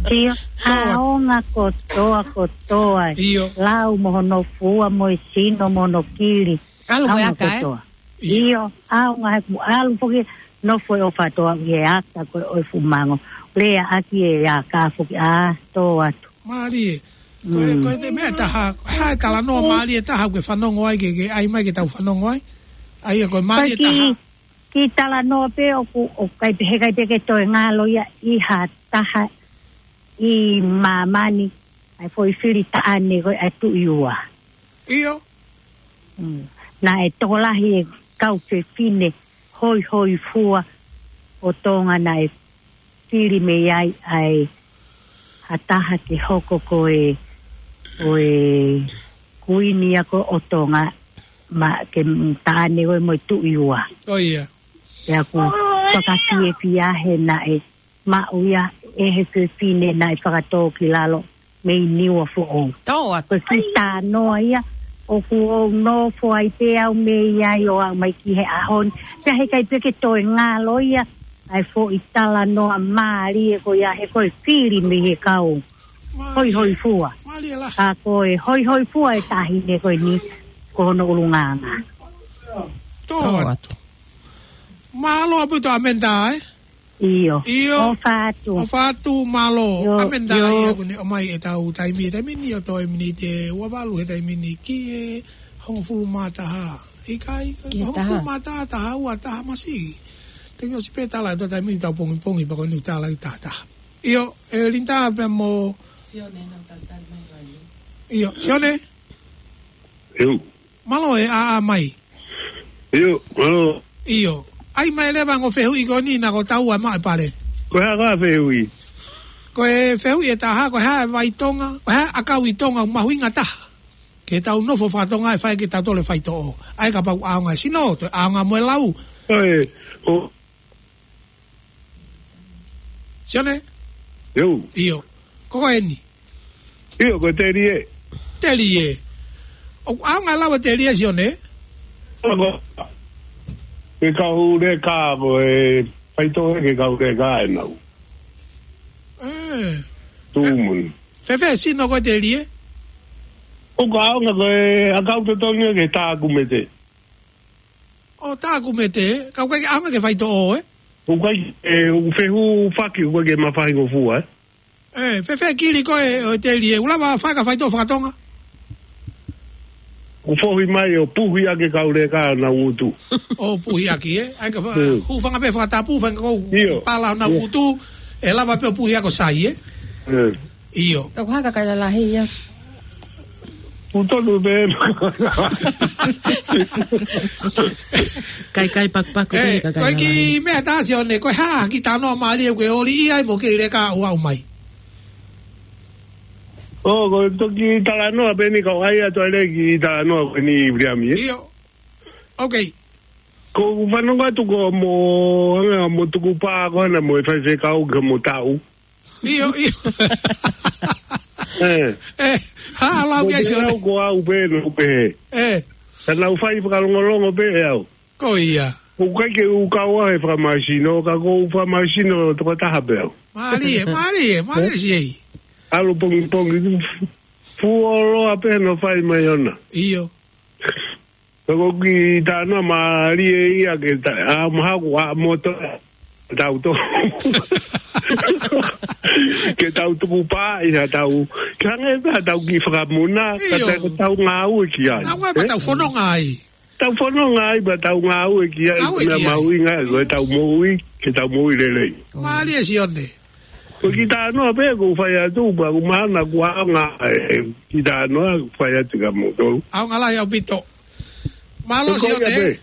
ʻIo, Toa. ʻaonga kotoa, kotoa. ʻIo. Lau mo hono fua mo e sino mo hono kili. ʻAlu mo e ʻAonga aka, ē? kotoa. ʻIo. ʻIo, ʻaonga he ʻoku ʻalu foki nofo e ʻofato ʻi he aka ko ē ʻo e fuʻu mango. Lea ʻaki e aka foki ʻa tō atu. Mālie. Ko e, Mm. ko e te meʻa ʻe taha, hā e talanoa mālie ʻe taha ʻoku ke fanongo ai ke, ke ʻai mai ke tau fanongo ai. ʻA ia ko e mālie ʻe Ko e taha. ki, ki talanoa pē ʻoku, ʻoku ʻikai pē, heʻikai pē ke toe ngalo ia ʻi ha taha ʻi māmani, ʻa e foʻi fili taʻane ko ē ʻa e Tuʻi Ua. ʻIo. Mm. Naʻe tokolahi e kau fefine hoihoifua ʻo Tonga naʻe fili mei ai ʻa e ha taha ke hoko ko e, ko e kuini ia ko ē ʻo Tonga, ma ke taʻane ko ē mo e Tuʻi Ua. ʻO ia. Pea ʻoku fakafiefia he naʻe maʻu ia ʻe he fefine naʻe fakatō ki lalo mei Niuafoʻou. Tō atu. Ko e kiʻi talanoa ia, ʻoku ou nofo ai pē au mei ai ʻo aʻu mai ki he ʻaho ni. Pea heʻikai pē ke toe ngalo ia, ʻa e foʻi talanoa mālie ko ia he ko e fili mei he kau Mālie. hoihoifua. Mālie lahi. Ka ko e hoihoifua e taʻahine ko eni, ko hono ʻulungaanga. Tō Tō atu. atu. Mālō ʻaupito ʻAmenda, ē? ʻIo. ʻIo. ʻOfa atu. ʻOfa atu, mālō. ʻIo, ʻAmenda, ʻio. ʻIo, ʻoku ne ʻomai ʻetau taimi, taimi ni ʻo toe miniti ʻe ua valu he taimi ni ki he hongofulu mā taha. ʻIkai, Ki he hongofulu taha. mā taha, taha ua, taha masiʻi. Te ke ʻosi pē tala ʻetau taimi ʻetau pongipongi, pea ko eni ʻoku tala ʻi taha taha. ʻIo, ʻe Linda pea mo Sione, nau talitali mai ʻa Sione. ʻIo, Sione? ʻIo. Mālō e ʻā mai. ʻIo, mālō. ʻIo. ʻAi mai leva ongo fehuʻi ko eni naʻa ko taua maʻu e pale. Ko e hā e fehuʻi? Ko e fehuʻi ʻe taha, ko e hā e vai Tonga, ko e hā e ʻakau ʻi Tonga mahuʻinga taha ke tau nofo faka-Tonga ʻe fai ke tau toe faitoʻo. ʻAi kapau ʻaonga e sino, toe ʻaonga mo e lau. ʻOi, ʻo Sione? ʻIo. ʻIo. Ko ko eni? ʻIo, ko e telie. Telie. ʻOku ʻaonga lau e telie, Sione? Ko e kau leka ko e faitoʻo he kau leka ʻenau. ʻE. Tuʻumuni. Fēfē sino ko e telie? ʻOku ʻaonga ko e ʻakau totonu ke tākumete. ʻO tākumete, ka ʻoku ʻikai ke ʻaonga ke faitoʻo, ē? ʻOku ʻikai, ʻe, ʻoku fehuʻi faki, ʻoku ʻikai ke mafahi ngofua, ē? ʻE, fēfē kili ko ē ʻo e telie, ʻoku lava fai ka faitoʻo faka-Tonga? ʻOku fohi mai ʻo puhi ʻaki e kau leka ʻenau ngutu. ʻO puhi ʻaki, ē? ʻAi ka fa-, Mm. hūfanga pē fakatapu, fanga kou ʻIo. pala ʻenau ʻIo. ngutu, ʻe lava pē ʻo puhi ʻaki ʻo sai, ē? Mm. ʻIo. Tau haka kai lalahi ia. ʻOku tonu pē. Kai kai pakupaku pē, ʻE, kai kai ko e kiʻi lalahi. meʻa ʻe taha Sione, ko e hā ha kiʻi talanoa mālie ʻoku ke ʻoli ai mo e kau leka ʻoku aʻu mai? ʻO, ko e toki talanoa pē eni kau ʻai atu ai leva e kiʻi talanoa ko eni Viliami, ē? ʻIo. Ok. Ko u fanongo atu ko mo, anga mo tuku pā ko hana mo e faifekau ke mo tau. ʻIo, ʻio. Eh. Eh, ha, lau Mo kia te Sione. Au ko au pē no pē. Eh. Ka nau fai fakalongolongo pē ʻe au. Ko ia. Ko kai ke u kau ai fakamāsino, ka ko u fakamāsino toko taha pē au. Mālie, mālie, mālie si ei. Alo pongipongi, fuoloa pē no fai mai ona. ʻIo. Ka ko ki tāna mālie ia ke ta, a maha ku a moto. Tau to. Ke tau tuku pā ʻi ha tau. Ke hangē pē ha tau ki fakamuna, ka ʻIo. ta, ka tau ngāue ki ai. Ngāue pē Eh? tau fononga ai. Tau fononga ai, pea tau ngāue ki ai, Ngāue ki ai. Mahuʻinga, ko e tau moʻui, ke tau moʻui lelei. Mālie Sione. Ko ki tāna pē, ko u fai atu, pea ko mahana, ko ʻaonga, eh, ki tāna, ko u fai atu ka moto. ʻAonga lahi ʻaupito. Mālō Ko ia Sione. pē.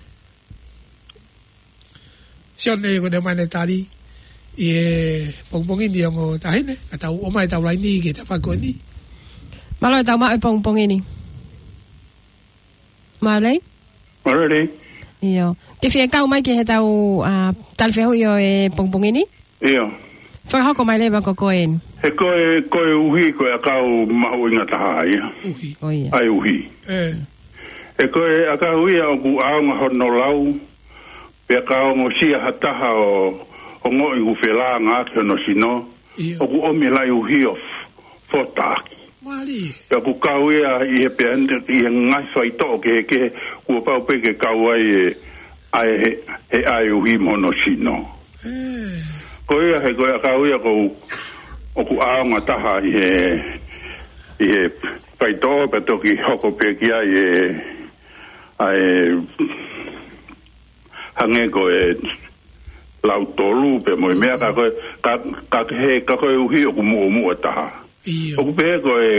Sione ko ne mai ne tali. ʻI he pongipongi ni ongo tahine, ka tau ʻomai tau laini ke ta fai ko ni. Mālō e tau maʻu e pongipongi ni. Mālō. Mālō. ʻIo. Ke fie kau mai ki he tau, a, tali fehuʻi ʻo e pongipongi ni? ʻIo. Fakahoko mai leva ko koe eni. He ko e, ko e uhi, ko e ʻakau mahuʻinga taha ia. Uhi. ʻO ia. ʻAi uhi. Eh. He ko e ʻakau ia ʻoku ʻaonga hono lau, pea ka ongosia ha taha ʻo, ʻo ongoʻi ʻoku felāngaaki hono sino, ʻIo. ʻoku ʻomi laʻi uhi ʻo f-, fotaʻaki. Mālie. Pea ʻoku kau ia ʻi he pea, ʻi he ngaahi faitoʻo kehekehe, kuo pau pē ke kau ai e, ʻai he, he ʻai uhi mo hono sino. Eh. Ko ia he ko e ʻakau ia ʻoku, ʻoku ʻaonga taha ʻi he, ʻi he faitoʻo pea toki hoko pē ki ai e, ʻa e, hangē ko e lau tolu pē mo e meʻa ka ko e, ka, ka he, ka ko e uhi ʻoku muʻomuʻa taha. ʻIo. ʻOku pehē ko e,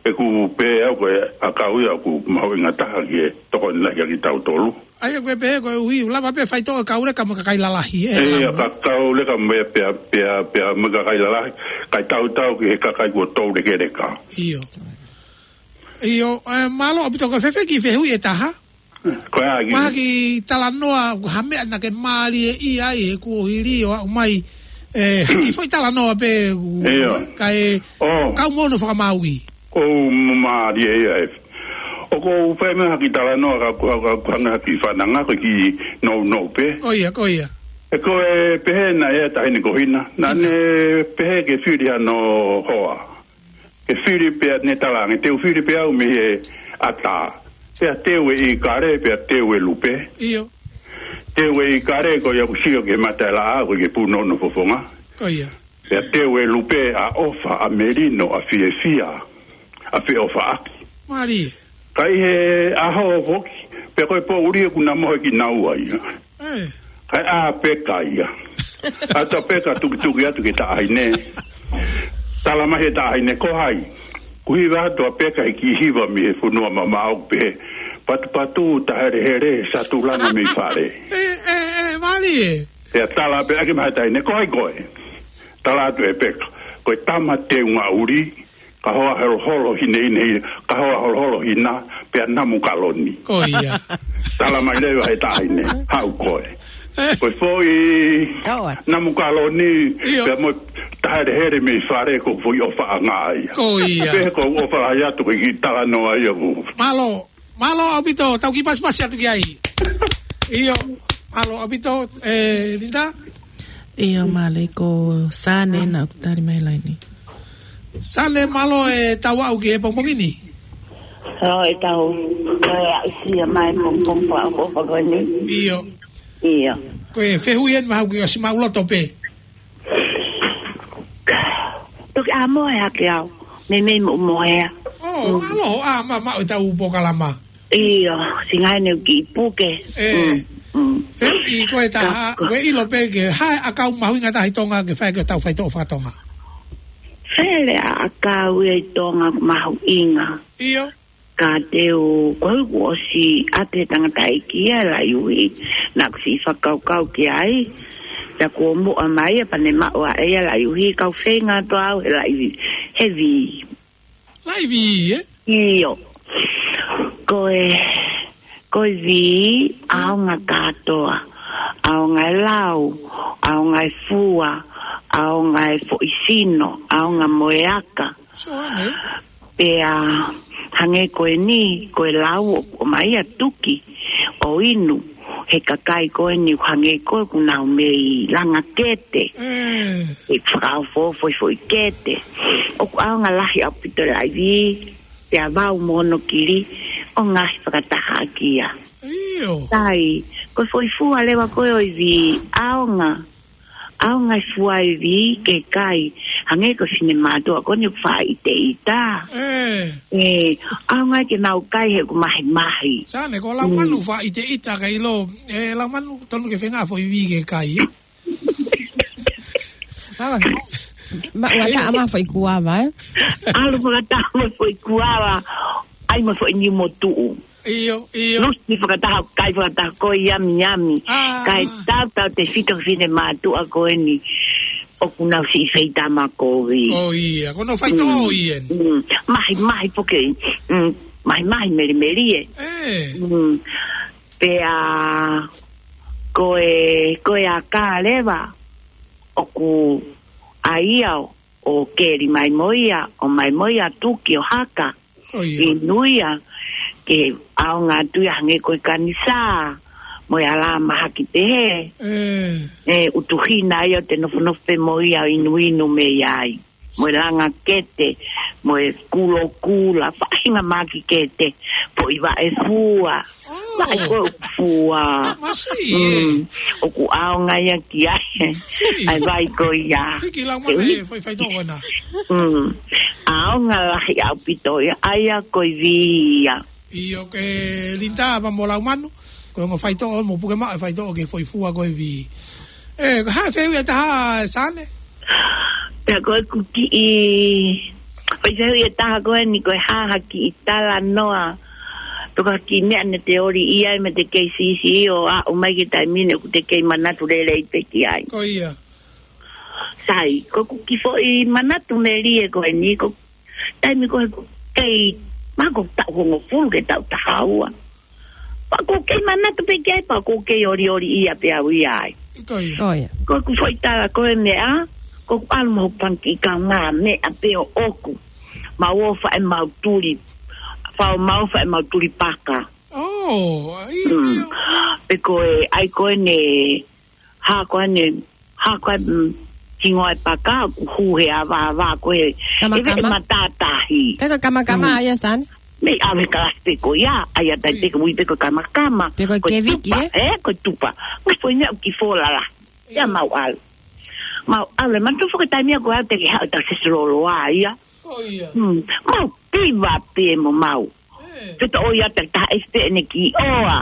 ʻeku pehē au ko e ʻakau ia ʻoku mahuʻinga taha ki he tokoni lahi kia kitautolu. ʻAi ʻoku pehē ko e uhi, ʻoku lava pē faitoʻo e kau leka mo e kakai lalahi, ʻe ʻIo, lava. ka kau leka mo e pea, pea, pea mo e kakai lalahi, kae tautau ki he kakai kuo toulekeleka. ʻIo. ʻIo, e, mālō ʻaupito ko e fēfē ki he fehuʻi ʻe taha? Ko e ʻai ki Mahaki talanoa, ha meʻa naʻa ke mālieʻia ai he kuo hili ʻo aʻu mai, e, haki foʻi talanoa pē, ʻIo. ka e, ʻO. kau mono fakamāuʻi. ʻOku mālie ia e. ʻOku ou fai mai haki talanoa ka ku, ka ku hanga haki fananga ko ki nounou pē. Ko ia, ko ia. He ko e pehē naʻe ʻi ai e taʻahine ko Hina. Naʻa Hina. ne pehē ke fili hano hoa. Ke fili pea ne talaange, te u fili pē au mei he ʻatā. Pea teu e ʻikale, pea teu e lupe. ʻIo. Teu e ʻikale, ko ia ʻoku sio ki he mata ʻe laʻā, ko ia ke punou hono fofonga. Ko ia. Pea teu e lupe ʻa ʻofa, ʻa melino, ʻa fiefia, ʻa feʻofaʻaki. Mālie. Ka ʻi he ʻaho foki, pea ko e poʻuli ʻoku na mohe kinaua ia. Eh. Kae ʻā Peka ia. ʻAta Peka tukituki atu ki he taʻahine. Tala mai he taʻahine, ko hai? Kuo hiva atu ʻa Peka he kiʻi hiva mei he fonua mamaʻo pē. Patupatu, tahelehele, satulanga mei fale. Eh, eh, eh, mālie. Pea tala pē ʻaki mai he taʻahine, ko hai koe? Tala atu ʻe Peka, ko e tama teunga ʻuli, ka hoa holoholo hinehine, ka hoa holoholo hina, pea namu kaloni. Ko ia. Tala mai leva he taʻahine, haʻu koe. Ko e foʻi Tau atu. namu kaloni, ʻIo. pea mo e tahelehele mei fale ko e foʻi ʻofaʻanga ia. Ko ia. Pea ko e ʻofa lahi atu ko e kiʻi talanoa ia ʻoku. Mālō, mālō ʻaupito, tau kiʻi pasipasi atu ki ai. ʻIo, mālō ʻaupito, e, Linda? ʻIo, mālō ko Sane naʻa ku tali mai laini. Sane, mālō e tau aʻu ki he pongipongi ni. ʻO e tau, ko e aʻusia mai pongipongi ʻoku ʻofa ko eni. ʻIo. ʻIo. Ko e fehuʻi eni mahalo kuo ʻosi maʻuloto pē. Toki ʻā mohe hake au. Meimei mo mohea. ʻO, mālō, ʻā, ma, ma, e tau polokalama. ʻIo, singai ne u kiʻi puke. E. Mm, mm. Fehuʻi ko e taha, Ka, ka. ʻoku ke ʻilo pē ke, ha e ʻakau mahuʻinga taha ʻi Tonga ke fai ki he tau faitoʻo fakatonga. Fele ʻa e ʻakau ia ʻi Tonga mahuʻinga. ʻIo. Ka te u, ko e kuo ʻosi ʻa e tangataʻeiki ia laʻi uhi, naʻa ku siʻi fakakaukau ki ai, ta kuo muʻa mai ia pea ne maʻu ʻe ia laʻi uhi, kau feinga atu au he laʻi, he vī. Laʻi vī, ē? ʻIo. Ko e, Ko e vī, ʻaonga kātoa. ʻAonga e lau, ʻaonga e fua, ʻaonga e foʻi sino, ʻaonga mo e aka. Sio ange. Pea hangē ko eni, ko e lau ʻoku ʻomai ʻa tuki ʻo inu he kakai ko eni, hangē ko ē ʻoku nau mei langa kete. Mm. ʻE fakaofoofo e foʻi kete. ʻOku ʻaonga lahi ʻaupito e laʻi vī, pea vau mo hono kili, ʻo ngaohi fakataha ʻaki ia. ʻIo. Sai, ko e foʻi fua leva ko ē ʻo e vī, ʻaonga. ʻAonga e fua e vī ke kai, hangē ko e finemātuʻa ko eni ʻoku faʻa ʻiteʻita. Eh. Eh, ʻaonga ke nau kai he ʻoku mahimahi. Sane, ko Laumanu Mm. faʻa ʻiteʻita ka ʻilo, eh, Laumanu tonu ke feinga foʻi vī ke kai, eh? Awa. Ma, ua taʻa ma foʻi kuava, eh? ʻAlu fakataha mo foʻi kuava, ʻai mo foʻi niu mo tuʻu. ʻIo, ʻio. Lusi fakataha, kai fakataha ko e yami yami. Ah. Kae tautautefito ki he finemātuʻa ko eni ʻoku nau siʻi feitama kovi. Oh, ia. Ko hono faitoʻo Mm. ʻi heni. Mm. Mahimahi foki. Mm. Mahimahi melimeli ē. Eh. Mm. Pea ko e, ko e aka leva ʻoku ʻai ia ʻo keli mai mo ia, ʻomai mo ia tuki ʻo haka. Oh, ia. ʻInuia ke ʻaonga atu ia hangē ko e kanisā, mo e ʻalā mahaki pehē. Eh. ʻE ʻutuhina ia ʻo te nofonofo pē mo ia ʻo inuinu mei ai. Mo e langa kete, mo e kulokula, faʻahinga mahaki kete, foʻi vaʻe fua. Oh. Vaʻe ko ē ʻoku fua. Masi, Mm. eh. ʻOku ʻaonga ia ki ai. Si. ʻAi vai ko ia. Hiki lau mana Ke e, fai, faitoʻo ko ena. Mm. ʻAonga lahi ʻaupito ia, ʻa ia ko e vī ia. ʻIo ke Linda, ma mo Laumanu. Ko e ongo faitoʻo, mo puke maʻu e faitoʻo ki he foʻi fua ko e vī. Eh, ko e hā e fehuʻi ʻe taha, Sane? Pea ko ʻeku kiʻi, ko e fehuʻi ʻe taha ko eni ko e hā ha kiʻi talanoa. Pe ko ha kiʻi meʻa naʻa te ʻoli ai mei he kei siʻisiʻi ʻo aʻu mai ki he taimi ni ʻoku te kei manatu lelei pē ki ai. Ko ia. Sai, ko ʻeku kiʻi foʻi manatu melie ko eni, ko e taimi ko ē ʻoku kei, mahalo ko e taʻu hongofulu ki he taʻu taha ua. Pea ʻoku kei manatu pē ki ai, pea ʻoku kei ʻoliʻoli ia pē au ia ai. Ko ia. Ko ia. Ko ʻeku foʻi tala ko e meʻa, ko ʻeku ʻalu mo hoku fanga kiʻi kaungāmeʻa pē ʻoʻoku. Mau ō ʻo fai ʻemau tuli, fai ʻemau fai ʻemau tuli paka. Oh, ʻio, Mm. ʻio, ʻio. Pea ko e, ʻai ko eni, hā ko eni, hā ko eni, mm, hingoa e paka, ʻoku hū he ava, ava ko ē, Kamakama. ʻi he matātahi. Ka ko e kamakama Mm. ia, Sane? Mei ʻave kalasi pē ko ia, ʻa ia tai Mm. pē ko ui pē ko e kamakama. Pe ko e Ko e keviki, tupa, eh? eh, ko e tupa. Ngaahi foʻi meʻa ʻoku kiʻi fō lalahi. Ia Mm. mau ʻalu. Mau ʻalu, ʻe manatu foki e taimi ia ko ē te ke haʻu ʻo tau sesi loloa ia. Ko ia. Mm. Mau piva pē mo mau. Eh. Pea toʻo ia takitaha ʻe fē ʻene kiʻi ʻoa.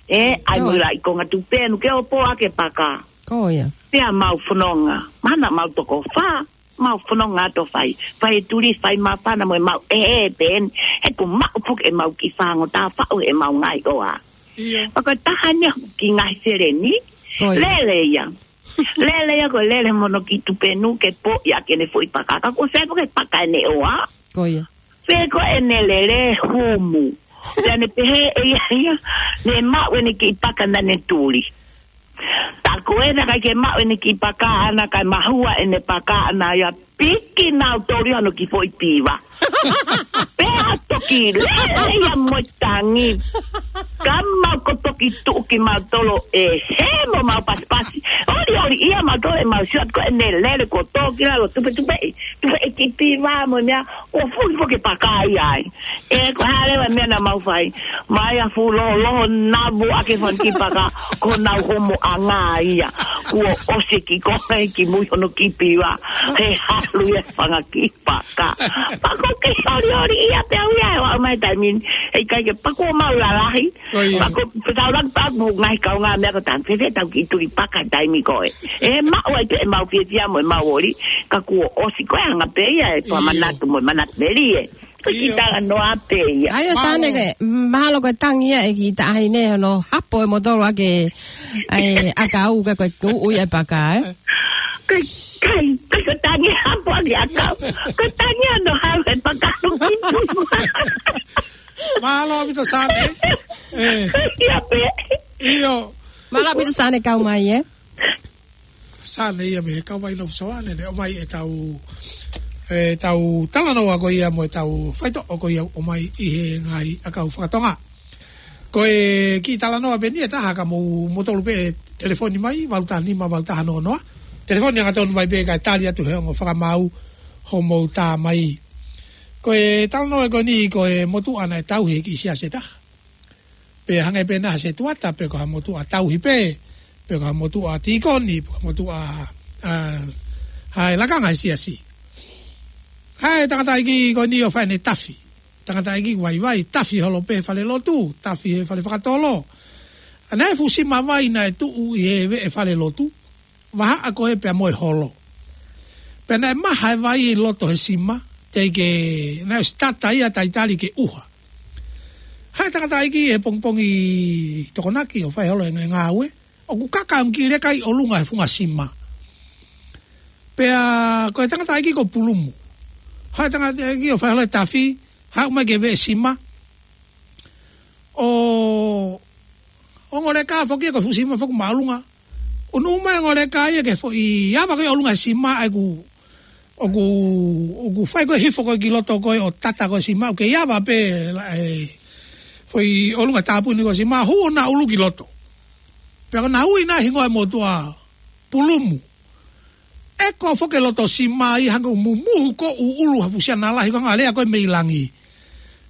Eh, ʻai mo Ko ia. ila ʻi konga tupenu ke ʻopo ake paka. Ko ia. Pea mau fononga. Mahalo naʻa mau toko fā, mau fononga ʻo fai. Fai e tuli, fai māfana mo ʻemau ʻeʻe pē eni. He ʻoku maʻu foki ʻemau kiʻi fāngo tā faʻu ʻemau ngaahi ʻoa. ʻIo. Pea ko e taha eni ʻoku kiʻi ngaahi seleni. Ko ia. Lele ia. Lele ia ko e lele mo hono kiʻi tupenu ke poʻi ʻaki ʻene foʻi paka. Ka kuo sai foki e paka ʻene ʻoa. Ko ia. Pea ko ʻene lele humu. Pea ne pehē ʻe ia ia, ne maʻu ʻene kiʻi paka naʻa ne tuli. Tā ko ē naʻe ʻikai ke maʻu ʻene kiʻi paka ʻana kae mahua ʻene paka ʻana ia piki nau toli hono kiʻi foʻi piva. Pea toki lele ia mo e tangi. Ka mau ko toki tuʻu kimautolu ʻe hē mo mau pasipasi. ʻOliʻoli ia mautolu ʻemau sio atu ko ʻene lele ko toki lalo tupetupeʻi. Tupeʻi kiʻi piva mo e meʻa. Kuo fuli foki e paka ia ai. ʻE, ko e hā leva e meʻa naʻa mau fai. Mai a fuʻu loho, loho navu ake fanga kiʻi paka, ko honau homoʻanga ia. Kuo ʻosi e kiʻi konga ʻi mui hono kiʻi piva. He halu ia e fanga kiʻi paka. Pea ko e kiʻi ʻoliʻoli ia pē au ia ʻo aʻu mai he taimi ni. He ʻikai ke pea kuo mau lalahi. Ko ia. Pea ko e pē tau laki pea ko e ngaahi kaungāmeʻa ko e tau fēfē tau kiʻi tuli paka he taimi ko ē. ʻE maʻu ai pē ʻemau fiefia mo ʻemau ʻoli, ka kuo ʻosi ko e anga pē ia e pea ʻIo. manatu mo e manatu melie. Ko e kiʻi ʻIo. talanoa pē ia. ʻA ia Mālō. Sane ke, mahalo ko e tangi ia e kiʻi taʻahine hono hapo e motolo ake, ʻai, ʻakau ka ko e tuʻu ia e paka, eh? Kai, kai, kai ko e tangi hapo ake ʻakau. Ko e tangi hono hapo e paka. Mālō ʻaupito Sane. ʻE. Ia pē. ʻIo. Mālō ʻaupito Sane kau mai, ē. Sane ia mei he kau vai nofo soane, ne ʻomai ʻetau, ʻetau talanoa ko ia mo ʻetau faitoʻo ko ia ʻomai ʻi he ngaahi ʻakau fakatonga. Ko e kiʻi talanoa pē eni ʻe taha ka mou, moutolu pē telefoni mai, valu taha nima, valu taha noa noa. Telefoni hangatonu mai pē kae tali atu he ongo fakamaau homou tā mai. Ko e talanoa ko eni ko e motuʻa naʻe tauhi he kiʻi siasi ʻe taha. Pe hangē pē naʻe ha setuata, pe ko ha motuʻa tauhi pē, pe ko ha motuʻa tīkoni, pe ko ha motuʻa, ʻa, ʻa e lakanga he siasi. Haʻu e tangataʻeiki ko eni ʻo fai ʻene tafi. Tangataʻeiki vaivai, tafi holo pē he falelotu, tafi he fale fakatolo. ʻA, naʻe fuʻu sima vai naʻe tuʻu ʻi he veʻe falelotu, vahaʻa ko ē pea mo e holo. Pea naʻe maha e vai ʻi loto he sima, teʻeki ke, naʻe ʻosi tata ia, talitali ke ʻuha. Haʻu e tangataʻeiki he pongipongi Tokonaki ʻo fai holo ʻene ngāue, ʻoku kaka ʻa e kiʻi leka ʻi ʻolunga he funga sima. Pea ko e tangataʻeiki ko Pulumu. Haʻu e tangataʻeiki ʻo fai holo e tafi, haʻu mai ki he veʻe sima. ʻO, ʻo ongo leka foki ia ko e fuʻu sima foki ʻoku māʻolunga. ʻUnu mai ongo leka ia ki he foʻi ava ko ē ʻolunga he sima ʻa ē ʻoku, ʻoku, ʻoku fai ko ē hifo ko ē ki loto ko ē ʻo tata ko ē sima, ʻoku kei ava pē la, ʻe, foʻi ʻolunga tāpuni ko ē sima, hū ʻo na ʻulu ki loto. Pea ko ʻena ui ʻena hingoa e motuʻa Pulumu. ʻEko foki e loto sima ia hangē ʻoku mumuhu ko ē ʻulu ha fuʻu siana lahi ko ē hangē ha lea ko ē mei langi.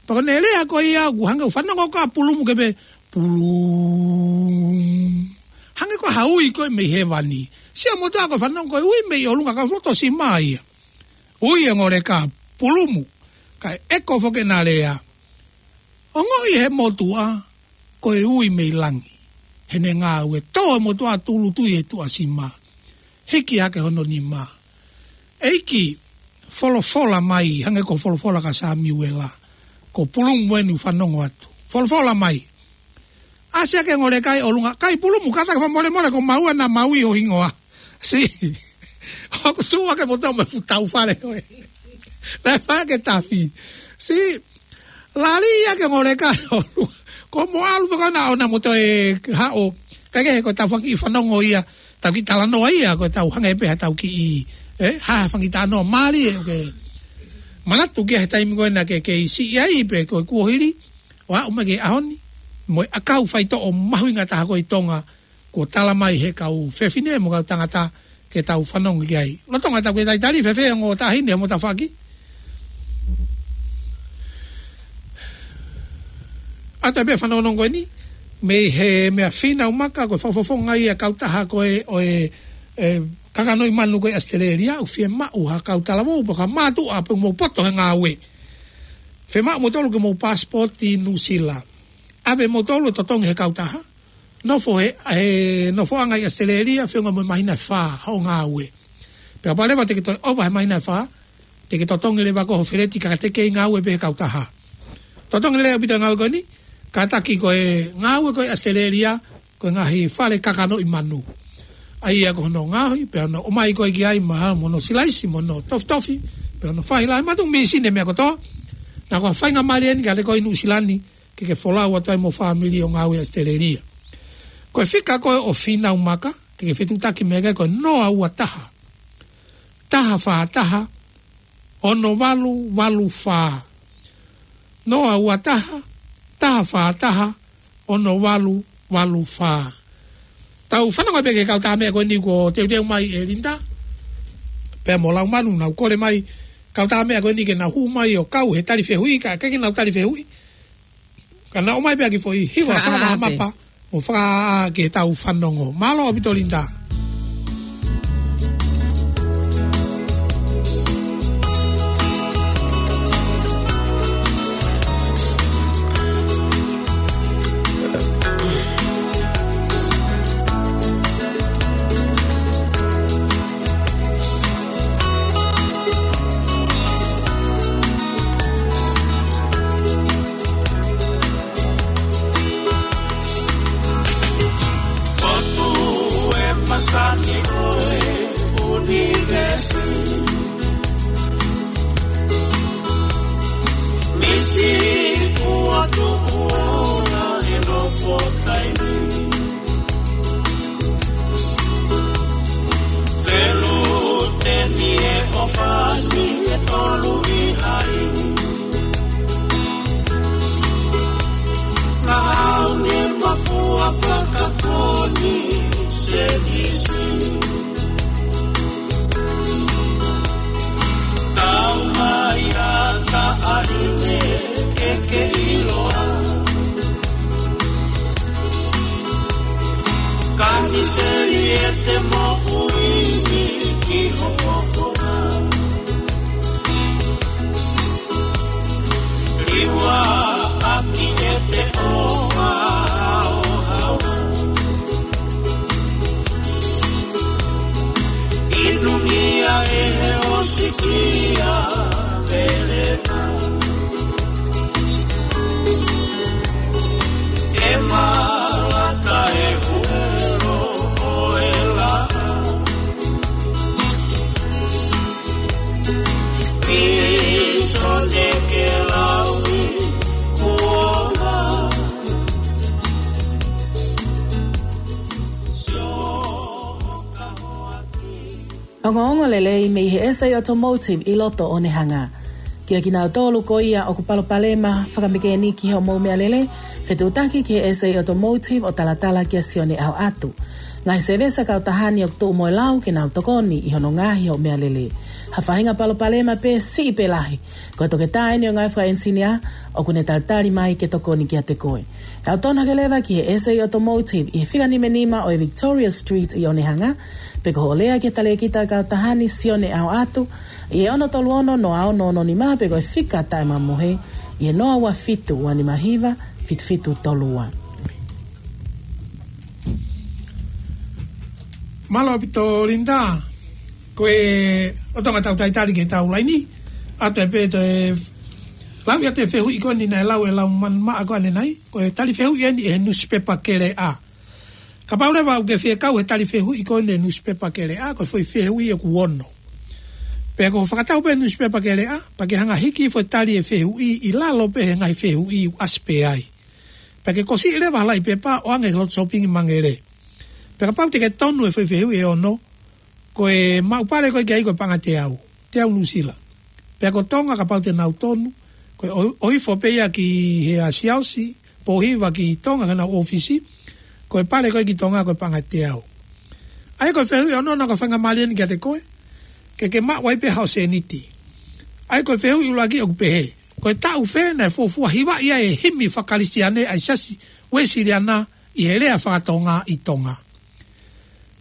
Pea ko ʻene lea ko ia ʻoku hangē ʻoku fanongo ko ē ʻa Pulumu ke pehē, "Pulumu." Hangē ko ha ui ko ē mei hēvani. Sio motuʻa ko e fanongo ko e ui mei ʻolunga ka loto sima ia. Ui e ongo leka, "Pulumu." Kae ʻeko foki ʻena lea. Ongoʻi he motuʻa, ko e ui mei langi. Heʻene ngāue, tō e motuʻa tūʻulutui he tuʻa sima. Hiki hake hono nima. "ʻEiki, folofola mai, hangē ko e folofola kia Samiuela. Ko Pulumu eni ʻoku fanongo atu. Folofola mai." ʻAsi hake ongo leka ʻi ʻolunga, "Kai Pulumu, kātaki fakamolemole ko maua naʻa mau ui ho hingoa." Sī. ʻOku sū hake motuʻa mo e fuʻu tau fale ko ē. Naʻe fai hake tafi. Sī. Lali ia ki ongo leka ʻi ʻolunga. Ko mo ʻalu pē ko ē naʻa ʻona mo toe haʻu. Kae kehe ko ʻetau fanga kiʻi fanongo ia. Tau kiʻi talanoa ia, ko ʻetau hangē pē ha tau kiʻi, ʻe, ha fanga kiʻi talanoa mālie, ʻoku ke manatu ki ai he taimi ko ē naʻa ke kei siʻi ai pe ko e kuohili. ʻO aʻu mai ki he ʻaho ni. Mo e ʻakau faitoʻo mahuʻinga taha ko ē ʻi Tonga. Kuo tala mai he kau fefine mo e kau tangata ke tau fanongo ki ai. Lolotonga ʻetau kiʻi talitali, fēfē ongo taʻahine mo taʻahine? ʻA e taimi pē fanongonongo ko eni, mei he meʻa Fīnau Maka, ko e fakafofonga ia e kautaha ko ē ʻo e, ʻe, kakanoʻi manu ko ē ʻAositelēlia, ʻoku fiemaʻu ha kau talavou, pe ko ha mātuʻa, pea mou poto he ngāue. Fiemaʻu moutolu ke mou passport ʻi Nuʻusila. ʻAve moutolu ʻo totongi he kautaha. Nofo he, he nofoʻanga ʻi ʻAositelēlia, feʻunga mo e māhina ʻe fā hoʻo ngāue. Pea kapau leva te ke toe ʻova he māhina ʻe fā, te ke totongi leva ko ho feleti ka te ke kei ngāue pē he kautaha. Totongi lelei ʻaupito e ngāue ko eni, kātaki ko e ngāue ko ē ʻi ʻAositelēlia, ko e ngaahi fale kakanoʻi manu. ʻA ia ko hono ngaohi, pea hono ʻomai ko ē ki ai mo hono silaisi, mo hono tofitofi, pea hono fai lahi, mātuʻaki mīsini e meʻa kotoa. Naʻa ko e faingamālie eni ke ʻalu ko ē ʻi Nuʻusila ni, ke ke folau atu ai mo e fāmili ʻo ngāue ʻi ʻAositelēlia. Ko e fika ko ē ʻo Fīnau Maka, ke ke fetuʻutaki mei ai ko e noa ua taha, taha fā taha, ono valu valu fā. Noa ua taha, taha fā taha, ono valu valu fā. Tau fanongo pē ki he kautaha meʻa ko eni kuo teuteu mai ʻe Linda. Pea mo Laumanu nau kole mai, kautaha meʻa ko eni ke nau hū mai ʻo kau he tali fehuʻi, ka ʻikai ke nau tali fehuʻi. Ka nau ʻomai pē ha kiʻi foʻi hiva fakamahamapa, mo fakaʻā ke tau fanongo. Mālō ʻaupito Linda. Seli ʻete moʻui ki ho fofonga. Liuaʻaki ʻete ʻofa ʻo haohaoa. ʻInumia ʻe he ʻosi kia Veleka. ʻE malaka e huelo ʻo e laʻā. Pīsone ke lau i kuonga. Sio ka hoaki. Ongoongo lelei mei he S A Automotive ʻi loto Onehunga. Kia kinautolu ko ia ʻoku palopalema fakamekēniki hoʻomou meʻalele, fetuʻutaki ki he S A Automotive ʻo talatala kia Sione ʻAhoʻatu. Ngaahi sēvesi kautaha ni ʻoku tuʻu mo e lau ke nau tokoni ʻi hono ngaohi hoʻo meʻalele. Ha faʻahinga palopalema pē siʻi pe lahi, ko e toketā eni ʻo e ngaahi fakaʻenisinia ʻoku ne talitali mai ke tokoni kiate koe. Tau tonu hake leva ki he S A Automotive ʻi he fika nima nima ʻo e Victoria Street ʻi Onehunga, pe ko hoʻo lea ki he talēkita kautaha ni Sione ʻAhoʻatu ʻi he ono tolu ono noa ono ono nima pe ko e fika taʻemamohe ʻi he noa ua fitu ua nima hiva fitu fitu tolu ua. Mālō ʻaupito Linda, ko e ʻotonga tau talitali ki he tau laini, ʻoatu pē toe lau ʻa e fehuʻi ko eni naʻe lau ʻe Laumanu Maʻa ko ʻanenai, ko e tali fehuʻi eni ʻe he nusipepa Keleʻa. Kapau leva ʻoku ke fie kau he tali fehuʻi ko eni ʻe he nusipepa Keleʻa, ko e foʻi fehuʻi ʻoku ono. Pea ko e fakatau pē nusipepa Keleʻa, pea ke hanga hiki foʻi tali e fehuʻi ʻi lalo pē he ngaahi fehuʻi ʻoku ʻasi pē ai. Pea ke kosiʻi leva ha laʻi pepa ʻo ʻoange ki he lotu sōpingi Mangele. Pea kapau te ke tonu e foʻi fehuʻi ʻe ono, ko e maʻu pale ko ē ki ai ko e paʻanga teau, teau Nuʻusila. Pea ko Tonga kapau te nau tonu, ko e ʻo-, ʻohifo pē ia ki he ʻa Siaosi, Pōhiva ki Tonga ki honau ʻōfisi, ko e pale ko ē ki Tonga ko e paʻanga teau. ʻA ia ko e fehuʻi ʻe ono naʻa ku faingamālie eni kiate koe, ke ke maʻu ai pē haʻo sēniti. ʻA ia ko e fehuʻi ʻuluaki ʻoku pehē, ko e taʻu fē naʻe fuofua hivaʻi ai e himi fakakalisitiane ʻa e Siasi Uēsiliana ʻi he lea fakatonga ʻi Tonga.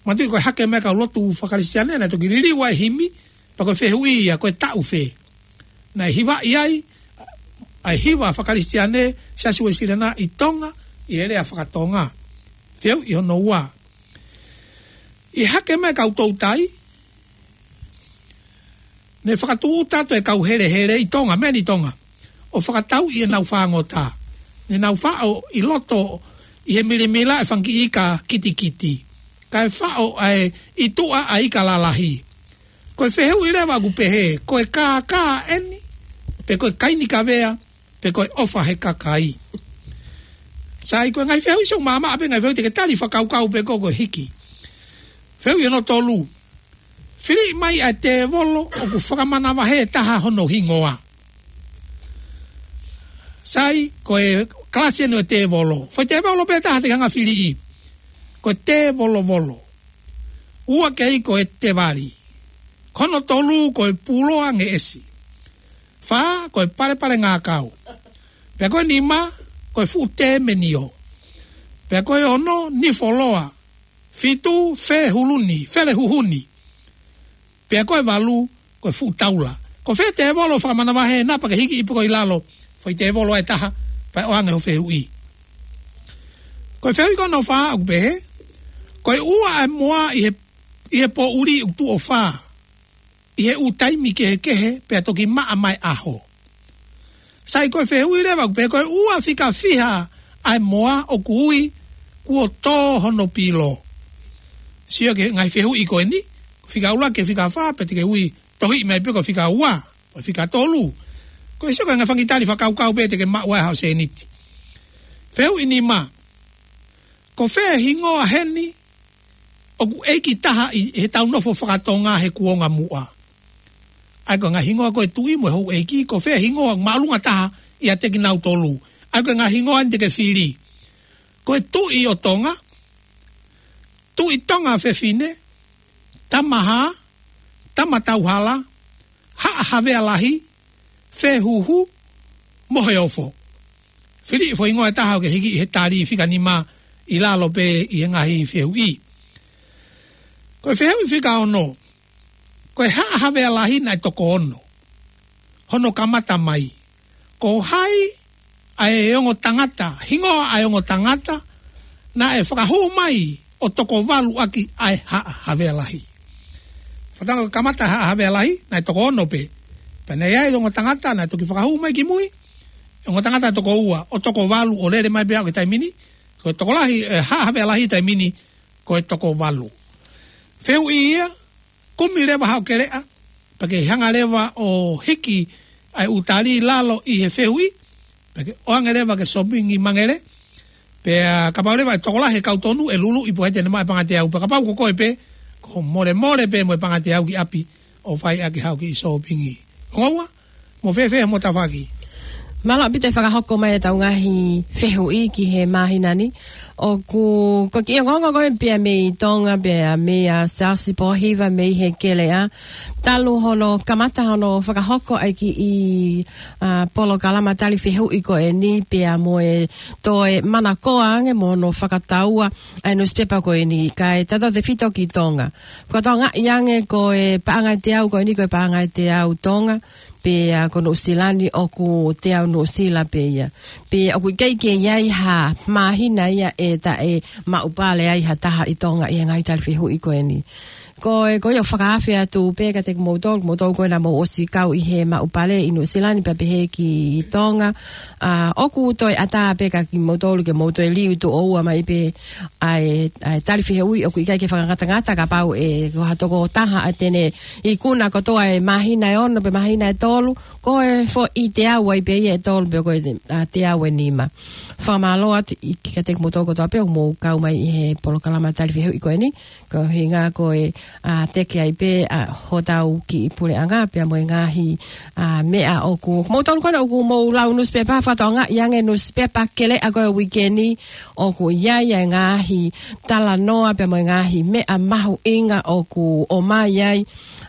Manatuʻi ko e Hake Mai Kau Lotu Fakakalisitiane naʻe toki liliu ai e himi, pea ko e fehuʻi ia ko e taʻu fē naʻe hivaʻi ai ʻa e hiva fakakalisitiane Siasi Uēsiliana ʻi Tonga ʻi he lea fakatonga. Fehuʻi hono ua. ʻI he Hake Mai Kau Toutai, ne fakatūʻuta atu e kau helehele ʻi Tonga, mei Tonga, ʻo fakatauʻi ʻenau fāngota. Ne nau faʻo ʻi loto ʻi he milimila e fanga kiʻi ika kitikiti, kae faʻo ʻa e ʻi tuʻa ʻa e ika lalahi. Ko e fehuʻi leva ʻoku pehē, ko e kākā eni, pe ko e kaini kavea, pe ko e ʻofa he kakai. Sai, ko e ngaahi fehuʻi ʻoku maʻamaʻa pē ngaahi fehuʻi, te ke tali fakakaukau pē koe ko e hiki. Fehuʻi hono tolu. Fili mai ʻa e tēvolo ʻoku fakamanavahē taha hono hingoa. Sai, ko e kalasi eni ʻo e tēvolo. Foʻi tēvolo pē taha te ke hanga filiʻi. Ko e tēvolovolo. Ua ki ai ko e tēvali. Ko hono tolu ko e puloa ngeʻesi. Fā, ko e palepale ngākau. Pea ko e nima, ko e fuʻu tēmenio. Pea ko e ono, nifoloa. Fitu, fehuluni, felehuhuni. Pea ko e valu, ko e fuʻu taula. Ko fē tēvolo fakamanavahē ena pea ke hiki ʻi pē ko ē ʻi lalo, foʻi tēvolo ʻe taha, pea ʻoange hoʻo fehuʻi. Ko e fehuʻi ko hono fā ʻoku pehē, ko e ua ʻa e moa ʻi he, ʻi he poʻuli ʻoku tuʻo fā ʻi he ʻū taimi kehekehe pea toki maʻa mai ʻaho. Sai, ko e fehuʻi leva ʻoku pehē, ko e ua fika fiha ʻa e moa ʻoku ui kuo tō hono pilo. Sio ki he ngaahi fehuʻi ko eni, fika ʻuluaki ki he fika fā, pea te ke ui tohiʻi mai pē ko e fika ua, ko e fika tolu. Ko e sio ki he ngaahi fanga kiʻi tali fakakaukau pē te ke maʻu ai haʻo sēniti. Fehuʻi nima. Ko fē hingoa heni ʻoku ʻeiki taha ʻi he tau nofo fakatonga he kuonga muʻa? ʻA ia ko e ngaahi hingoa ko e tuʻi mo e houʻeiki, ko fē hingoa māʻolunga taha ʻiate kinautolu? ʻA ia ko e ngaahi hingoa eni te ke fili. Ko e Tuʻi ʻo Tonga, Tuʻi Tonga Fefine, Tamahā, Tamatauhala, Haʻa Havea Lahi, Fehuhu, Moheofo. Fili foʻi hingoa ʻe taha ʻo ke hiki ʻi he tali fika nima ʻi lalo pē ʻi he ngaahi fehuʻi. Ko e fehuʻi fika ono, ko e Haʻa Havea Lahi naʻe toko ono. Hono kamata mai, ko hai ʻa e ongo tangata, hingoa ʻa e ongo tangata naʻe fakahū mai ʻo toko valu ʻaki ʻa e Haʻa Havea Lahi? Fakatonga, kamata Haʻa Havea Lahi naʻe toko ono pē. Pea naʻe ʻi ai e ongo tangata naʻe toki fakahū mai ki mui, ongo tangata toko ua ʻo toko valu ʻo lele mai pē ʻo aʻu ki he taimi ni. Ko e tokolahi, e, Haʻa Havea Lahi taimi ni ko e toko valu. Fehuʻi ia, kumi leva haʻo keleʻa, pea ke hanga leva ʻo hiki ʻa e ʻū tali lalo ʻi he fehuʻi, pea ke ʻoange leva ki he Sōpingi Mangere, pea kapau leva ʻe tokolahi e kau tonu ʻe luluʻi pea ʻe ʻikai te ne maʻu e pangateau, pea kapau ko koe pē, ko e molemole pē mo e pangateau ki ʻapi ʻo fai ʻaki haʻo kiʻi sōpingi. Ongo ua, mou fēfē hoʻomou tafaʻaki? Mālō ʻaupito e fakahoko mai ʻetau ngaahi fehuʻi ki he māhina ni. ʻOku, ko e kiʻi ongoongo ko ē pea mei Tonga, pea mei a Siaosi Pōhiva mei he keleʻa. Talu hono kamata hono fakahoko ʻa e kiʻi, a, polokalama tali fehuʻi ko eni pea mo e toe manakoa ange mo hono fakataua ʻa e nusipepa ko eni, kae tautautefito ki Tonga. Fakatokangaʻi ange ko e paʻanga ʻe teau ko eni, ko e paʻanga ʻe teau Tonga, pea ko Nuʻusila ni ʻoku teau Nuʻusila pē ia. Pea ʻoku ʻikai ke ʻi ai ha māhina ia ʻe taʻe maʻu pale ai ha taha ʻi Tonga ʻi he ngaahi tali fehuʻi ko eni. Ko e, ko ia ʻoku fakaafe atu pē kiate kimoutolu, kimoutolu ko ē naʻa mou ʻosi kau ʻi he maʻu pale ʻi Nuʻusila ni pea pehē ki Tonga. A, ʻoku toe ʻatā pē kia kimoutolu ke mou toe liu tuʻo ua mai pē ʻa e, ʻa e tali fehuʻi, ʻoku ʻikai ke fakangatangata kapau ʻe ko ha tokotaha ʻa te ne ikuna kotoa e māhina ʻe ono pe māhina ʻe tolu, ko e foʻi teau ai pē ia ʻe tolu pe ko e, a, teau ʻe nima. Fakamālō atu ʻi, kiate kimoutolu kotoa pē ʻoku mou kau mai ʻi he polokalama tali fehuʻi ko eni. Ko e ʻuhinga ko e, a, teke ai pē, a, hotau kiʻi puleʻanga pea mo e ngaahi, a, meʻa ʻoku, kimoutolu ko ena ʻoku mou lau nusipepa, fakatokangaʻi ange nusipepa keleʻa ko e uike ni, ʻoku ʻi ai e ngaahi talanoa pea mo e ngaahi meʻa mahuʻinga ʻoku ʻomai ai,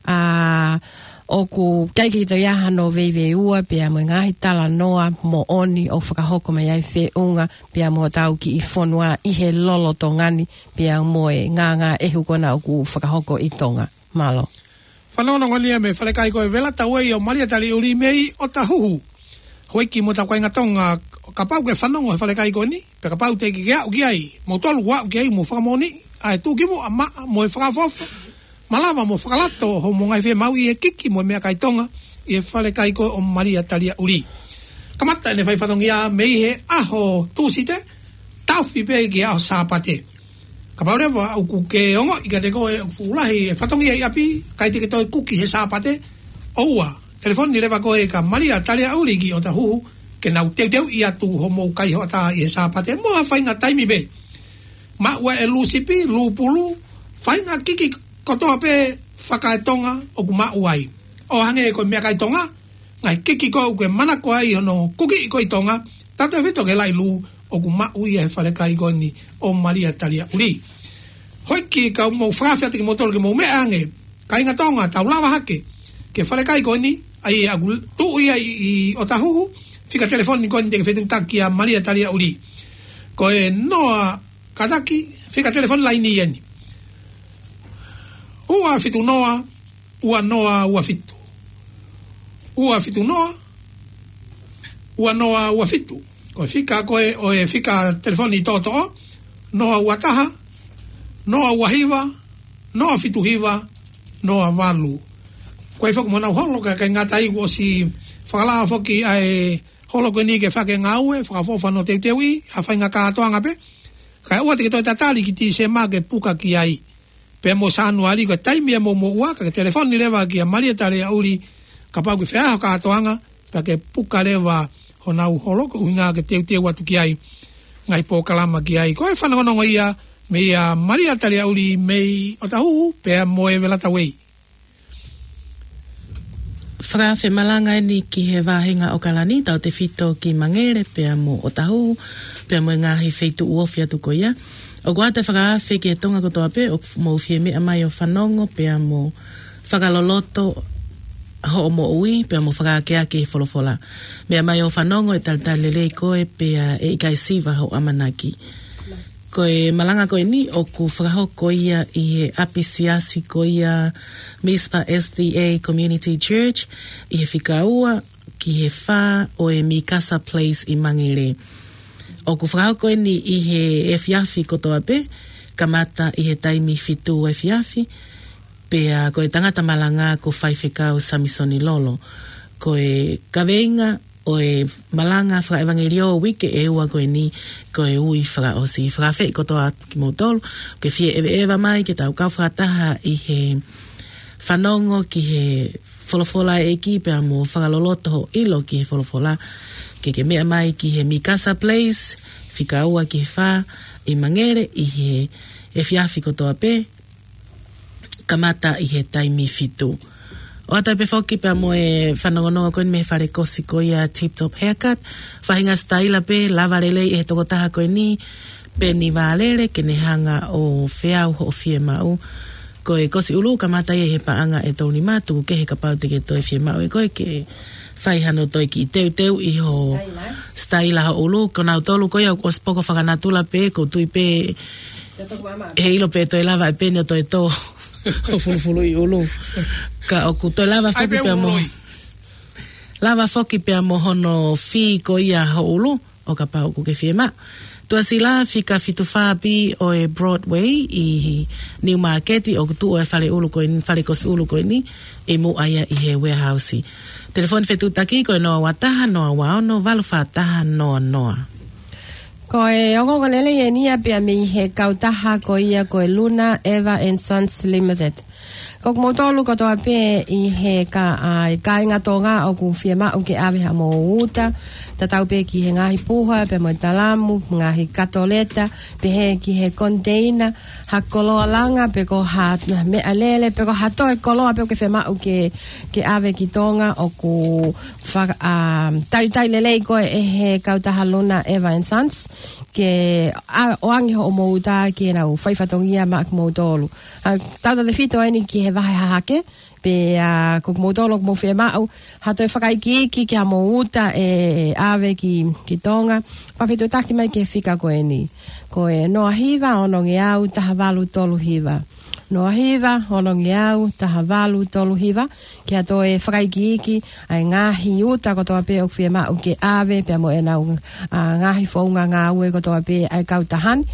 a, ʻoku ʻikai ke toe ʻi ai hano veiveiua pea mo e ngaahi talanoa moʻoni ʻoku fakahoko mai ai feʻunga pea mo hotau kiʻi fonua ʻi he lolotonga ni, pea mo e ngāngāʻehu ko ena ʻoku fakahoko ʻi Tonga. Mālō. Fanongonongo ni ia mei he falekai ko e Velatauei ʻo Malia Taliaʻuli mei ʻOtahuhu. Houʻeiki mo hotau kāinga Tonga, kapau ʻoku ke fanongo he falekai ko eni, pea kapau te ke aʻu ki ai, kimoutolu ʻoku aʻu ki ai, mou fakamoʻoni ʻa e tuʻukimuʻa maʻa mo e fakaʻofoʻofa, malava mo fakalato hoʻomou ngaahi fiemaʻu ʻi he kiki mo e meʻakai Tonga ʻi he falekai ko ē ʻo Malia Taliaʻuli. Kamata ʻene fai fatongia mei he ʻaho Tūsite, taʻofi pē ki he ʻaho Sāpate. Kapau leva ʻoku ke ongoʻi kiate koe ʻoku fuʻu lahi e fatongia ʻi ʻapi, ʻikai te ke toe kuki he Sāpate, ʻoua, telefoni leva koe kia Malia Taliaʻuli ki ʻOtahuhu, ke nau teuteuʻi atu hoʻomou kai hoʻatā ʻi he Sāpate, mo ha faʻahinga taimi pē. Maʻu ʻa e lū sipi, lū pulu, faʻahinga kiki kotoa pē fakaeTonga ʻoku maʻu ai. ʻO hangē ko e meʻakai Tonga, ngaahi kiki ko ē ʻoku ke manako ai hono kukiʻi ko ē ʻi Tonga, tautautefito ki he laʻi lū ʻoku maʻu ia he falekai ko eni ʻo Malia Taliaʻuli. Houʻeiki, ka mou fakaafeʻi atu kimoutolu ke mou meʻa ange, kāinga Tonga, tau lava hake ki he falekai ko eni, ʻa ia ʻoku tuʻu ia ʻi, ʻi ʻOtahuhu, fika telefoni ko eni te ke fetuʻutaki kia Malia Taliaʻuli. Ko e noa kātaki, fika telefoni laini eni. Ua fitu noa, ua noa ua fitu. Ua fitu noa, ua noa ua fitu. Ko e fika ko ē ʻo e fika telefoni toʻotoʻo, noa ua taha, noa ua hiva, noa fitu hiva, noa valu. Ko e foki mo ʻenau holo, ka ʻikai ngata ai kuo ʻosi fakalao foki ʻa e holo ko eni ke fai ʻaki e ngāue fakaʻofoʻofa hono teuteuʻi ʻa e faʻahinga kātoanga pē. Kae ʻoua te ke toe tatali ki Tīsema ke puka ki ai. Pea mo Sānuali ko e taimi ia mo moʻua, ka ke telefoni leva kia Malia Taliaʻuli, kapau ʻoku ke fai ha kātoanga, pea ke puka leva honau holo ko e ʻuhinga ke teuteu atu ki ai, ngaahi polokalama ki ai. Ko e fanongonongo ia meia Malia Taliaʻuli mei ʻOtahuhu, pea mo e Velatauei. Fakaafe malanga eni ki he vāhenga ʻOkalani, tautefito ki Mangere, pea mo ʻOtahuhu, pea mo e ngaahi feituʻu ofi atu ko ia. ʻOku ʻoatu e fakaafe ki he Tonga kotoa pē ʻoku mou fie meʻa mai ʻo fanongo, pea mo fakaloloto hoʻo moʻui, pea mo fakaakeake he folofola. Meʻa mai ʻo fanongo ʻe talitali lelei koe, pea ʻe ʻikai siva hoʻo ʻamanaki. Ko e malanga ko eni ʻoku fakahoko ia ʻi he ʻapisiasi ko ia Mizpah S D A Community Church ʻi he fika ua ki he fā ʻo e Mikasa Place ʻi Mangere. ʻOku fakahoko eni ʻi he efiafi kotoa pē, kamata ʻi he taimi fitu efiafi, pea ko e tangata malanga ko Faifekau Samisoni Lolo. Ko e kaveinga ʻo e malanga fakaʻevangeliō uike ʻe ua ko eni ko e Ui Fakaʻosi. Fakaafeʻi kotoa kimoutolu ke fie ʻeveʻeva mai ke tau kau fakataha ʻi he fanongo ki he folofola ʻa e ʻEiki pea mo fakaloloto hoʻo ʻilo ki he folofola. Ke ke meʻa mai ki he Mikasa Place, fika ua ki he fā ʻi Mangere ʻi he efiafi kotoa pē, kamata ʻi he taimi fitu. ʻOatu ai pē foki pea mo e fanongonongo ko eni mei he fale kosi ko ia Tip Top Haircut. Faʻahinga sitaila pē, lava lelei ʻe he tokotaha ko eni, Peni Vālele, ke ne hanga ʻo feau hoʻo fiemaʻu. Ko e kosi ʻulu kamata ia ʻi he paʻanga ʻe tolu nima, tuku kehe kapau te ke toe fiemaʻu ʻe koe ke fai hano toe kiʻi teuteuʻi ho sitaila, sitaila ho ʻulu. Ko nautolu ko ia ʻoku ʻosi poko fakanatula pē, ʻoku ou tui pē ʻe ʻilo pē toe lava ʻe Peni ʻo toe tō ʻo fulufuluʻi ʻulu. Ka ʻoku toe lava foki pē mo hono fee ko ia ho ʻulu, ʻo kapau ʻoku ke fiemaʻu. Tuʻasila fika fitu fā B ʻo e Broadway ʻi Niu Māketi, ʻoku tuʻu e fale ʻulu ko eni, fale kosi ʻulu ko eni ʻi muʻa ia ʻi he warehouse. Telefoni fetuʻutaki ko e noa ua taha, noa ua ono, valu fā taha, noa noa. Ko e ongoongo lelei eni ia pea mei he kautaha ko ia ko e Luna Eva and Sons Limited. Ko kimoutolu kotoa pē ʻi he ka-, ʻa, ʻi he kāinga Tonga ʻoku fiemaʻu ke ʻave haʻamou uta, tatau pē ki he ngaahi puha, pea mo e talamu, ngaahi katoleta, pehē ki he koniteina, ha koloa langa, pe ko ha meʻalele, pe ko ha toe koloa pē ʻoku ke fiemaʻu ke, ke ʻave ki Tonga, ʻoku faka-, ʻa, talitali lelei koe ʻe he kautaha Luna Eva and Sons, ke ʻa, ʻoange hoʻomou uta ke nau fai fatongia maʻa kimoutolu. ʻA, tautautefito eni ki he vahe hahake, pea ko kimoutolu ʻoku mou fiemaʻu ha toe fakaikiiki ki haʻamou uta ʻe ʻave ki, ki Tonga, fakafetuʻutaki mai ki he fika ko eni. Ko e noa hiva ono ngeau taha valu tolu hiva. Noa hiva ono ngeau taha valu tolu hiva, ki ha toe fakaikiiki ʻa e ngaahi uta kotoa pē ʻoku fiemaʻu ke ʻave, pea mo ʻenau, ʻa, ngaahi founga ngāue kotoa pē ʻa e kautaha ni.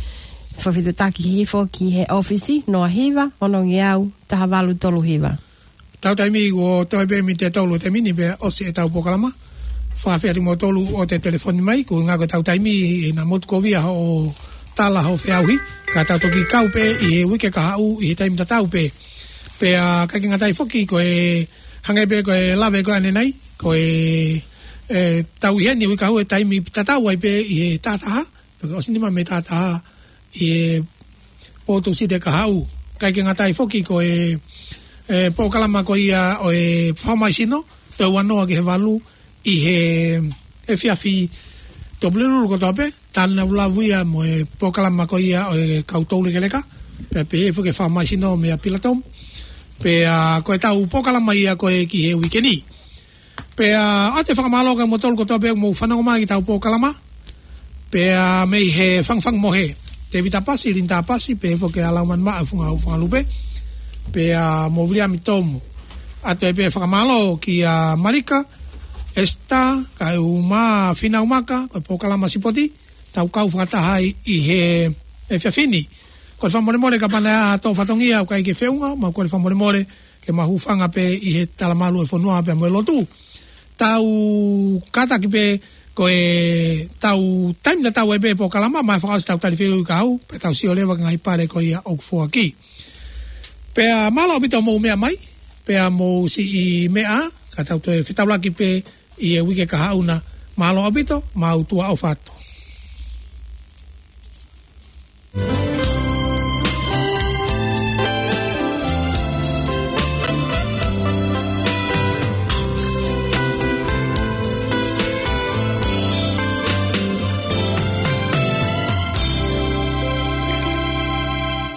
Fakafetuʻutaki hifo ki he ʻōfisi, noa hiva ono ngeau taha valu tolu hiva. Tau taimi kuo toe pē miniti ʻe tolu ʻo e taimi ni pea ʻosi ʻetau polokalama. Fakaafeʻi atu kimoutolu ʻo toe telefoni mai, ko e ʻuhinga ko ʻetau taimi ʻi he motukovia hoʻo tala hoʻo feʻauhi, ka tau toki kau pē ʻi he uike kahaʻu ʻi he taimi tatau pē. Pea ʻikai ke ngata ai foki ko e hangē pē ko e lave ko ē ʻanenai, ko e, ʻe, tau ʻi heni uike kahaʻu he taimi tatau ai pē ʻi he taha taha, pe ko e ʻosi nima mei he taha taha ʻi he pō Tūsite kahaʻu. ʻIkai ke ngata ai foki ko e, ʻe, polokalama ko ia ʻo e fakamaisino, toe ua noa ki he valu ʻi he efiafi Tuʻapulelulu kotoa pē, talanoa lalahi ia mo e polokalama ko ia ʻo e kau toulekeleka, pea pehē foki ki he fakamaisino meia Pilatom. Pea ko ʻetau polokalama ia ko ē ki he uike ni. Pea ʻoatu e fakamālō kia moutolu kotoa pē ʻoku mou fanongo mai ki heʻetau polokalama. Pea mei he Fangufangu Mohe, Tēvita Pasi, Linda Pasi, pehē foki kia Laumani Maʻa, Funga, Funga Lupe. Pea mo Viliami Tomu. ʻOatu ai pē fakamālō kia Malika, Esita, Kaeʻumaʻā, Fīnau Maka, ko e polokalama sipoti, tau kau fakataha ai ʻi he efiafi ni. Kole fakamolemole kapau naʻe ʻi ai ha tō fatongia ʻoku ʻikai ke feʻunga, mo kole fakamolemole ke mau hūfanga pē ʻi he talamalu ʻo e fonua pea mo e lotu. Tau kātaki pē ko ʻetau taimi tatau ai pē polokalama, mai fakaʻosi ʻetau tali fehuʻi kahaʻu, pea tau sio leva ki he ngaahi pale ko ia ʻoku foaki. Pea mālō ʻaupito hoʻomou meʻa mai, pea mou siʻi meʻa, ka tau toe fetaulaki pē ʻi he uike kahaʻu na. Mālō ʻaupito, mau tuʻa ʻofa atu.